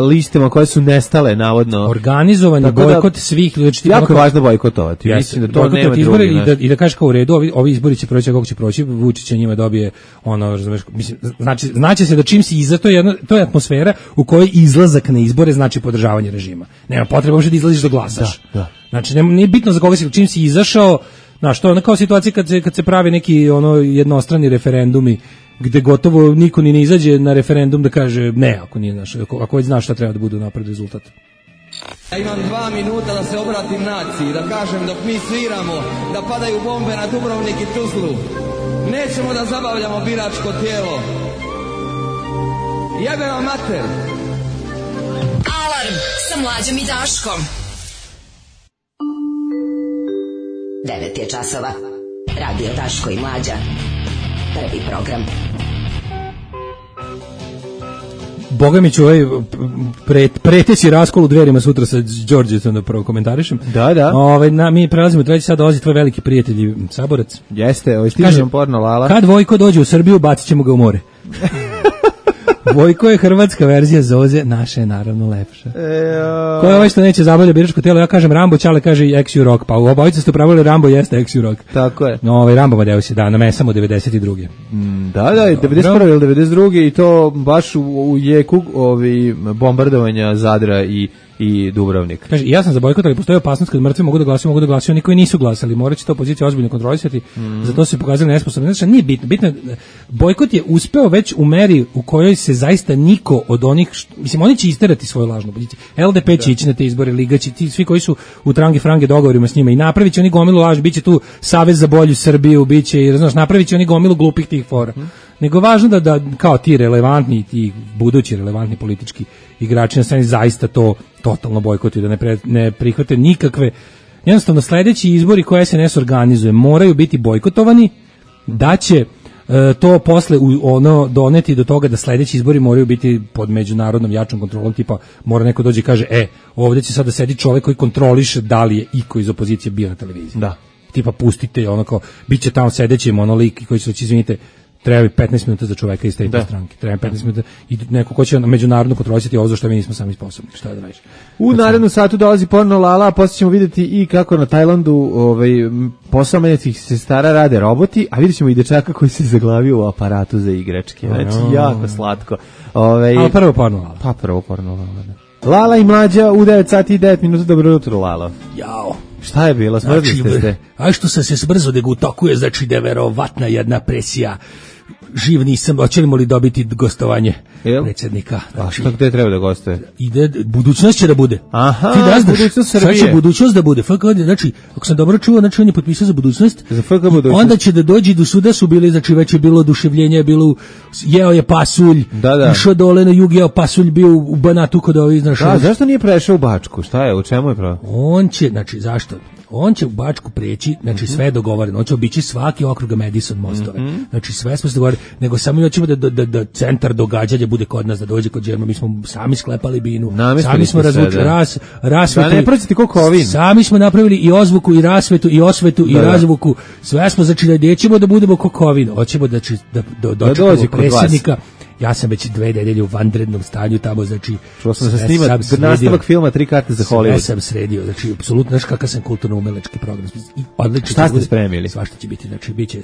Speaker 6: listama koje su nestale navodno.
Speaker 5: Organizovani bojkot svih ljudi.
Speaker 6: Jako je važno bojkotovati. Mislim da to nema drugi.
Speaker 5: I da kažeš kao u redu, ovi izbori će proći kako će proći, Vučić njima dobije mislim, znači se da čim si iza, to je atmosfera u kojoj izlazak na izbore znači podržavanje režima. Nema potrebe uopšte da izlaziš da glasaš.
Speaker 6: Da.
Speaker 5: Znači nije bitno za koga si, čim si izašao, znaš, to je kao situacija kad se pravi neki jednostrani referendumi gde gotovo niko ni ne izađe na referendum da kaže ne, ako već znaš šta treba da bude napred rezultat.
Speaker 11: Ja imam 2 minuta da se obratim naciji, da kažem dok mi sviramo, da padaju bombe na Dubrovnik i Tuzlu. Nećemo da zabavljamo biračko tijelo. Jebe vam mater!
Speaker 2: Alarm sa Mlađom i Daškom.
Speaker 9: 9 je časova. Radio Daško i Mlađa. Prvi program.
Speaker 5: Boga mi ću preteći raskol u Dverima sutra sa Đorđecom da prvo komentarišem.
Speaker 6: Da.
Speaker 5: Mi prelazimo u treći sad, dolazi tvoj veliki prijatelj Saborac.
Speaker 6: Jeste, stižem porno Lala.
Speaker 5: Kad Vojko dođe u Srbiju, bacit ćemo ga u more. Vojko je hrvatska verzija Zoze, naša je naravno lepša. Ko je ovaj što neće zabavlja biračko telo? Ja kažem Rambo, Čale kaže XU Rock, pa u obojica ste upravili Rambo jeste XU Rock.
Speaker 6: Tako je.
Speaker 5: Rambo Madeus je namesamo 92.
Speaker 6: Da, 91. ili 92. i to baš u jeku bombardovanja Zadra i Dubrovnik.
Speaker 5: Kaže, ja sam za bojkot, ali postoji opasnost kad mrtvi mogu da glasuju, oni koji nisu glasali. Morat će to opozicija ozbiljno kontrolisati, zato su se pokazali nesposobni. Znači, nije bitno. Bojkot je uspeo već u meri u kojoj se zaista niko od onih, mislim, oni će isterati svoju lažnu poziciju. LDP će ići na te izbore, Liga će, ti svi koji su u trangi frange dogovorima s njima i napravit će oni gomilu laž, bit će tu Savez za bolju Srbiju, bit će, napravit će oni gomilu glupih tih fora. Nego važno da kao ti relevantni, ti budući relevantni politički igrači na sceni zaista to totalno bojkotuju, da ne prihvate nikakve. Jednostavno sledeći izbori koje SNS organizuje moraju biti bojkotovani, da će to posle doneti do toga da sledeći izbori moraju biti pod međunarodnom jačom kontrolom, tipa mora neko dođe i kaže ovdje će sada sedi čovjek koji kontroliše da li je iko iz opozicije bio na televiziji.
Speaker 6: Da.
Speaker 5: Tipa pustite kao bit će tamo sedeći monolik koji će reći izvinite, treba 15 minuta za čoveka iz te stranke. Treba 15 minuta i neko ko će međunarodno kontrolisati ovo za što mi nismo sami sposobni. Šta da radiš?
Speaker 6: U narednom satu dolazi porno Lala, a poslije ćemo vidjeti i kako na Tajlandu posao medicinskih sestara rade roboti, a vidjet ćemo i dečaka koji se zaglavio u aparatu za igračke. Znači, jako slatko.
Speaker 5: Ali prvo porno Lala.
Speaker 6: Pa prvo porno Lala, da. Lala i Mlađa u 9 sati i 9 minuta. Dobro jutro, Lalo.
Speaker 5: Jao.
Speaker 6: Šta je bilo? Smrzli ste se?
Speaker 5: A što sam se smrzo degutokuje, znači da je verovatna jedna presija. Živ nisam, hoćemo li dobiti gostovanje predsjednika?
Speaker 6: A što gde treba da gostuje?
Speaker 5: Budućnost će da bude.
Speaker 6: Aha,
Speaker 5: budućnost Srbije. Sad će budućnost da bude. Znači, ako sam dobro čuo, znači on je potpisao za budućnost.
Speaker 6: Za FK budućnost.
Speaker 5: Onda će da dođi do suda, su bili, znači već je bilo oduševljenje, jeo je pasulj, išao dole na jug, jeo pasulj, bio u Banatu kod ovih, znaš.
Speaker 6: Da, zašto nije prešao u Bačku? Šta je, u čemu je pravo?
Speaker 5: On će, znači, zašto? On će u Bačku preći, znači sve je dogovoreno, on će obići svaki okrug Madison mostove, znači sve smo se dogovorili, nego samo hoćemo da centar događanja bude kod nas, da dođe kod Đerma, mi smo sami sklepali binu, sami smo razvučili rasvetu,
Speaker 6: da ne prođete koliko ovin.
Speaker 5: Sami smo napravili i ozvuku, i rasvetu, i osvetu, i razvuku, sve smo, znači da nećemo da budemo kokovin, hoćemo da dočekamo predsjednika. Ja sam već 2 nedelje u vanrednom stanju tamo, znači...
Speaker 6: Čuo sam da se snima nastavak filma 3 karte za Hollywood.
Speaker 5: Sve sam sredio, znači, apsolutno, znaš kakav sam kulturno-umelečki program.
Speaker 6: Šta ste spremili?
Speaker 5: Svašta će biti, znači, bit će...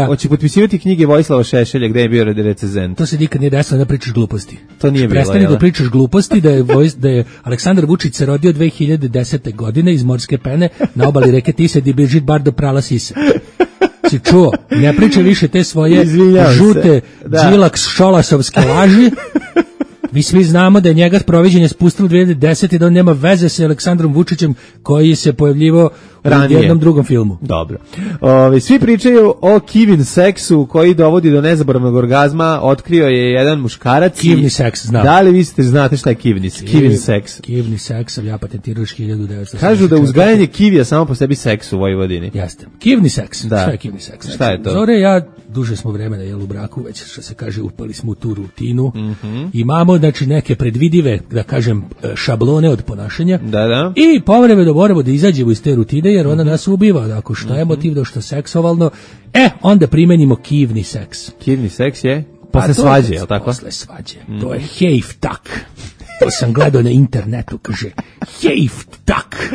Speaker 6: Hoće potpisivati knjige Vojislava Šešelja, gde je bio recenzent.
Speaker 5: To se nikad nije desilo, da pričaš gluposti.
Speaker 6: To nije bilo,
Speaker 5: prestani da pričaš gluposti, da je Aleksandar Vučić se rodio 2010. godine iz Morske Pene na obali reke Tise, gdje Brigitte Bardot prala sise. Si čuo, ne pričaj više te svoje žute džilak šolasovske laži. Mi svi znamo da je njega proviđenje spustilo 2010. i da on nema veze sa Aleksandrom Vučićem koji se pojavljivao u jednom drugom filmu.
Speaker 6: Dobro. Svi pričaju o kivin seksu koji dovodi do nezaboravnog orgazma. Otkrio je jedan muškarac.
Speaker 5: Kivni seks, znam.
Speaker 6: Da li vi znate šta je kivni seks?
Speaker 5: Kivni seks, ja patentirao 1974.
Speaker 6: Kažu da uzgajanje kivija samo po sebi seks u Vojvodini.
Speaker 5: Jeste. Kivni seks. Da. Šta je kivni seks?
Speaker 6: Šta je to?
Speaker 5: Zore, ja duže smo vremena u braku, već što se kaže upali smo u tu rutinu. Imamo znači neke predvidive, da kažem, šablone od ponašanja.
Speaker 6: Da.
Speaker 5: I povremeno moramo da izađemo iz te rutine jer ona nas ubiva. Ako što je motiv da što seksualno, onda primenimo kivni seks.
Speaker 6: Kivni seks je posle svađe, je li tako?
Speaker 5: Posle svađe. To je hejftak. To sam gledao na internetu, kaže hejftak.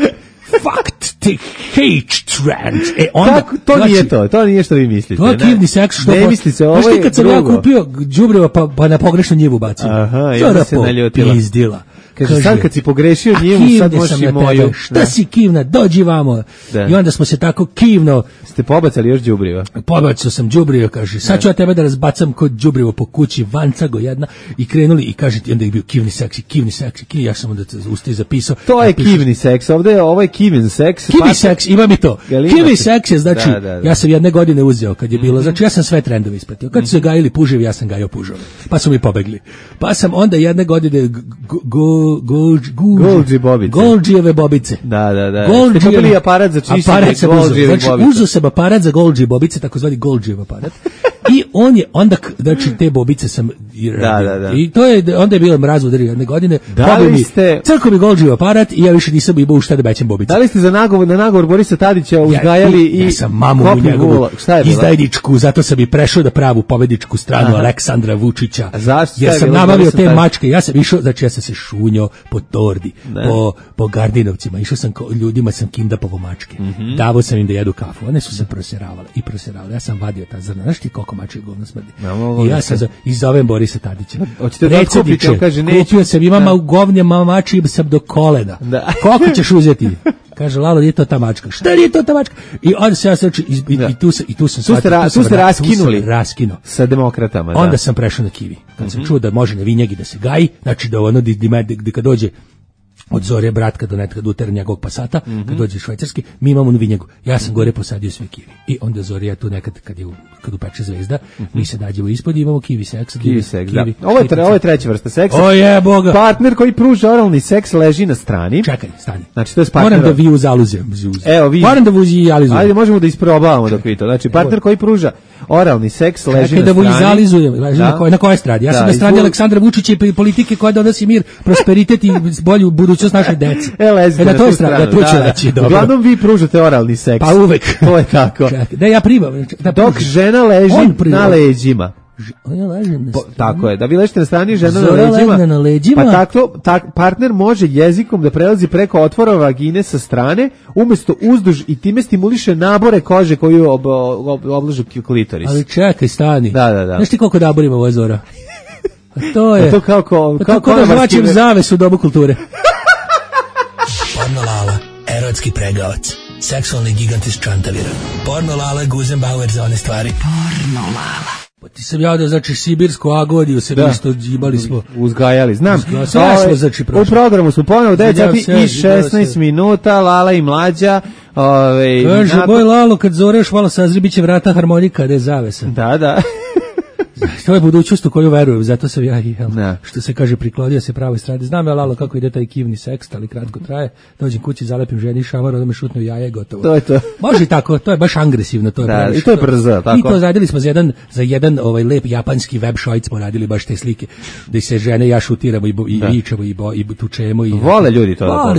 Speaker 5: Fact the hate trend.
Speaker 6: Onda, to znači, nije to nije što vi mislite.
Speaker 5: To je kivni seks, što
Speaker 6: ne mislite, ovo je
Speaker 5: kad sam ja kupio đubriva pa na pogrešnu njivu bacio.
Speaker 6: Aha, ja se naljutila.
Speaker 5: Pizdila.
Speaker 6: Kaže, sad kad si pogrešio njivu, sad možeš i moju.
Speaker 5: Šta si kivna, dođi vamo. Da. I onda smo se tako kivno...
Speaker 6: Ste pobacali još đubriva?
Speaker 5: Pobacao sam đubriva, kaže, sad ću ja tebe da razbacam kod đubrivo po kući, vancago jedna, i krenuli i kaže ti, onda je bio kivni seks, ja sam onda usti zapisao.
Speaker 6: To je kivni seks, ovo je kivin seks.
Speaker 5: Kivni seks, ima mi to. Kivni seks je, znači, ja sam jedne godine uzeo kad je bilo, znači ja sam sve trendove ispratio. Kad su se gajili puževi, ja sam gajao pužove. Pa su mi pobegli. Pa sam onda jedne godine
Speaker 6: Golgi bobice.
Speaker 5: Golgijeve bobice.
Speaker 6: Da. Ste kupili aparat za čišćenje Golgijevih bobica.
Speaker 5: Znači, uzeo sam aparat za Golgi bobice, takozvani Golgijev aparat. I on je onda, znači te bobice sam
Speaker 6: da.
Speaker 5: I to je, onda je bilo mrazvodar jedne godine.
Speaker 6: Da li ste...
Speaker 5: Crko mi Golgijev aparat i ja više nisam imao šta da bećem bobice.
Speaker 6: Da li ste na nagovor Borisa Tadića uzgajali i...
Speaker 5: Ja sam mamu u njegovu izdajničku, zato sam i prešao da pravu pobedničku stranu Aleksandra Vučića. Jer sam nabavio te mačke, ja sam išao, znači ja sam se šunjao po tordi, po Gardinovcima, išao sam ljudima, sam kindapovo mačke. Davao sam im da jedu kafu, one su se proseravale. Ja sam vadio ta zrna, znaš ti koliko mačke govno smrdi. I ja sam izovem Borisa Tadića.
Speaker 6: Predsjedniče,
Speaker 5: kupio sam, imam u govnjama mači sam do kolena. Koliko ćeš uzeti? Kaže, Lalo, nije to ta mačka. Šta nije to ta mačka? I onda se ja sveći, i tu sam shvatio.
Speaker 6: Tu ste raskinuli.
Speaker 5: Raskinuo.
Speaker 6: Sa demokratama,
Speaker 5: onda sam prešao na kivi. Kad sam čuo da može na vinjegi da se gaji, znači da ono, kad dođe od Zorje Bratka do netka Dutera njegovog Pasata, kad dođe švajcarski, mi imamo vinjegu. Ja sam gore posadio sve kivi. I onda Zorja tu nekad, kad upeče zvezda, mi se dađemo ispod i imamo kivi seks.
Speaker 6: Kivi seks, da. Ovo je treća vrsta seksa.
Speaker 5: O je, Boga.
Speaker 6: Partner koji pruža oralni seks leži na strani.
Speaker 5: Čekaj, stani.
Speaker 6: Znači, to je partner.
Speaker 5: Moram da vi uzaluzem.
Speaker 6: Evo, vi.
Speaker 5: Moram da uzalizujem.
Speaker 6: Ajde, možemo da isprobavamo dok vi to. Znači, partner koji pruža oralni seks leži na strani.
Speaker 5: Da uzalizujem. Na kojoj strani? Ja sam na strani Aleksandra Vučića i politike koja donosi mir, prosperitet i bolju budućnost našoj deci.
Speaker 6: Na
Speaker 5: toj strani.
Speaker 6: Uglavnom vi pružate oralni seks.
Speaker 5: Pa uvek.
Speaker 6: To je tako.
Speaker 5: Da ja primam.
Speaker 6: Dok žena leži na leđima. Tako je, da vi ležite na strani, žena na leđima. Pa tako partner može jezikom da prelazi preko otvora vagine sa strane, umjesto uzduž, i time stimuliše nabore kože koju oblažu klitoris.
Speaker 5: Ali čekaj, stani.
Speaker 6: Da.
Speaker 5: Znaš ti koliko naborima ovo je Zora? A to je.
Speaker 6: To kako
Speaker 5: da zvačim zaves u dobu kulture.
Speaker 10: Porno Lala, erotski pregavac, seksualni gigant iz Čantavira. Porno Lala, Guzenbauer za one stvari. Porno Lala.
Speaker 5: Pa ti sam javljao, znači, sibirsku agoniju se isto džibali smo.
Speaker 6: Uzgajali, znam.
Speaker 5: Sve smo, znači, prošli.
Speaker 6: U programu smo ponovo 9 sati i 16 minuta, Lala i Mlađa.
Speaker 5: Kaže, boj Lalo, kad zoreš malo sazri, bit će vrata harmonika, da je zavesa.
Speaker 6: Da.
Speaker 5: To je budućnost u koju verujem, zato sam ja, što se kaže, priklodio se pravoj strani. Znam ja, Lalo, kako ide taj kivni seks, ali kratko traje. Dođem kući, zalepim ženi šamar, onda me šutnu jaje, gotovo.
Speaker 6: To je to.
Speaker 5: Može i tako, to je baš agresivno. To je
Speaker 6: da, i to je brzo, tako.
Speaker 5: I to radili smo za jedan lep japanski web šojt smo radili baš te slike, da se žene ja šutiramo i vičemo i tučemo.
Speaker 6: Vole ljudi to.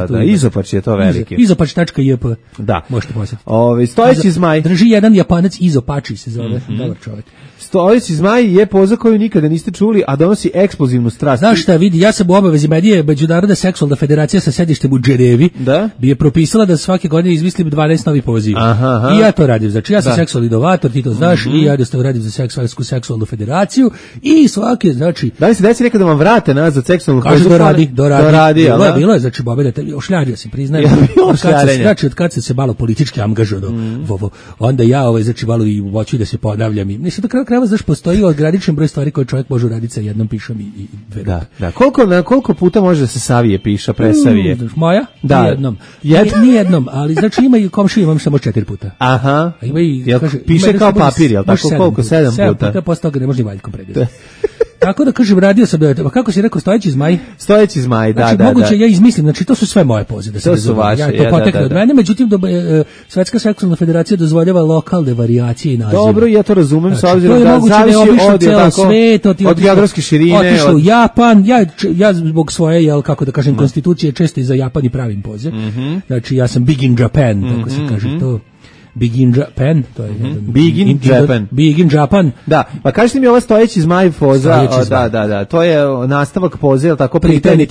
Speaker 6: Da. Izopač je to veliki.
Speaker 5: Izopač.jp.
Speaker 6: Da.
Speaker 5: Možete posjetiti.
Speaker 6: Stojeći zmaj.
Speaker 5: Drži jedan Japanac, Izopači se zove, dobar čovjek.
Speaker 6: Stojeći zmaj je poza koju nikada niste čuli, a donosi eksplozivnu strast.
Speaker 5: Znaš šta, vidi, ja sam u obavezi medije, Međunarodna seksualna federacija sa sedištem u Dženevi, bi je propisala da svake godine izmislim 12 novih poziva. I ja to radim. Znači, ja sam seksualni inovator, ti to znaš, i ja jednostavno radim za seksualnu federaciju, i svake, znači...
Speaker 6: Da li se desi nekada vam vrate nazad seksualnu
Speaker 5: federaciju? Kaže, doradi. Bilo je, znači, ošljario sam, priznajem. Znači, od kad sam se malo politički angažovao, onda ja, znači, malo i hoću da se ponavljam. Mislim, da krava, znaš, postoji ograničen broj stvari koje čovjek može uraditi sa jednom pišom i dve ruke.
Speaker 6: Da. Koliko puta može da se savije piša, presavije?
Speaker 5: Moja?
Speaker 6: Da.
Speaker 5: Nijednom, ali znači ima i komšiju, imam samo 4 puta.
Speaker 6: Aha. Piše kao papir, jel tako? Koliko? 7 puta?
Speaker 5: 7 puta, posle toga ne može ni valjkom predati. Tako da kaže, radio sam, pa kako si rekao, stojeći zmaj?
Speaker 6: Stojeći zmaj,
Speaker 5: znači, moguće, ja izmislim, znači to su sve moje pozive, da se razumije. Ja to potekne od mene, međutim, Svetska seksualna federacija dozvoljava lokalne varijacije i nazive.
Speaker 6: Dobro, ja to razumem, s obzirom da zavisi od geografske širine.
Speaker 5: Otišao u Japan, ja zbog svoje, kako da kažem, konstitucije često i za Japan i pravim poziv. Znači, ja sam big in Japan, tako se kaže to. Big in Japan, to je Big in Japan.
Speaker 6: Da, pa kažete mi, ova stojeći zmaj poza, da, to je nastavak poze, al tako, Pritajni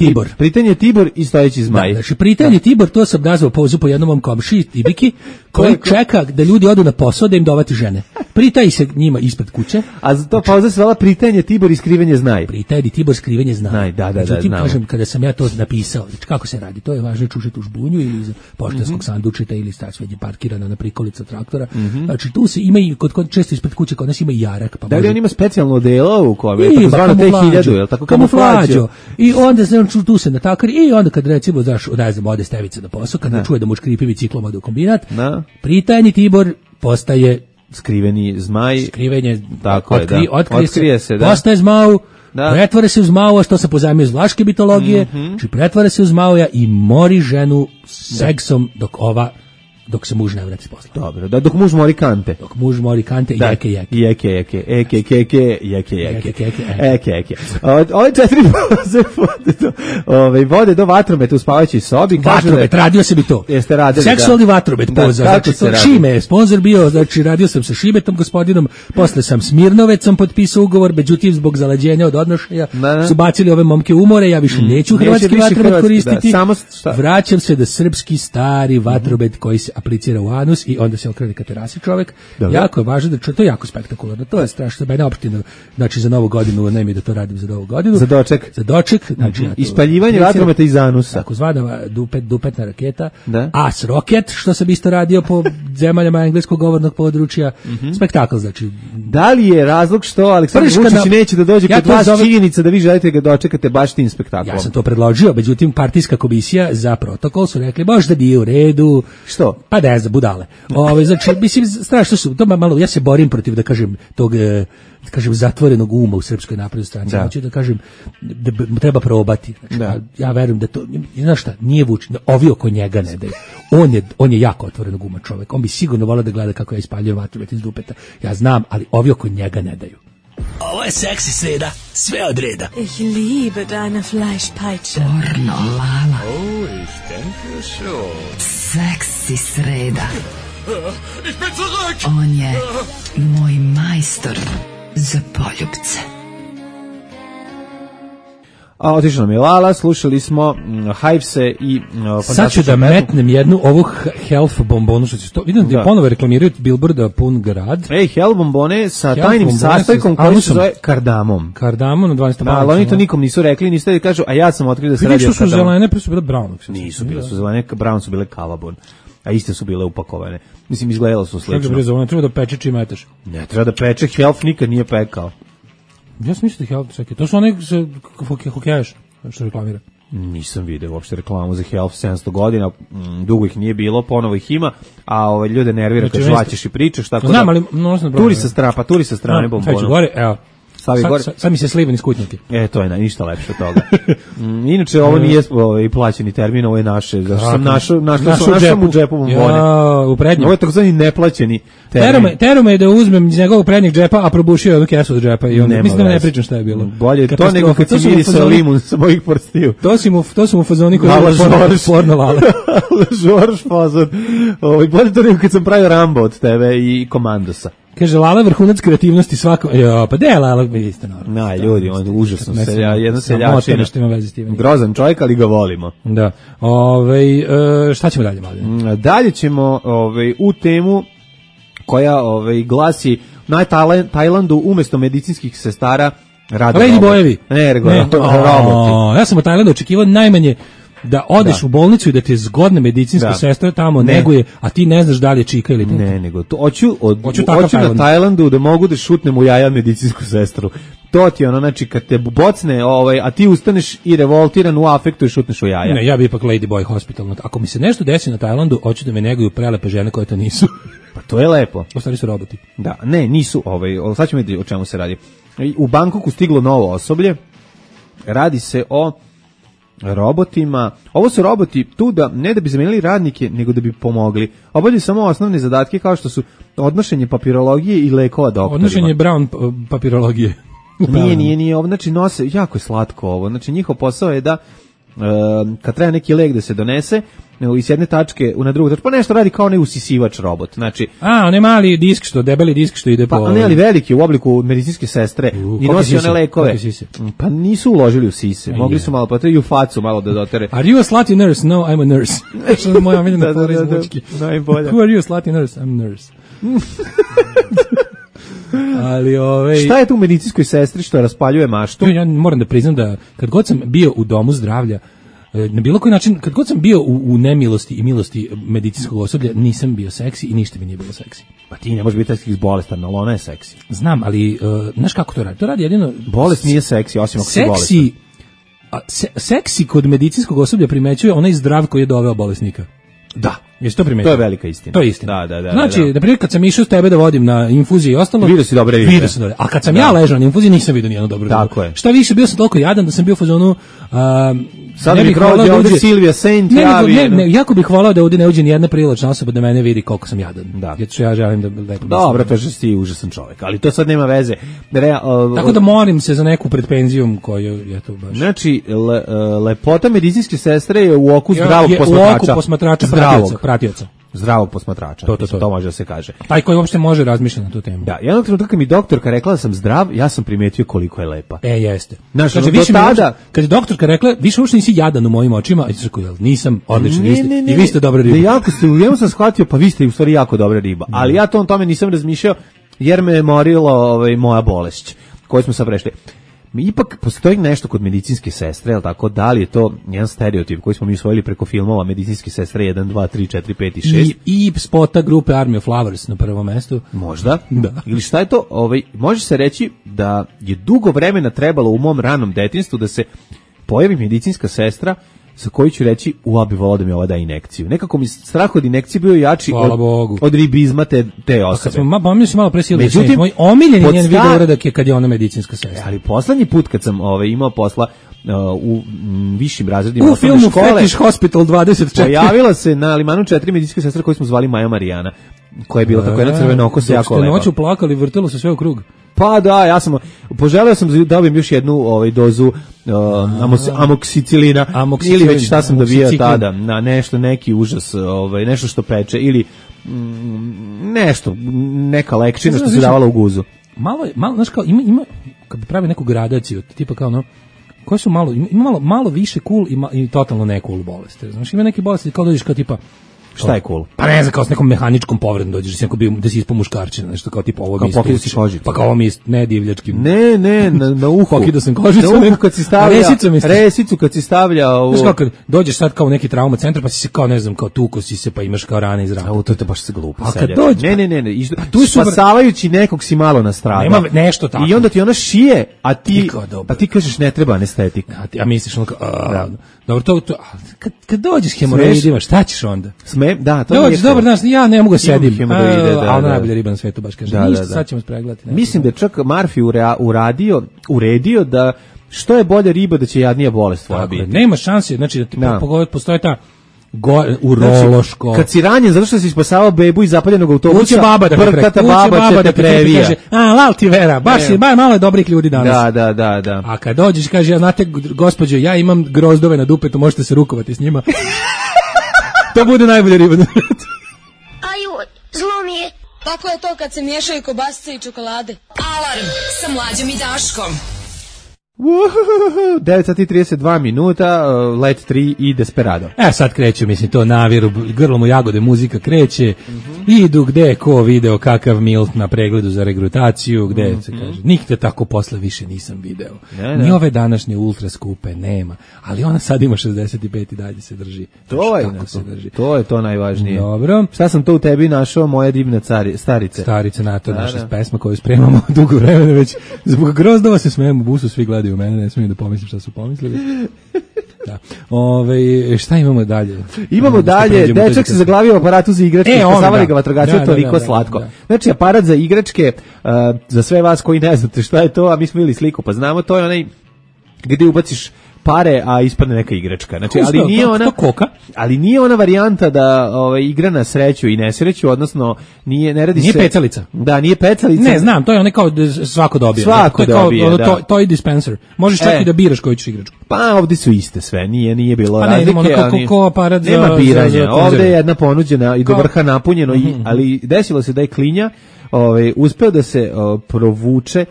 Speaker 6: Tibor i stojeći zmaj.
Speaker 5: Znači Pritajni Tibor, to sam nazvao pozu po jednom mom komšiji Tibiki, koji čeka da ljudi odu na posao da im dovati žene. Pritaji se njima ispred kuće.
Speaker 6: A to pauza se zvala Pritajni Tibor i skrivenje znaj.
Speaker 5: Pritajni Tibor, skrivenje znaj.
Speaker 6: Da.
Speaker 5: Međutim, kažem, kada sam ja to napisao, kako se radi, to je važno čušati u žbunju ili iz poštanskog sandučeta ili sveđe parkirana na prikolica traktora. Znači tu se ima i kod često ispred kuće kod nas ima i jarak, pa
Speaker 6: da li on ima specijalno odelo u kojem je takozvano T1000, je l' tako, kamuflađo.
Speaker 5: I onda tu se natakari i onda kad recimo ode Stevica na posao, kad čuje da mu škripi biciklom ode u kombinat, Pritajni Tibor postaje
Speaker 6: skriveni zmaj.
Speaker 5: Skrivenje,
Speaker 6: tako je,
Speaker 5: otkrije se, postaje zmaj, pretvara se uz Maua, što se pozajmio iz vlaške mitologije, znači pretvara se uz Maua i mori ženu seksom dok se muž ne vrati s posla.
Speaker 6: Dobro, dok muž mori kante.
Speaker 5: Dok muž mori kante i
Speaker 6: jeke. Ove 4 vode do vatrometa u spavajućoj sobi.
Speaker 5: Vatromet, radio sam i to.
Speaker 6: Jeste radili,
Speaker 5: seksualni vatromet poza. Znači, Šime je sponsor bio, znači radio sam sa Šimetom gospodinom, posle sam Smirnovecom potpisao ugovor, međutim zbog zalađenja od odnošaja su bacili ove momke umore, ja više neću hrvatski vatromet koristiti. Vraćam se da srpski stari vatromet koji se aplicira u anus i onda se okrene ka terasi čovek. Dobro. Jako je važno da to je jako spektakularno. To je strašno, mene opštino, znači za novu godinu, ne mi da to radim za novu godinu.
Speaker 6: Za doček,
Speaker 5: znači
Speaker 6: ispaljivanje vatrometa iz anusa.
Speaker 5: Takozvana dupetna raketa. As rocket, što sam isto radio po zemaljama engleskog govornog područja. Spektakl, znači.
Speaker 6: Da li je razlog što Aleksandar Vučić neće da dođe kod vas činjenica da vi želite ga dočekate baš tim spektaklom?
Speaker 5: Ja sam to predložio, međutim partijska komisija za protokol su rekli možda nije u redu.
Speaker 6: Što?
Speaker 5: Pa da je za budale. Znači, mislim, strašno su, to malo, ja se borim protiv, da kažem, tog, zatvorenog uma u Srpskoj naprednoj stranci. Znači, da kažem, da treba probati. Znači, ja verujem da to, znaš šta, nije Vučić, ovi oko njega ne daju. On je jako otvorenog uma čovek. On bi sigurno volio da gleda kako ja ispaljujem vatromet iz dupeta. Ja znam, ali ovi oko njega ne daju.
Speaker 10: Ovo je seksi sreda, sve od reda.
Speaker 12: Ich liebe deine Fleischpeitsche.
Speaker 10: Pornolala.
Speaker 7: Oh, ich denke schon.
Speaker 10: Seksi sreda.
Speaker 7: Ich bin zurück.
Speaker 10: On je moj majstor za poljubce.
Speaker 6: A otišla nam je Lala, slušali smo Hivese i
Speaker 5: sad ću da metnem jednu ovu health bombonu, što će to, vidim da ponovo reklamiraju Billboarda pun grad.
Speaker 6: Health bombone sa tajnim sastojkom koji se zove kardamom.
Speaker 5: Kardamom na 12.
Speaker 6: Ali oni to nikom nisu rekli, niste da kažu, a ja sam otkrio da se radi o kardamom.
Speaker 5: Vidim što su zelene, pre su bile brown.
Speaker 6: Nisu bile su zelene, brown su bile kalabon. A iste su bile upakovane. Mislim, izgledalo su slično.
Speaker 5: Kako treba da peče čim metaš?
Speaker 6: Ne, treba da peče, Health nikad nije pekao.
Speaker 5: Ja sam mislio da Health, čekaj, to su one hokejaš, što reklamira.
Speaker 6: Nisam vidio uopšte reklamu za Health 700 godina, dugo ih nije bilo, ponovo ih ima, a ljude nervira kad žvaćeš i pričaš, tako
Speaker 5: znam,
Speaker 6: da...
Speaker 5: Ali,
Speaker 6: turi sa strane bombona.
Speaker 5: Sad gore, evo. Sad mi se slivan iz kutnjake.
Speaker 6: To je ništa lepše od toga. Inače, ovo nije plaćeni termin, ovo je naše. Zašto sam našao u džepu bombone.
Speaker 5: U prednjem.
Speaker 6: Ovo je takozvani neplaćeni termin.
Speaker 5: Tero me da uzmem iz njegovog prednjeg džepa, a probušio jednu kesu od džepa. I onda, mislim da ne pričam šta je bilo.
Speaker 6: Bolje to nego kad si mirisao limun sa mojih prstiju.
Speaker 5: To su mu fazoni koji je porno lale.
Speaker 6: Žorž fazon. Bolje to nego kad sam pravio Rambo od tebe i Komandosa.
Speaker 5: Kaže, Lala vrhunac kreativnosti svako... Pa de, Lala, vidite, normalno.
Speaker 6: Ljudi, on je užasno jedna seljačina. Grozan čovjek, ali ga volimo.
Speaker 5: Da. Šta ćemo dalje, Mladen?
Speaker 6: Dalje ćemo u temu koja glasi na Tajlandu umjesto medicinskih sestara rade
Speaker 5: Lady bojevi.
Speaker 6: Ne, roboti.
Speaker 5: Ja sam u Tajlandu očekivao najmanje da odeš u bolnicu i da te zgodne medicinske sestre tamo neguje, a ti ne znaš da li je čika ili ne.
Speaker 6: Ne, nego to hoću na Tajlandu da mogu da šutnem u jaja medicinsku sestru. To ti ono, znači kad te bocne, a ti ustaneš i revoltiran u afektu i šutneš u jaja.
Speaker 5: Ne, ja bi ipak Lady Boy Hospital. Ako mi se nešto desi na Tajlandu, hoću da me neguju prelepe žene koje to nisu.
Speaker 6: Pa to je lepo.
Speaker 5: Ostali su roboti.
Speaker 6: Da, ne, nisu, sad ćemo vidjeti o čemu se radi. U Bangkoku stiglo novo osoblje. Radi se o robotima. Ovo su roboti tu ne da bi zamenili radnike, nego da bi pomogli. Obavljaju samo osnovne zadatke kao što su odnošenje papirologije i lekova doktorima.
Speaker 5: Odnošenje brown papirologije.
Speaker 6: Nije ovo, znači nose, jako je slatko ovo. Znači njihov posao je da kad treba neki lek da se donese iz jedne tačke na drugu tačku, pa nešto radi kao onaj usisivač robot. Znači,
Speaker 5: onaj mali disk debeli disk što ide po...
Speaker 6: Pa ne, ali veliki u obliku medicinske sestre i nosi one lekove. Pa nisu uložili u sise, mogli su malo i u facu malo da dotere.
Speaker 5: Are you a slutty nurse? No, I'm a nurse. Što je moja omiljena fora iz Vučki.
Speaker 6: Najbolja.
Speaker 5: Who are you, a slutty nurse? I'm a nurse. Ali
Speaker 6: šta je tu u medicinskoj sestri što raspaljuje maštu?
Speaker 5: Ja moram da priznam da kad god sam bio u domu zdravlja, na bilo koji način, kad god sam bio u nemilosti i milosti medicinskog osoblja, nisam bio seksi i ništa mi nije bilo seksi.
Speaker 6: Pa ti ne možeš biti seksi bolestan, ali ona je seksi.
Speaker 5: Znam, ali znaš kako to radi? To radi jedino...
Speaker 6: Bolest nije seksi, osim ako si bolestan.
Speaker 5: Seksi kod medicinskog osoblja primećuje onaj zdrav koji je doveo bolesnika.
Speaker 6: Da.
Speaker 5: Jesi to primetio?
Speaker 6: To je velika istina.
Speaker 5: To je istina.
Speaker 6: Da.
Speaker 5: Znači, na primjer, kad sam išao s tebe da vodim na infuziji i ostalo,
Speaker 6: vidio si dobre ribe.
Speaker 5: Vidio sam dobre. A kad sam ja ležao na infuziji, nisam vidio nijednu dobru ribu.
Speaker 6: Tako je.
Speaker 5: Šta više, bio sam toliko jadan da sam bio u fazonu...
Speaker 6: Sad mi prođe ovdje Silvija Saint javi.
Speaker 5: Jako bih volao da ovdje ne uđe nijedna privlačna osoba da mene vidi koliko sam jadan. Da. Jer ja želim da lepo...
Speaker 6: Dobro, to je što si užasan čovjek, ali to sad nema veze.
Speaker 5: Tako da molim se za neku pred penzijom koju je to baš...
Speaker 6: Znači, lepota medicinske sestre je u oku zdravog posmatrača.
Speaker 5: U oku posmatrača, pratioca.
Speaker 6: Zdravog posmatrača, to može da se kaže.
Speaker 5: Taj koji uopšte može razmišljati na tu temu.
Speaker 6: Da, jednog trenutka kad mi doktorka rekla da sam zdrav, ja sam primetio koliko je lepa.
Speaker 5: Jeste.
Speaker 6: Znači, više tada...
Speaker 5: Kad je doktorka rekla, više uopšte nisi jadan u mojim očima, nisam, odlično, i vi ste dobra riba.
Speaker 6: Jako ste, u njemu sam shvatio, pa vi ste u stvari jako dobra riba. Ali ja to o tome nisam razmišljao, jer me je morila moja bolest, koju smo sad prešli. Ipak postoji nešto kod medicinske sestre, jel tako, da li je to jedan stereotip koji smo mi usvojili preko filmova medicinske sestre 1, 2, 3, 4, 5 i 6.
Speaker 5: I spota grupe Army of Flowers na prvom mestu.
Speaker 6: Možda. Da. Ili šta je to? Može se reći da je dugo vremena trebalo u mom ranom detinjstvu da se pojavi medicinska sestra sa koju ću reći, bi volao da mi ova da injekciju. Nekako mi strah od injekcije bio jači od ribizma te osobe.
Speaker 5: Mi smo malo presili. Moj omiljeni njen video uradak je kad je ona medicinska sestra.
Speaker 6: Ali poslednji put kad sam imao posla u višim razredima
Speaker 5: u filmu škole, Fetish Hospital 24.
Speaker 6: Pojavila se na Limanu 4 medicinske sestre koju smo zvali Maja Marijana, koja je bila tako jedna crvena oko se jako lepa.
Speaker 5: Noću plakali, vrtilo se sve u krug.
Speaker 6: Pa da, ja sam poželeo sam da dobijem još jednu dozu amoksicilina ili već šta sam dobio tada, na neki užas, nešto što peče ili neka lekčina što se davala u guzu.
Speaker 5: Malo, znaš kao, ima kad bi pravi neku gradaciju, tipa kao koje su malo više cool i totalno ne cool bolesti. Znaš, ima neke bolesti kao dođeš kao tipa
Speaker 6: šta je cool?
Speaker 5: Pa ne znam, kao s nekom mehaničkom povredom dođeš, da si ispao muškarčina, nešto kao tipa ovo mi
Speaker 6: isto.
Speaker 5: Pa kao ovo mi isto, ne divljačkim.
Speaker 6: Ne, na uhu.
Speaker 5: Pokidao sam kožicu.
Speaker 6: Na uhu kad si stavlja, resicu kad si stavlja.
Speaker 5: Znaš kao kad dođeš sad kao u neki trauma centar, pa si se kao, ne znam, kao tuko si se, pa imaš kao rane iz raka.
Speaker 6: To je baš se glupo.
Speaker 5: A kad dođeš...
Speaker 6: Ne. Spasavajući nekog si malo nastradao.
Speaker 5: Nema nešto tako.
Speaker 6: I onda ti ona šije, a ti kažeš ne treba anestetik.
Speaker 5: A misliš ono kao... Dobro, to kad dođeš hemoroidima, šta ćeš onda?
Speaker 6: Da, to
Speaker 5: dođeš, dobro, znaš, ja ne mogu sedim.
Speaker 6: A
Speaker 5: ona najbolja riba na svetu baš kaže. Ništa, sad ćemo spregledati.
Speaker 6: Mislim da je čak Murphy uredio da što je bolja riba da će jadnija bolest tvoja biti.
Speaker 5: Nema šanse, znači da ti postoje ta urološko.
Speaker 6: Kad si ranjen zato što si spasavao bebu iz zapaljenog autobusa,
Speaker 5: uće baba da te previja. Kaže, lal ti vera, baš je malo je dobrih ljudi danas.
Speaker 6: Da.
Speaker 5: A kad dođeš kaže, ja znate gospođo, ja imam grozdove na dupetu, možete se rukovati s njima. To bude najbolja riba.
Speaker 13: Aju, zlo mi je. Tako je to kad se miješaju kobasice i čokolade.
Speaker 2: Alarm sa Mlađom i Daškom.
Speaker 6: 9:32 minuta, Let 3 i Desperado.
Speaker 5: Sad kreću, mislim, to naviru, grlom u jagode muzika kreće, idu gde ko video kakav Milt na pregledu za regrutaciju, gde se kaže, nikde tako posle više nisam video. Ni ove današnje ultra skupe nema, ali ona sad ima 65 i dalje se drži.
Speaker 6: To je to najvažnije.
Speaker 5: Dobro.
Speaker 6: Šta sam to u tebi našao, moja divna starice?
Speaker 5: Starice, to je naša pesma koju spremamo dugo vremena već. Zbog grozdova se smijemo, busu svi gledaju u mene, ne smijem da pomislim šta su pomislili. Da. Šta imamo dalje?
Speaker 6: Imamo dalje, dečak se zaglavio u aparatu za igračke, spasavali ga vatrogasci, toliko slatko. Znači, aparat za igračke, za sve vas koji ne znate šta je to, a mi smo vidjeli sliku, pa znamo, to je onaj gdje ubaciš pare, a ispadne neka igračka. Znači, ali nije ona varijanta da igra na sreću i nesreću, odnosno nije
Speaker 5: pecalica.
Speaker 6: Da, nije pecalica.
Speaker 5: Ne, znam, to je onaj kao svako dobije. To je dispenser. Možeš čak i da biraš koju ćeš igračku.
Speaker 6: Pa ovdje su iste sve, nije bilo razlike.
Speaker 5: Nema aparat za...
Speaker 6: Nema biranja. Ovdje je jedna ponuđena i do vrha napunjeno, ali desilo se da je klinja uspeo da se provuče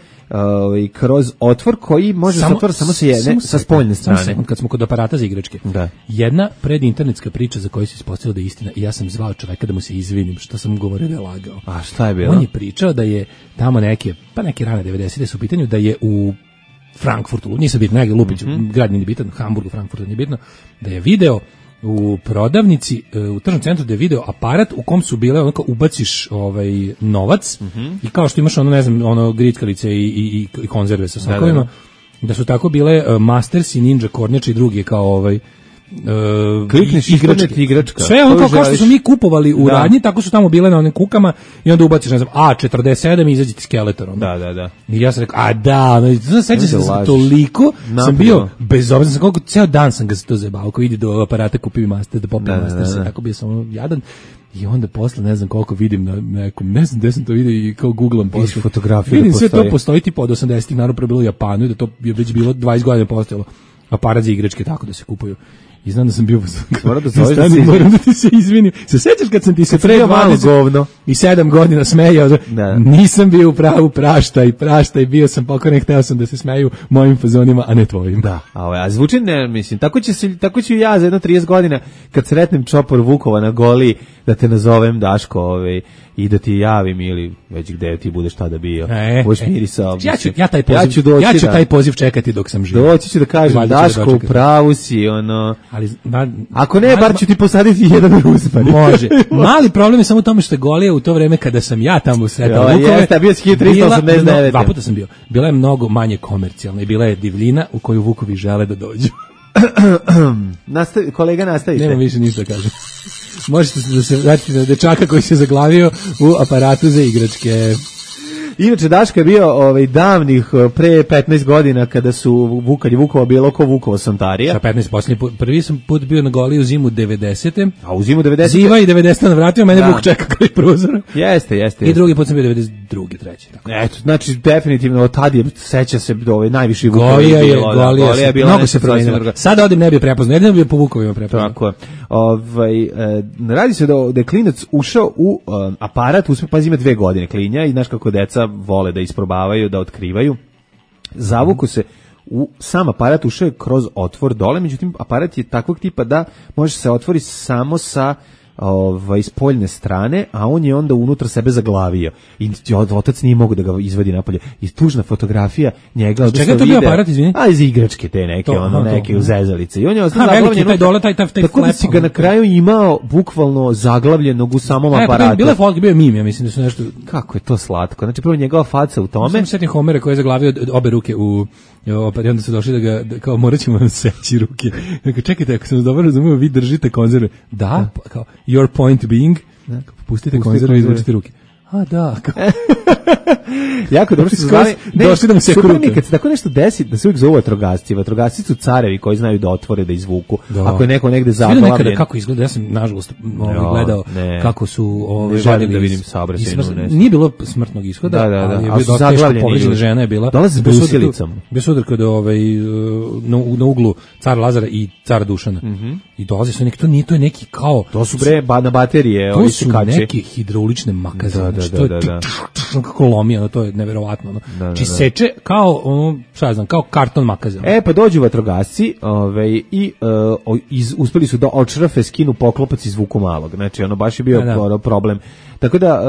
Speaker 6: kroz otvor koji može se otvoriti samo sa spoljne strane.
Speaker 5: Kad smo kod aparata za igračke. Da. Jedna predinternetska priča za koju se ispostavilo da je istina i ja sam zvao čoveka da mu se izvinim što sam govorio da je lagao.
Speaker 6: A šta je bilo?
Speaker 5: On je pričao da je tamo neke rane 90-te su u pitanju da je u Frankfurtu, nisam bitno, negdje Lupiću, grad nije bitan, Hamburgu, Frankfurtu nije bitno, da je video u prodavnici, u tržnom centru da je video aparat u kom su bile, onako ubaciš novac i kao što imaš grickalice i konzerve sa sokovima, da su tako bile Masters i Ninja kornjače i drugi kao
Speaker 6: klikneš igračka.
Speaker 5: Sve ono kao što su mi kupovali u radnji, tako su tamo bile na onim kukama i onda ubaciš, ne znam, A47 i izađe ti Skeletor.
Speaker 6: Da.
Speaker 5: I ja sam rekao, sećam se da sam toliko, sam bio bezobrazan, sam koliko, ceo dan sam ga se to zajebao, ko ide do aparata, kupi mi Master, da popim Master, tako bio sam jadan. I onda posle ne znam koliko vidim na nekom, ne znam gde sam to vidio i kao googlam posle
Speaker 6: fotografije.
Speaker 5: Vidim sve to postoji tipa od 80-ih, naravno pre bilo u Japanu i da to je već bilo 20 godina postojalo. Aparat za igračke tako da se kupuju. I znam da sam bio
Speaker 6: moram
Speaker 5: da ti se izvinim. Se sećaš kad sam ti se pre 20 i 7 godina smejao? Nisam bio u pravu, praštaj, bio sam pokoran, hteo sam da se smeju mojim fazonima, a ne tvojim.
Speaker 6: Da, a zvuči ne, mislim, tako ću ja za jedno 30 godina kad sretnem čopor Vukova na Goli da te nazovem Daško, i da ti javim ili već gde ti budeš tada bio. Budeš mirisao.
Speaker 5: Ja ću taj poziv čekati dok sam živ.
Speaker 6: Doći ću da kažem, Daško, u pravu si,
Speaker 5: ali
Speaker 6: ako ne, bar ću ti posaditi jedan ruspar.
Speaker 5: Može. Mali problem je samo u tome što je Golija u to vreme kada sam ja tamo sretao Vukove.
Speaker 6: Jeste, bio si 1389.
Speaker 5: Dva puta sam bio. Bila je mnogo manje komercijalna i bila je divljina u koju Vukovi žele da dođu.
Speaker 6: Kolega, nastavite.
Speaker 5: Nema više ništa da kažem. Možete da se vratiti na dečaka koji se zaglavio u aparatu za igračke.
Speaker 6: Inače, Daško je bio davnih pre 15 godina kada su Vukova bilo ko Vukova Sontarija.
Speaker 5: Sa 15 posljednji put. Prvi sam put bio na Goli u zimu 90.
Speaker 6: A u zimu 90.
Speaker 5: Ziva i 90. navratio, mene Vuk čeka kraj prozora.
Speaker 6: Jeste.
Speaker 5: I drugi put sam bio 92. treći. Tako.
Speaker 6: Eto, znači definitivno od tad je, seća se najviši Vukova.
Speaker 5: Golija je bila mnogo se promenila. Sada odim ne bi prepoznao, jedino bi po Vukovima prepoznao.
Speaker 6: Tako je. Radi se da je klinac ušao u aparat, pazi ima 2 godine klinja i znaš kako deca vole da isprobavaju, da otkrivaju. Zavuku se u sam aparat, ušao je kroz otvor dole, međutim aparat je takvog tipa da može se otvori samo sa iz poljne strane, a on je onda unutra sebe zaglavio i otac nije mogu da ga izvadi napolje. I tužna fotografija njega.
Speaker 5: Čega je to bio aparat, izvini?
Speaker 6: Iz igračke te neke, neke uzezalice. I on je ostao
Speaker 5: zaglavljen. Taj dole, taj
Speaker 6: tako da si ga na kraju imao bukvalno zaglavljenog u samom aparatu.
Speaker 5: Bile fotke, bio je mim, ja mislim da su nešto.
Speaker 6: Kako je to slatko. Znači prvo njegova faca u tome.
Speaker 5: Sam setim Homera koji je zaglavio obe ruke u i onda su došli da ga, kao morat ćemo vam seći ruke. Dakle, čekajte, ako sam dobro razumio, vi držite konzerve. Da, kao, your point being, pustite konzerve i izvučite ruke. A da,
Speaker 6: jako dobro što su zvali,
Speaker 5: došli da mu se krute.
Speaker 6: Kad se tako nešto desi, da se uvijek zovu vatrogasci. Vatrogasci su carevi koji znaju da otvore, da izvuku. Ako je neko negde zaglavljen.
Speaker 5: Svi nekada kako izgleda, ja sam nažalost gledao kako su želim
Speaker 6: da vidim saobraćajnu nesreću.
Speaker 5: Nije bilo smrtnog ishoda, ali je bio dosta teško povređena žena je bila.
Speaker 6: Dolaze s brusilicom.
Speaker 5: Bio sudar kod na uglu Cara Lazara i Cara Dušana. I dolaze su neki, to je neki kao...
Speaker 6: To su na baterije.
Speaker 5: To su neke hidraulične makaze. Kako lomi, to je neverovatno. Či seče kao, kao karton makaze.
Speaker 6: Pa dođu vatrogasci i uspeli su da odšrafe, skinu poklopac i izvuku malog. Znači, baš je bio problem. Tako da,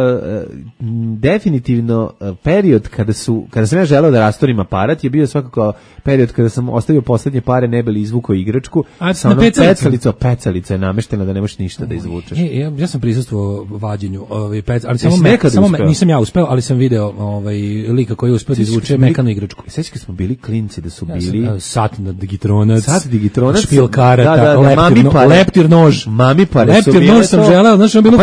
Speaker 6: definitivno, period kada sam ja želeo da rastorim aparat, je bio svakako period kada sam ostavio poslednje pare, ne bili izvukao igračku, sa onom pecalica je nameštena da ne možeš ništa da izvučeš.
Speaker 5: Ja sam prisustvovao vađenju ali samo nisam ja uspeo, ali sam video lika koji je uspeo da izvuče mekanu igračku.
Speaker 6: Sveći kad smo bili klinci da su bili...
Speaker 5: Sat Digitronac,
Speaker 6: špil
Speaker 5: karata, leptir nož.
Speaker 6: Mami pare su bile to.
Speaker 5: Leptir nož sam želeo, znaš, bilo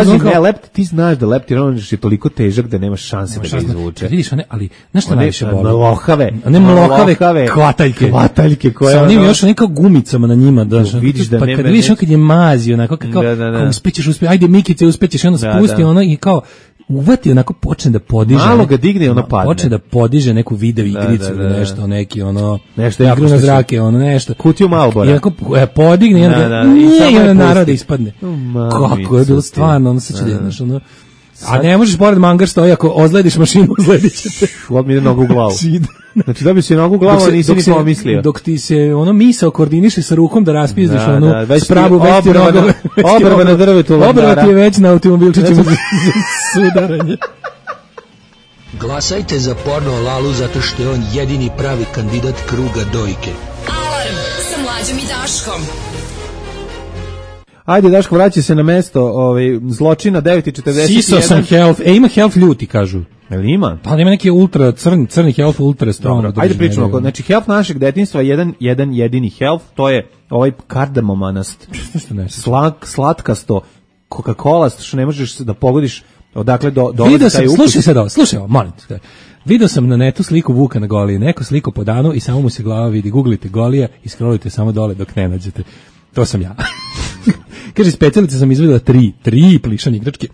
Speaker 6: ti znaš da leptir nož je toliko težak da nema šanse da ga izvuče.
Speaker 5: Vidiš, ali znaš šta najviše boli?
Speaker 6: Mlohave,
Speaker 5: hvataljke koje... Sa onim još nekao gumicama na njima.
Speaker 6: Vidiš da nema...
Speaker 5: Kad vidiš kad je mazi, onako, kao uspećeš, ajde Mikice, uspećeš, ono spusti, ono i kao... uvati, onako počne da podiže.
Speaker 6: Malo ga digne i ono padne.
Speaker 5: Počne da podiže neku video igricu ili nešto, neki nešto igru na zrake, nešto.
Speaker 6: Kutiju Malbora.
Speaker 5: I onako podigne i onda narod ispadne. Kako je bilo stvarno, sad ću znaš, a ne možeš pored mangar stoji, ako ozlediš mašinu, ozledit će te.
Speaker 6: Od mi ide nogu u glavu. Znači dobio si nogu u glavu, a nisi ni pomislio.
Speaker 5: Dok ti se misao koordiniše sa rukom da raspizdiš
Speaker 6: spravu, već ti obrva na drvetu landara.
Speaker 5: Obrva ti je već na automobilčićima za sudaranje.
Speaker 10: Glasajte za Porno Lalu zato što je on jedini pravi kandidat kruga dojke.
Speaker 2: Alarm sa Mlađom i Daškom.
Speaker 6: Ajde, Daško, vraća se na mesto zločina, 9:41.
Speaker 5: Siso sam health, ima health ljuti, kažu.
Speaker 6: Jel ima?
Speaker 5: Da, ima neki ultra crni health, ultra strong.
Speaker 6: Ajde pričamo. Znači, health našeg detinjstva je jedan jedini health, to je ovaj kardamomanast. Slatkasto, Coca-Cola, što ne možeš da pogodiš odakle dolazi taj ukus.
Speaker 5: Slušaj, molim te. Video sam na netu sliku Vuka na Goliji, neko sliku po danu i samo mu se glava vidi. Googlite Golija i scrollujte samo dole dok ne nađete. To sam ja. Kaže, specijalice sam izvedela 3 plišane igračke.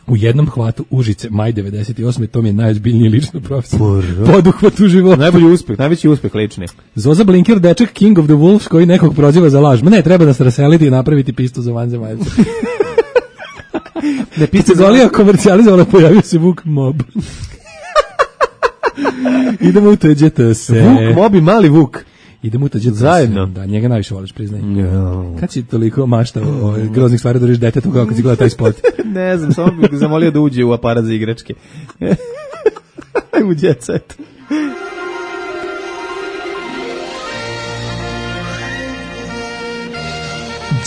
Speaker 5: U jednom hvatu Užice, maj 98. To mi je najozbiljniji lično profesor. Poduhvat u životu.
Speaker 6: Najveći uspeh lični.
Speaker 5: Zoza Blinker, dečak King of the Wolves, koji nekog proziva za laž. Ma ne, treba nas raseliti i napraviti pistu za vanzemaljce.
Speaker 6: Ne, pista
Speaker 5: Golija komercijalizovala, pojavio se Vuk Mob. Idemo u tuđete se.
Speaker 6: Vuk Mob i mali Vuk.
Speaker 5: Idemo u tuđete
Speaker 6: zajedno.
Speaker 5: Da, njega najviše voliš, priznaj. Kad si toliko maštao groznih stvari da riš detetu kao kad si gleda taj spot?
Speaker 6: Ne znam, samo bih zamolio da uđe u aparat za igračke. U Jet Set.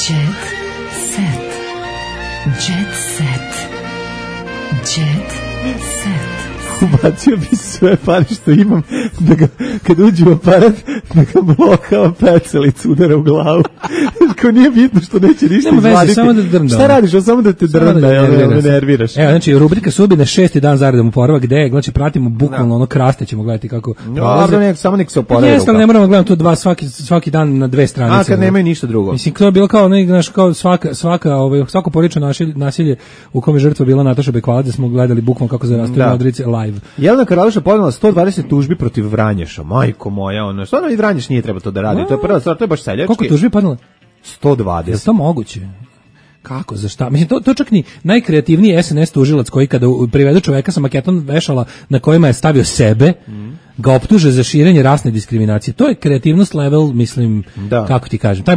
Speaker 2: Jet Set. Jet Set. Jet Set.
Speaker 6: Ubacio bi sve pare što imam, da ga, kad uđe u aparat, da ga blokao pecelicu udara u glavu. Ko nije bitno što neće ništa izvaditi.
Speaker 5: Samo da drnda.
Speaker 6: Šta radiš? Samo da te drnda, me nerviraš.
Speaker 5: Evo, znači, rubrika Sudbine 6. dan zaredom oporavak, gde je, znači, pratimo bukvalno ono kraste, ćemo gledati kako
Speaker 6: prolaze. Samo nek se oporavaju.
Speaker 5: Jeste, ali ne moramo gledati to svaki dan na 2 stranice.
Speaker 6: A, kad nemaju ništa drugo.
Speaker 5: Mislim, to je bilo kao, znaš, kao svako porodično nasilje u kome žrtva bila Nataša Bekvalac, da smo gledali bukvalno kako zarastaju Modrice live.
Speaker 6: Jelena Karlaša podnela 120 tužbi protiv Vranješa. Majko moja, ono, stvarno i Vranješ nije treba to da radi. To je prva stvar, to je baš seljački.
Speaker 5: Koliko tužbi podnela?
Speaker 6: 120.
Speaker 5: Je to moguće? Kako, za šta? Mislim, to čak ni najkreativniji SNS tužilac koji kada privede čoveka sa maketom vešala na kojima je stavio sebe, ga optuže za širenje rasne diskriminacije. To je kreativnost level, mislim, kako ti kažem, taj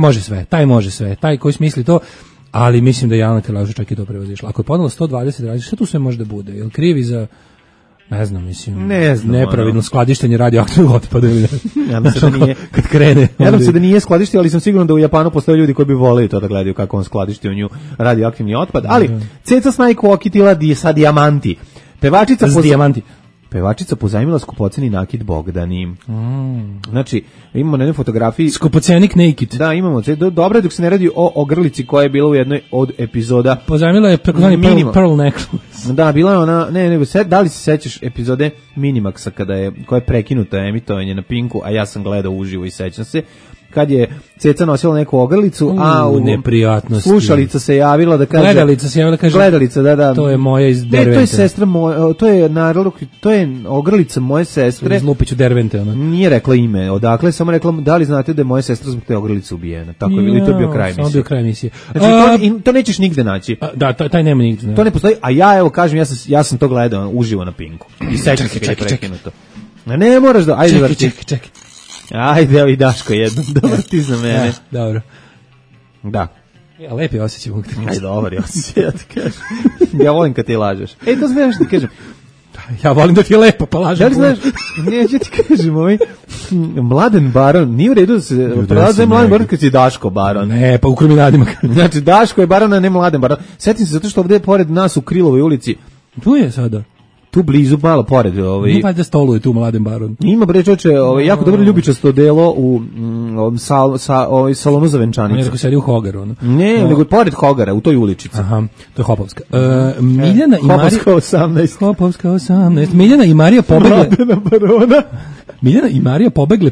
Speaker 5: može sve, taj koji smisli to, ali mislim da je Jelena Karlaša čak i to prevazišla. Ako je podnela 120 radnji, šta tu sve može da bude? Jel krivi za... Ne znam, nepravilno skladištenje radioaktivnog otpada ili
Speaker 6: ja se da nije,
Speaker 5: kad krene.
Speaker 6: Nadam se da nije skladištio, ali sam siguran da u Japanu postoje ljudi koji bi voleli to da gledaju kako on skladišti u nju radioaktivni otpad. Ali Ceca Snajko okitila sa dijamanti. Pevačica pozajmila skupoceni nakit Bogdani. Znači, imamo na jednoj fotografiji...
Speaker 5: Skupocenik naked.
Speaker 6: Da, imamo. Dobro je dok se ne radi o ogrlici koja je bila u jednoj od epizoda.
Speaker 5: Pozajmila je takozvani pearl necklace.
Speaker 6: Da, bila je ona... da li se sećaš epizode Minimaxa koja je prekinuta emitovanje na Pinku, a ja sam gledao uživo i sećam se, kad je Ceca nosila neku ogrlicu, a u
Speaker 5: neprijatnosti.
Speaker 6: Slušalica se javila da kaže...
Speaker 5: Gledalica se javila da kaže...
Speaker 6: Gledalica, da.
Speaker 5: To je moja iz Dervente.
Speaker 6: To je sestra moja, to je ogrlica moje sestre.
Speaker 5: Iz Lupiću Dervente, ona.
Speaker 6: Nije rekla ime, odakle, samo rekla, da li znate da je moja sestra zbog te ogrlice ubijena. Tako je bilo i to je bio kraj emisije.
Speaker 5: Samo bio kraj emisije.
Speaker 6: Znači, to nećeš nigde naći.
Speaker 5: Da, taj nema nigde.
Speaker 6: To ne postoji, a ja, evo, kažem, ja sam to gledao uživo na Pinku. I sećam se kad je prekinuto. Ne moraš da...
Speaker 5: Čekaj.
Speaker 6: Ajde, evo i Daško jednom, dobar ti za mene.
Speaker 5: Dobro.
Speaker 6: Da.
Speaker 5: Ja, lepi osjećaj mogu ti kažem.
Speaker 6: Ajde, dobar je osjećaj, ja ti kažem. Ja volim kad ti lažeš. To znaš što ti kažem.
Speaker 5: Ja volim da ti je lepo, pa lažem.
Speaker 6: Da li znaš, ja ti kažem, Mladen Baron, nije u redu da se prelaze Mladen Baron kad si Daško Baron.
Speaker 5: Ne, pa u Kruminadima.
Speaker 6: Znači, Daško je Baron, a ne Mladen Baron. Sjetim se zato što ovdje pored nas u Krilovoj ulici.
Speaker 5: Tu je sada.
Speaker 6: Tu blizu, malo pored.
Speaker 5: Nije valjda stoluje tu Mladen Baron.
Speaker 6: Ima, bre, čoče, jako dobro ljubičasto delo u salonu za venčanicu.
Speaker 5: On je rekao sedi u Hogaru.
Speaker 6: Ne, nego pored Hogara, u toj uličici.
Speaker 5: Aha, to je Hopovska. Miljana i Marija...
Speaker 6: Hopovska 18.
Speaker 5: Hopovska 18. Miljana i Marija pobegle...
Speaker 6: Mladena Barona.
Speaker 5: Miljana i Marija pobegle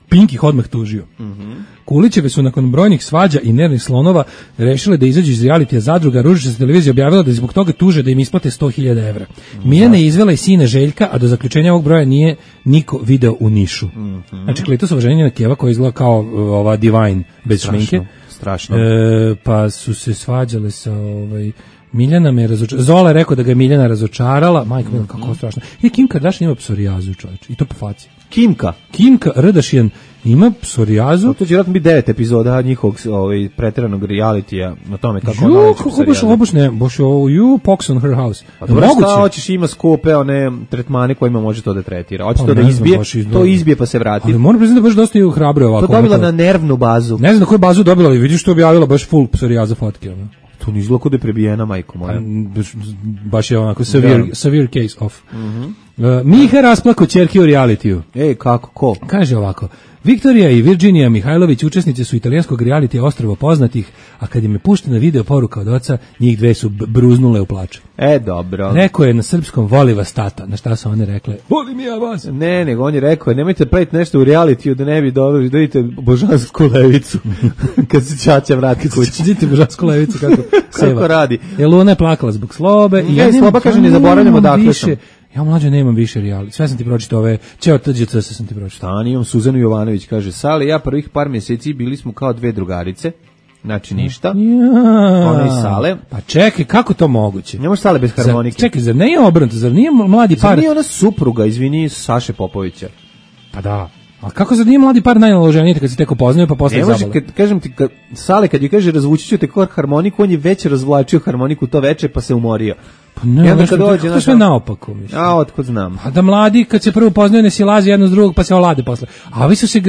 Speaker 5: Pink ih odmah tužio. Kulićeve su nakon brojnih svađa i nervnih slonova rešile da izađu iz realitija zadruga. Ružičasta televizija objavila da zbog toga tuže da im isplate 100.000 evra. Miljana je izvela i sina Željka, a do zaključenja ovog broja nije niko video u Nišu. Znači, Kletusova ženjena Keva koja izgleda kao ova Divine bez šminke.
Speaker 6: Strašno.
Speaker 5: Pa su se svađale sa Miljana me razočarala. Zola je rekao da ga je Miljana razočarala. Majko, kako strašno. I Kim Kardashian ima psorijazu, čovječ. I to po faci. Kim Kardashian ima psorijazu.
Speaker 6: To će vjerojatno biti 9 epizoda njihovog pretjeranog realitija na tome kako ona leči psorijazu.
Speaker 5: Baš pox on her house.
Speaker 6: Pa dobro, šta hoćeš, ima skupe one tretmane kojima može to da tretira. Hoće to da izbije, to izbije pa se vrati.
Speaker 5: Ali moram priznati da baš dosta hrabro ovako.
Speaker 6: To dobila na nervnu bazu.
Speaker 5: Ne znam na koju bazu dobila, ali vidiš što objavila baš full psorijaza fotke.
Speaker 6: To ni zloko da je prebijena, majko moja.
Speaker 5: Baš je onako severe case of. Miha rasplako ćerki u realitiju.
Speaker 6: Kako, ko?
Speaker 5: Kaže ovako, Viktorija i Virginija Mihajlović učesnice su italijanskog realitija Ostrvo poznatih, a kad im je puštena video poruka od oca, njih dve su bruznule u plaču.
Speaker 6: Dobro.
Speaker 5: Rekao je na srpskom, voli vas tata. Na šta su one rekle? Volim ja vas.
Speaker 6: Ne, nego on je rekao, nemojte praviti nešto u realitiju da ne bi dobili, da vidite božansku levicu. Kad se ćaća vrati kući.
Speaker 5: Vidite božansku levicu kako
Speaker 6: radi.
Speaker 5: Luna je plakala zbog Slobe.
Speaker 6: I Sloba kaže, ne zaboravljamo dakle sam.
Speaker 5: Ja mlađe nemam više reality. Sve sam ti pročitao ove, Ćeo TGC sam ti pročitao.
Speaker 6: Imam Suzanu Jovanović, kaže, Sale, ja prvih par mjeseci bili smo kao dve drugarice, znači ništa. Ona i Sale.
Speaker 5: Pa čekaj, kako to moguće?
Speaker 6: Ne može Sale bez harmonike.
Speaker 5: Čekaj, zar nije obrnuto, zar nije mladi par?
Speaker 6: Zar nije ona supruga, izvini, Saše Popovića?
Speaker 5: Pa da. A kako zar nije mladi par najnaloženiji kad se tek upoznaju pa posle zabole?
Speaker 6: Ne može, kažem ti, Sale kad je kaže razvući ću te kod harmoniku, on je već razvlačio harmoniku to veče pa se umorio.
Speaker 5: Pa ne, kako sve naopako, mislim.
Speaker 6: A otkud znam.
Speaker 5: A da mladi kad se prvo poznaju ne silaze jedno s drugog pa se olade posle. A ovi su se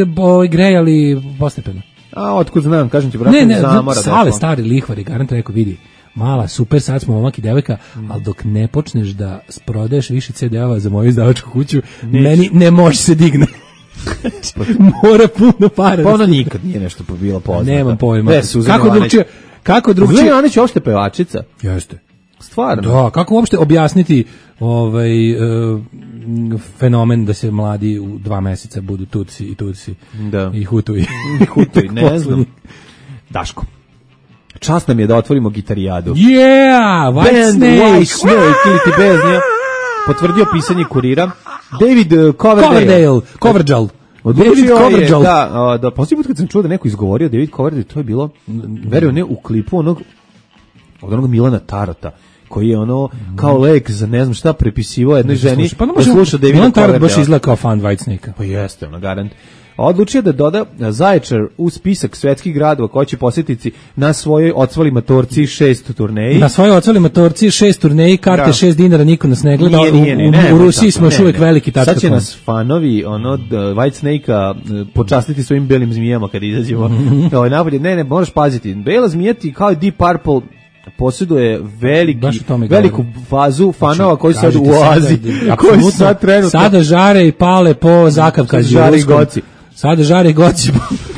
Speaker 5: grejali postepeno.
Speaker 6: A otkud znam, kažem ti, brate, zamora.
Speaker 5: Sale stari lihvari, garant rekao, vidi, mala, super, sad smo momak i devojka, ali dok ne počneš da prodaješ više CD-ova za moju izdavačku kuću, meni ne može se digne. Mora puno para.
Speaker 6: Pa ona nikad nije nešto bilo poznata.
Speaker 5: Nemam pojma.
Speaker 6: Kako drugčije? Zuzana Ivanić je uopšte pevačica.
Speaker 5: Jeste.
Speaker 6: Stvarno.
Speaker 5: Da, kako uopšte objasniti fenomen da se mladi u 2 meseca budu tuci i tuci i hutuji.
Speaker 6: Ne znam. Daško. Čast nam je da otvorimo gitarijadu.
Speaker 5: Yeah, White Snake
Speaker 6: ili ti beznija. Potvrdio pisanje Kurira. David
Speaker 5: Coverdale.
Speaker 6: David Coverdale. Da, posljednji put kad sam čuo da neko izgovorio David Coverdale, to je bilo, verujem ne, u klipu od onog Milana Tarata, koji je ono kao lek za ne znam šta prepisivao jednoj ženi.
Speaker 5: Pa ne može, Milan Tarat baš izgleda kao fan White Snake-a.
Speaker 6: Pa jeste, ono, garant. Odlučio da doda Zaječar u spisak svetskih gradova koji će posjetiti na svojoj ocvali matorci 6 turneji.
Speaker 5: Na svojoj ocvali matorci 6 turneji, karte $6, niko nas ne gleda. U Rusiji smo još uvijek veliki tačka.
Speaker 6: Sad će nas fanovi White Snake-a počastiti svojim belim zmijama kad izađemo. Napolje, ne, moraš paziti. Bela zmija ti kao i Deep Purple posjeduje veliku fazu fanova koji sad u oazi, koji sad trenutno
Speaker 5: sada žare i pale po zakavkađi. Sada žare i goci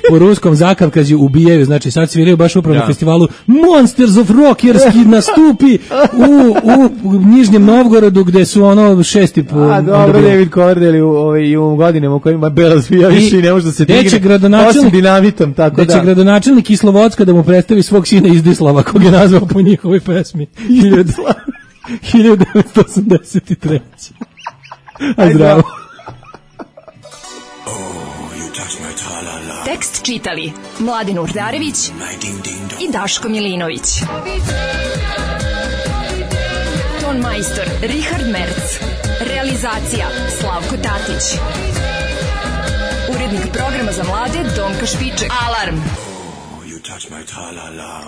Speaker 5: po ruskom zakavkađi ubijaju, znači sad sviraju baš upravo na festivalu Monsters of Rock jer nastupi u Nižnjem Novgorodu gde su ono 6.
Speaker 6: A dobro, David Coverdale u godinama u kojima Bela zvija više i ne može da se digne osim dinamitom, tako da.
Speaker 5: Će gradonačelnik Kislovodska da mu predstavi svog sina Izdislava, kog je nazvao po njihovoj pesmi 1983. A zdravo.
Speaker 2: Tekst čitali Mladin Urdarević i Daško Milinović. Ton majstor Richard Merc. Realizacija Slavko Tatić. Urednik programa za mlade Donka Špiček. Alarm! Oh, you touch my tra-la-la.